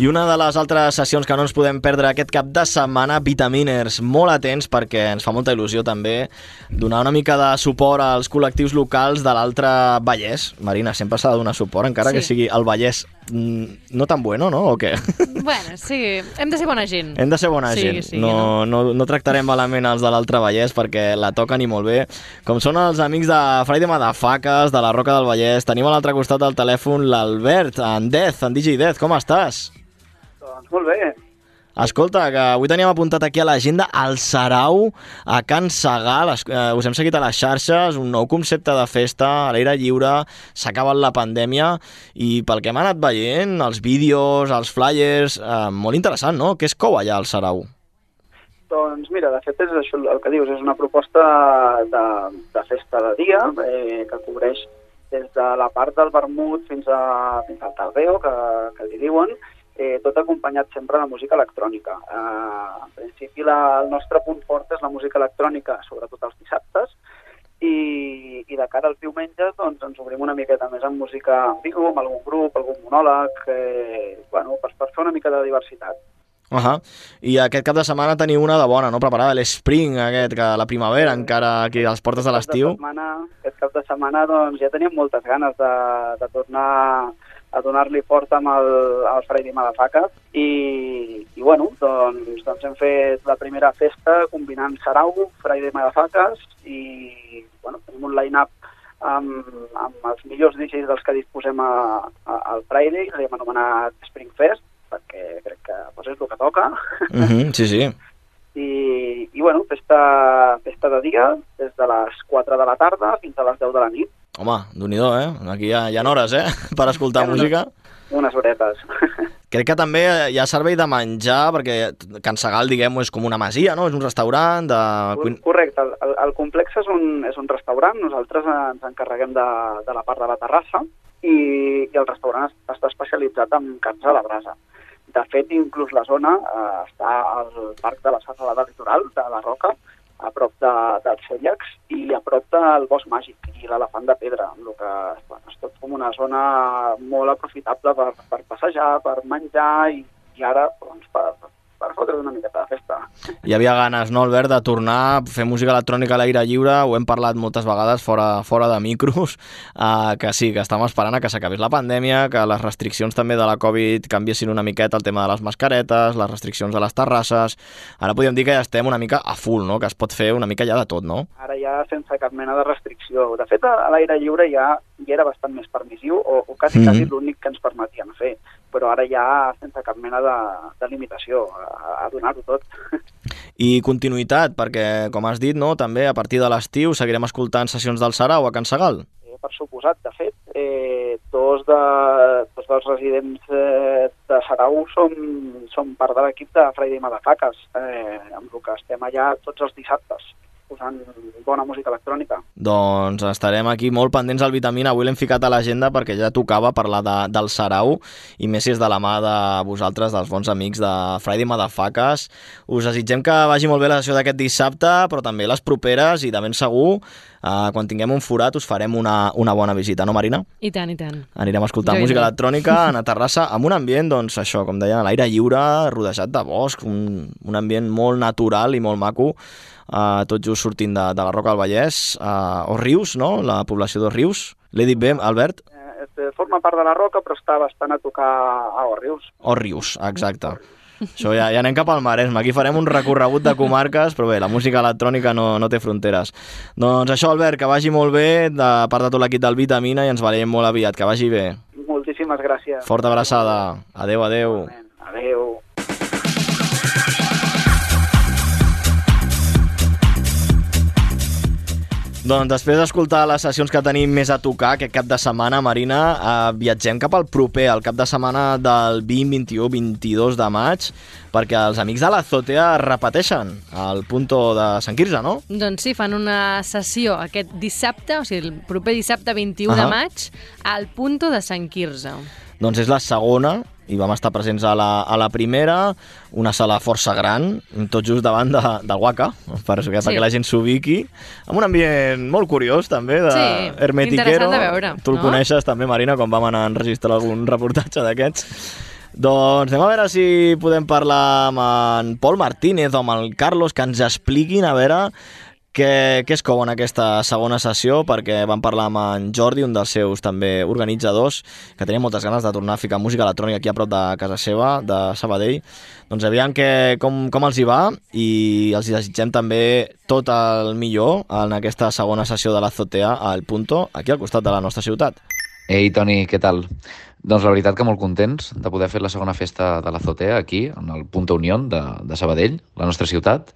I una de les altres sessions que no ens podem perdre aquest cap de setmana, Vitaminers, molt atents perquè ens fa molta il·lusió també donar una mica de suport als col·lectius locals de l'altre Vallès. Marina, sempre s'ha de donar suport, encara sí. que sigui el Vallès no tan bueno, no? O què? Bueno, sí, hem de ser bona gent. Hem de ser bona sí, gent. Sí, no, no. No, no tractarem malament els de l'altre Vallès perquè la toquen i molt bé. Com són els amics de Friday Motherfuckers, de la Roca del Vallès. Tenim a l'altre costat del telèfon l'Albert, en Dez, en D J Dez. Com estàs? Doncs molt bé. Escolta, que avui teníem apuntat aquí a l'agenda el Sarau a Can Segal. Eh, us hem seguit a les xarxes, un nou concepte de festa a l'aire lliure, s'ha acabat la pandèmia i pel que hem anat veient, els vídeos, els flyers, eh, molt interessant, no? Què es cou allà al Sarau? Doncs mira, de fet és això el que dius, és una proposta de, de festa de dia eh, que cobreix des de la part del vermut fins, a, fins al tardeo, que, que li diuen, Eh, tot acompanyat sempre de música electrònica. Eh, en principi la, el nostre punt fort és la música electrònica, sobretot els dissabtes, i, i de cara als diumenges doncs, ens obrim una miqueta més amb música en viu, amb algun grup, algun monòleg, eh, bueno, per, per fer una mica de diversitat. Uh -huh. I aquest cap de setmana teniu una de bona, no? Preparada, l'Spring, aquest, que la primavera, encara aquí a les portes de l'estiu. Aquest cap de setmana doncs, ja teníem moltes ganes de, de tornar a donar-li fort amb el, el Friday Motherfuckers i, i bueno, doncs, doncs hem fet la primera festa combinant Sarau, Friday Motherfuckers i bueno, tenim un line-up amb, amb els millors D Js dels que disposem a, a, al Friday, l'hem anomenat Spring Fest, perquè crec que pues, és el que toca. Uh -huh, sí, sí. I, i bueno, festa, festa de dia, des de les quatre de la tarda fins a les deu de la nit. Home, Déu-n'hi-do, eh? Aquí hi ha, hi ha hores, eh? Per escoltar unes, música. Unes horetes. Crec que també hi ha servei de menjar, perquè Can Segal, diguem-ho, és com una masia, no? És un restaurant de... Correcte, el, el complex és un, és un restaurant, nosaltres ens encarreguem de, de la part de la terrassa i, i el restaurant està especialitzat en carns a la brasa. De fet, inclús la zona eh, està al parc de la Serralada Litoral, de la Roca, a prop de, dels Cellacs i a prop del Bosc Màgic i l'Elefant de Pedra, amb el que bueno, és tot com una zona molt aprofitable per, per passejar, per menjar i, i ara doncs, per, per fotre una miqueta de festa. Hi havia ganes, no, Albert, de tornar a fer música electrònica a l'aire lliure, ho hem parlat moltes vegades fora, fora de micros, uh, que sí, que estàvem esperant a que s'acabés la pandèmia, que les restriccions també de la Covid canviessin una miqueta el tema de les mascaretes, les restriccions a les terrasses. Ara podríem dir que ja estem una mica a full, no? Que es pot fer una mica ja de tot, no? Ara ja sense cap mena de restricció. De fet, a l'aire lliure ja, ja era bastant més permissiu, o, o quasi, mm-hmm. quasi l'únic que ens permetien fer, però ara ja sense cap mena de, de limitació, a, a donar-ho tot. I continuïtat, perquè, com has dit, no, també a partir de l'estiu seguirem escoltant sessions del Sarau a Can Segal. Eh, per suposat, de fet, eh, dos, de, dos dels residents eh, de Sarau som, som part de l'equip de Friday Motherfuckers, eh, amb el que estem allà tots els dissabtes, posant bona música electrònica. Doncs estarem aquí molt pendents al Vitamina. Avui l'hem ficat a l'agenda perquè ja tocava parlar de, del Sarau i més si és de la mà de vosaltres, dels bons amics de Friday Motherfuckers. Us desitgem que vagi molt bé la sessió d'aquest dissabte, però també les properes i de ben segur, eh, quan tinguem un forat us farem una, una bona visita, no, Marina? I tant, i tant. Anirem a escoltar jo música electrònica a Terrassa amb un ambient, doncs això, com deia, a l'aire lliure, rodejat de bosc, un, un ambient molt natural i molt maco. Uh, tot just sortint de, de la Roca del Vallès, uh, o Rius, no? La població de Rius. L'he dit bé, Albert? Eh, forma part de la Roca, però està bastant a tocar a Rius. O Rius, exacte. Això ja, ja anem cap al Maresme. Aquí farem un recorregut de comarques, però bé, la música electrònica no, no té fronteres. Doncs això, Albert, que vagi molt bé, de part de tot l'equip del Vitamina, i ens veiem molt aviat. Que vagi bé. Moltíssimes gràcies. Forta abraçada. Adéu, adéu. Adéu. Doncs després d'escoltar les sessions que tenim més a tocar aquest cap de setmana, Marina, eh, viatgem cap al proper, al cap de setmana del vint, vint-i-u, vint-i-dos de maig, perquè els amics de l'Azotea repeteixen al Punto de Sant Quirze, no? Doncs sí, fan una sessió aquest dissabte, o sigui, el proper dissabte vint-i-u uh-huh. de maig, al Punto de Sant Quirze. Doncs és la segona, i vam estar presents a la, a la primera, una sala força gran, tot just davant de, del Waka, per, sí. perquè la gent s'ubiqui, amb un ambient molt curiós també, de sí, hermetiquero. Interessant de veure. Tu el no? coneixes també, Marina, quan vam anar a enregistrar algun reportatge d'aquests. Doncs anem a veure si podem parlar amb en Pol Martínez o amb el Carlos, que ens expliquin a veure què, què es cou en aquesta segona sessió, perquè vam parlar amb en Jordi, un dels seus també organitzadors, que tenia moltes ganes de tornar a ficar música electrònica aquí a prop de casa seva, de Sabadell. Doncs aviam que, com, com els hi va, i els desitgem també tot el millor en aquesta segona sessió de l'Azotea al Punto, aquí al costat de la nostra ciutat. Ei, Toni, què tal? Doncs la veritat que molt contents de poder fer la segona festa de l'Azotea aquí, en el Punto Unión de, de Sabadell, la nostra ciutat.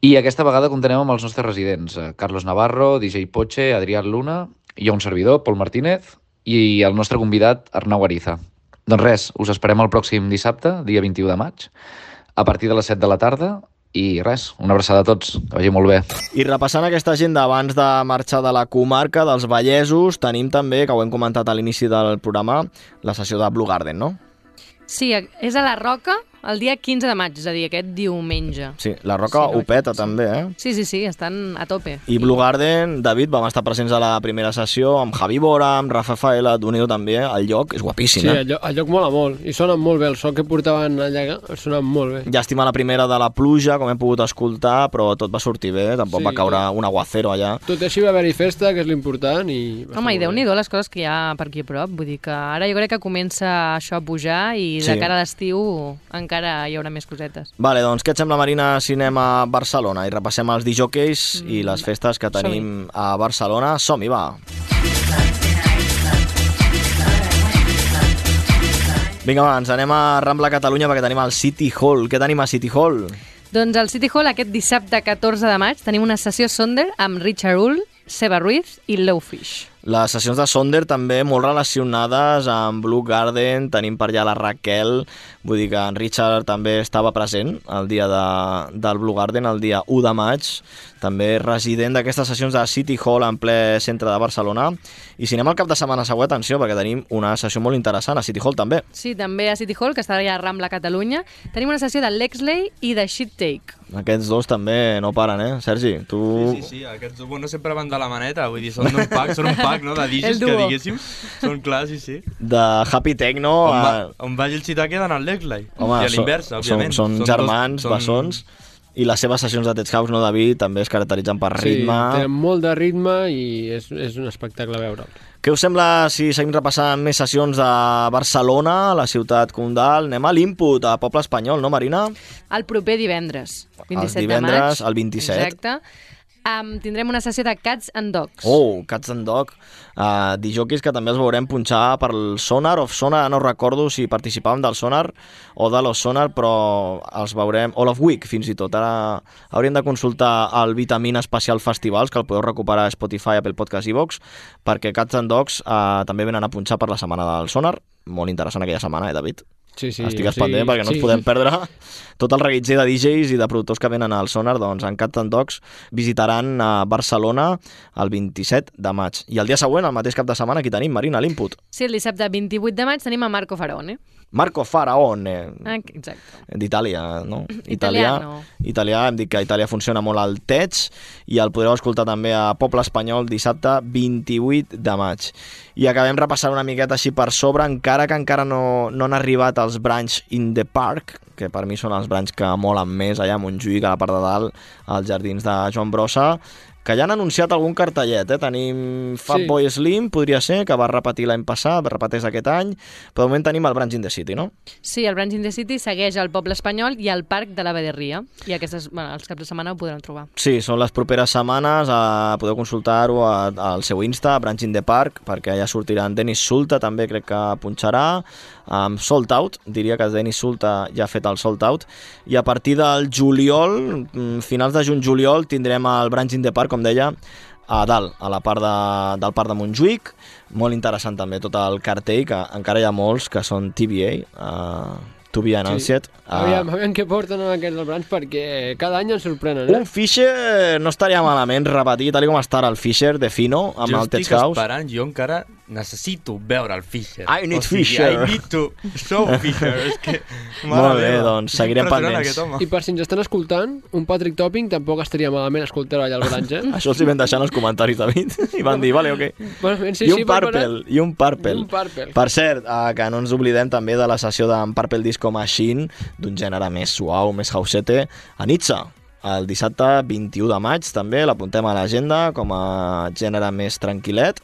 I aquesta vegada comptarem amb els nostres residents, Carlos Navarro, D J Poche, Adrián Luna, i un servidor, Pol Martínez, i el nostre convidat, Arnau Ariza. Doncs res, us esperem el pròxim dissabte, dia vint-i-u de maig, a partir de les set de la tarda, i res, una abraçada a tots, que vagi molt bé. I repassant aquesta agenda abans de marxar de la comarca dels Vallesos, tenim també, que ho hem comentat a l'inici del programa, la sessió de Blue Garden, no? Sí, és a la Roca el dia quinze de maig, és a dir, aquest diumenge. Sí, la Roca sí, ho peta sí. també, eh? Sí, sí, sí, estan a tope. I Blue Garden, David, vam estar presents a la primera sessió amb Javi Bora, amb Rafa Faela, d'Unido també, el lloc és guapíssim, sí, eh? Sí, el, lloc, el lloc mola molt, i sonen molt bé, el so que portaven allà sonen molt bé. Llàstima la primera de la pluja, com hem pogut escoltar, però tot va sortir bé, tampoc sí, va caure un aguacero allà. Tot així va haver-hi festa, que és l'important, i... Home, i Déu-n'hi-do les coses que hi ha per aquí a prop, vull dir que ara jo crec que comença això a pujar i de sí. cara a l'estiu encara hi haurà més cosetes. Vale, doncs què et sembla, Marina, si anem a Barcelona i repassem els disjòqueis mm. i les festes que tenim a Barcelona? Som-hi, va! Vinga, va, ens anem a Rambla Catalunya perquè tenim el City Hall. Què tenim a City Hall? Doncs al City Hall aquest dissabte catorze de maig tenim una sessió Sonder amb Richard Hull, Seba Ruiz i Lowfish. Les sessions de Sonder també molt relacionades amb Blue Garden, tenim per allà la Raquel, vull dir que en Richard també estava present el dia de, del Blue Garden, el dia u de maig, també resident d'aquestes sessions de City Hall en ple centre de Barcelona. I si anem al cap de setmana següent, atenció, perquè tenim una sessió molt interessant a City Hall també. Sí, també a City Hall, que està allà a Rambla Catalunya, tenim una sessió de Lexley i de Shit Take. Aquests dos també no paren, eh? Sergi, tu... Sí, sí, sí, aquests dos bueno, sempre van de la maneta, vull dir, són un pack, són un pack, no?, de D Js que diguéssim, són clars, sí, sí. De Happy Techno... On, va, a... on vagi el Chitake d'anar al Lexley. Home, i a l'inversa, òbviament. Són, són germans, dos, bessons, són... i les seves sessions de Tech House, no, David, també es caracteritzen per ritme. Sí, tenen molt de ritme i és, és un espectacle veure'l. Què us sembla si seguim repassant més sessions de Barcelona, la ciutat condal? Anem a l'Input, a Poble Espanyol, no, Marina? El proper divendres, vint-i-set divendres, de maig. el vint-i-set. Exacte. Um, tindrem una sessió de Cats and Dogs. Oh, Cats and Dogs. Uh, dijòquis que també els veurem punxar per el Sonar of Sonar, no recordo si participàvem del Sonar o de los Sonar, però els veurem All of Week fins i tot. Ara hauríem de consultar el Vitamina Especial Festivals, que el podeu recuperar a Spotify, Apple Podcast i iVoox, perquè Cats and Dogs uh, també venen a punxar per la setmana del Sonar. Molt interessant aquella setmana, eh, David? Sí, sí, Estigues sí, pendent perquè no sí. ens podem perdre tot el reguitzell de D Js i de productors que venen al Sonar. Doncs en Cats and Dogs visitaran a Barcelona el vint-i-set de maig. I el dia següent, el mateix cap de setmana, aquí tenim, Marina, l'Input. Sí, el dissabte vint-i-vuit de maig tenim a Marco Faraone. Marco Faraone. Ah, exacte. D'Itàlia, no? Italià, no. Italià, hem dit que a Itàlia funciona molt al Tech i el podreu escoltar també a Poble Espanyol dissabte vint-i-vuit de maig. I acabem repassant una miqueta així per sobre, encara que encara no, no han arribat els Branch in the Park, que per mi són els branys que molen més allà a Montjuïc, a la part de dalt, als jardins de Joan Brossa, que ja han anunciat algun cartellet, eh? Tenim Fatboy sí. Slim, podria ser, que va repetir l'any passat, repeteix aquest any, però de moment tenim el Branch in the City, no? Sí, el Branch in the City segueix al Poble Espanyol i al Parc de la Baderria, i aquestes, bueno, els caps de setmana ho podran trobar. Sí, són les properes setmanes, eh, podeu consultar-ho al seu Insta, Branch in the Park, perquè allà sortiran Dennis Sulta, també crec que punxarà, amb Sold Out, diria que Dennis Sulta ja ha fet el Sold Out, i a partir del juliol, finals de juny-juliol, tindrem el Branch in the Park, com deia, a dalt, a la part de, del Parc de Montjuïc. Molt interessant també tot el cartell, que encara hi ha molts que són T B A, uh, To Be Announced. Sí. Uh, aviam, aviam què porten en aquests del Branch, perquè cada any ens sorprenen, eh? Un Fisher no estaria malament repetir, tal com està el Fisher de Fino, amb jo el Tech House. Jo estic esperant, jo encara necessito veure el Fisher. I need o sigui, Fisher. I need to show Fisher. És que... Molt bé, doncs seguirem pendents. I per si ens estan escoltant, un Patrick Topping tampoc estaria malament escoltar-ho allà al Grange. Això els hi vam deixar en els comentaris, David, i van dir, vale, ok. Bueno, sí, I un sí, Purple, i un Purple. Un Purple. Per cert, eh, que no ens oblidem també de la sessió d'en Purple Disco Machine, d'un gènere més suau, més hausete, a Nizza. El dissabte vint-i-u de maig també, l'apuntem a l'agenda com a gènere més tranquil·let,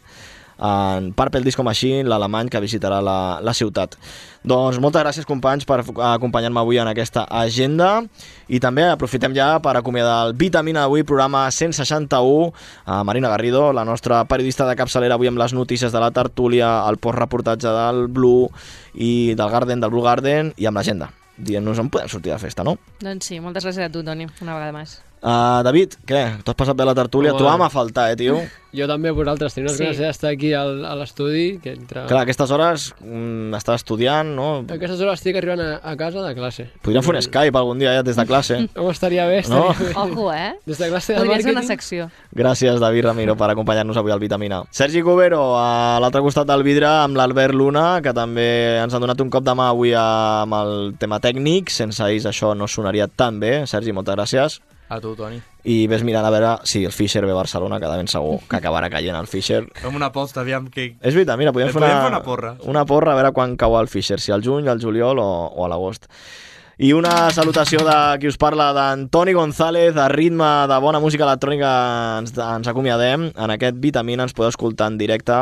en Purple Disco Machine, l'alemany que visitarà la, la ciutat. Doncs moltes gràcies, companys, per acompanyar-me avui en aquesta agenda, i també aprofitem ja per acomiadar el Vitamina d'avui, programa cent seixanta-u, a Marina Garrido, la nostra periodista de capçalera, avui amb les notícies de la tertúlia, el postreportatge del Blue i del Garden, del Blue Garden, i amb l'agenda. Dient-nos on podem sortir de festa, no? Doncs sí, moltes gràcies a tu, Toni, una vegada més. Uh, David, què? Tu has passat bé la tertúlia? Oh, Trobàvem a faltar, eh, tio? Jo també a vosaltres, teniu unes Sí. ganes d'estar aquí al, a l'estudi. Que entre... Clar, a aquestes hores mm, estàs estudiant, no? A aquestes hores estic arribant a, a casa de classe. Podríem fer un Skype algun dia ja des de classe. No, estaria bé, estaria No? bé. Ojo, eh? Des de classe de Podria ser màrqueting. una secció. Gràcies, David Ramiro, per acompanyar-nos avui al Vitamina. Sergi Cubero, a l'altre costat del vidre, amb l'Albert Luna, que també ens han donat un cop de mà avui amb el tema tècnic. Sense ells això no sonaria tan bé. Sergi, moltes gràcies. A tu, Toni. I ves mirant a veure si el Fisher ve a Barcelona, que de ben segur que acabarà caient el Fisher. Fem una aposta, aviam que... És veritat, mira, podem, fer una, podem fer una porra. Una porra a veure quan cau el Fisher, si al juny, al juliol o, o a l'agost. I una salutació de qui us parla, d'Antoni González, a ritme de bona música electrònica ens, ens acomiadem. En aquest Vitamina ens podeu escoltar en directe,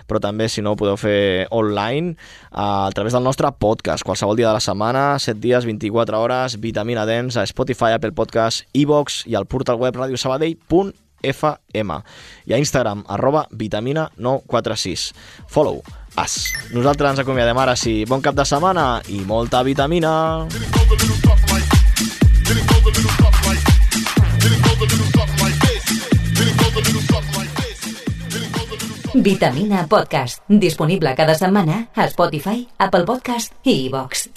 però també, si no, ho podeu fer online a través del nostre podcast, qualsevol dia de la setmana, set dies, vint-i-quatre hores, Vitamina Dance, a Spotify, Apple Podcast, iVox i al portal web radio sabadell punt f m. I a Instagram, arroba vitamina nou quatre sis. Follow us. Nosaltres ens acomiadem ara sí. Bon cap de setmana i molta vitamina. Vitamina Podcast, disponible cada setmana a Spotify, Apple Podcast i iVox.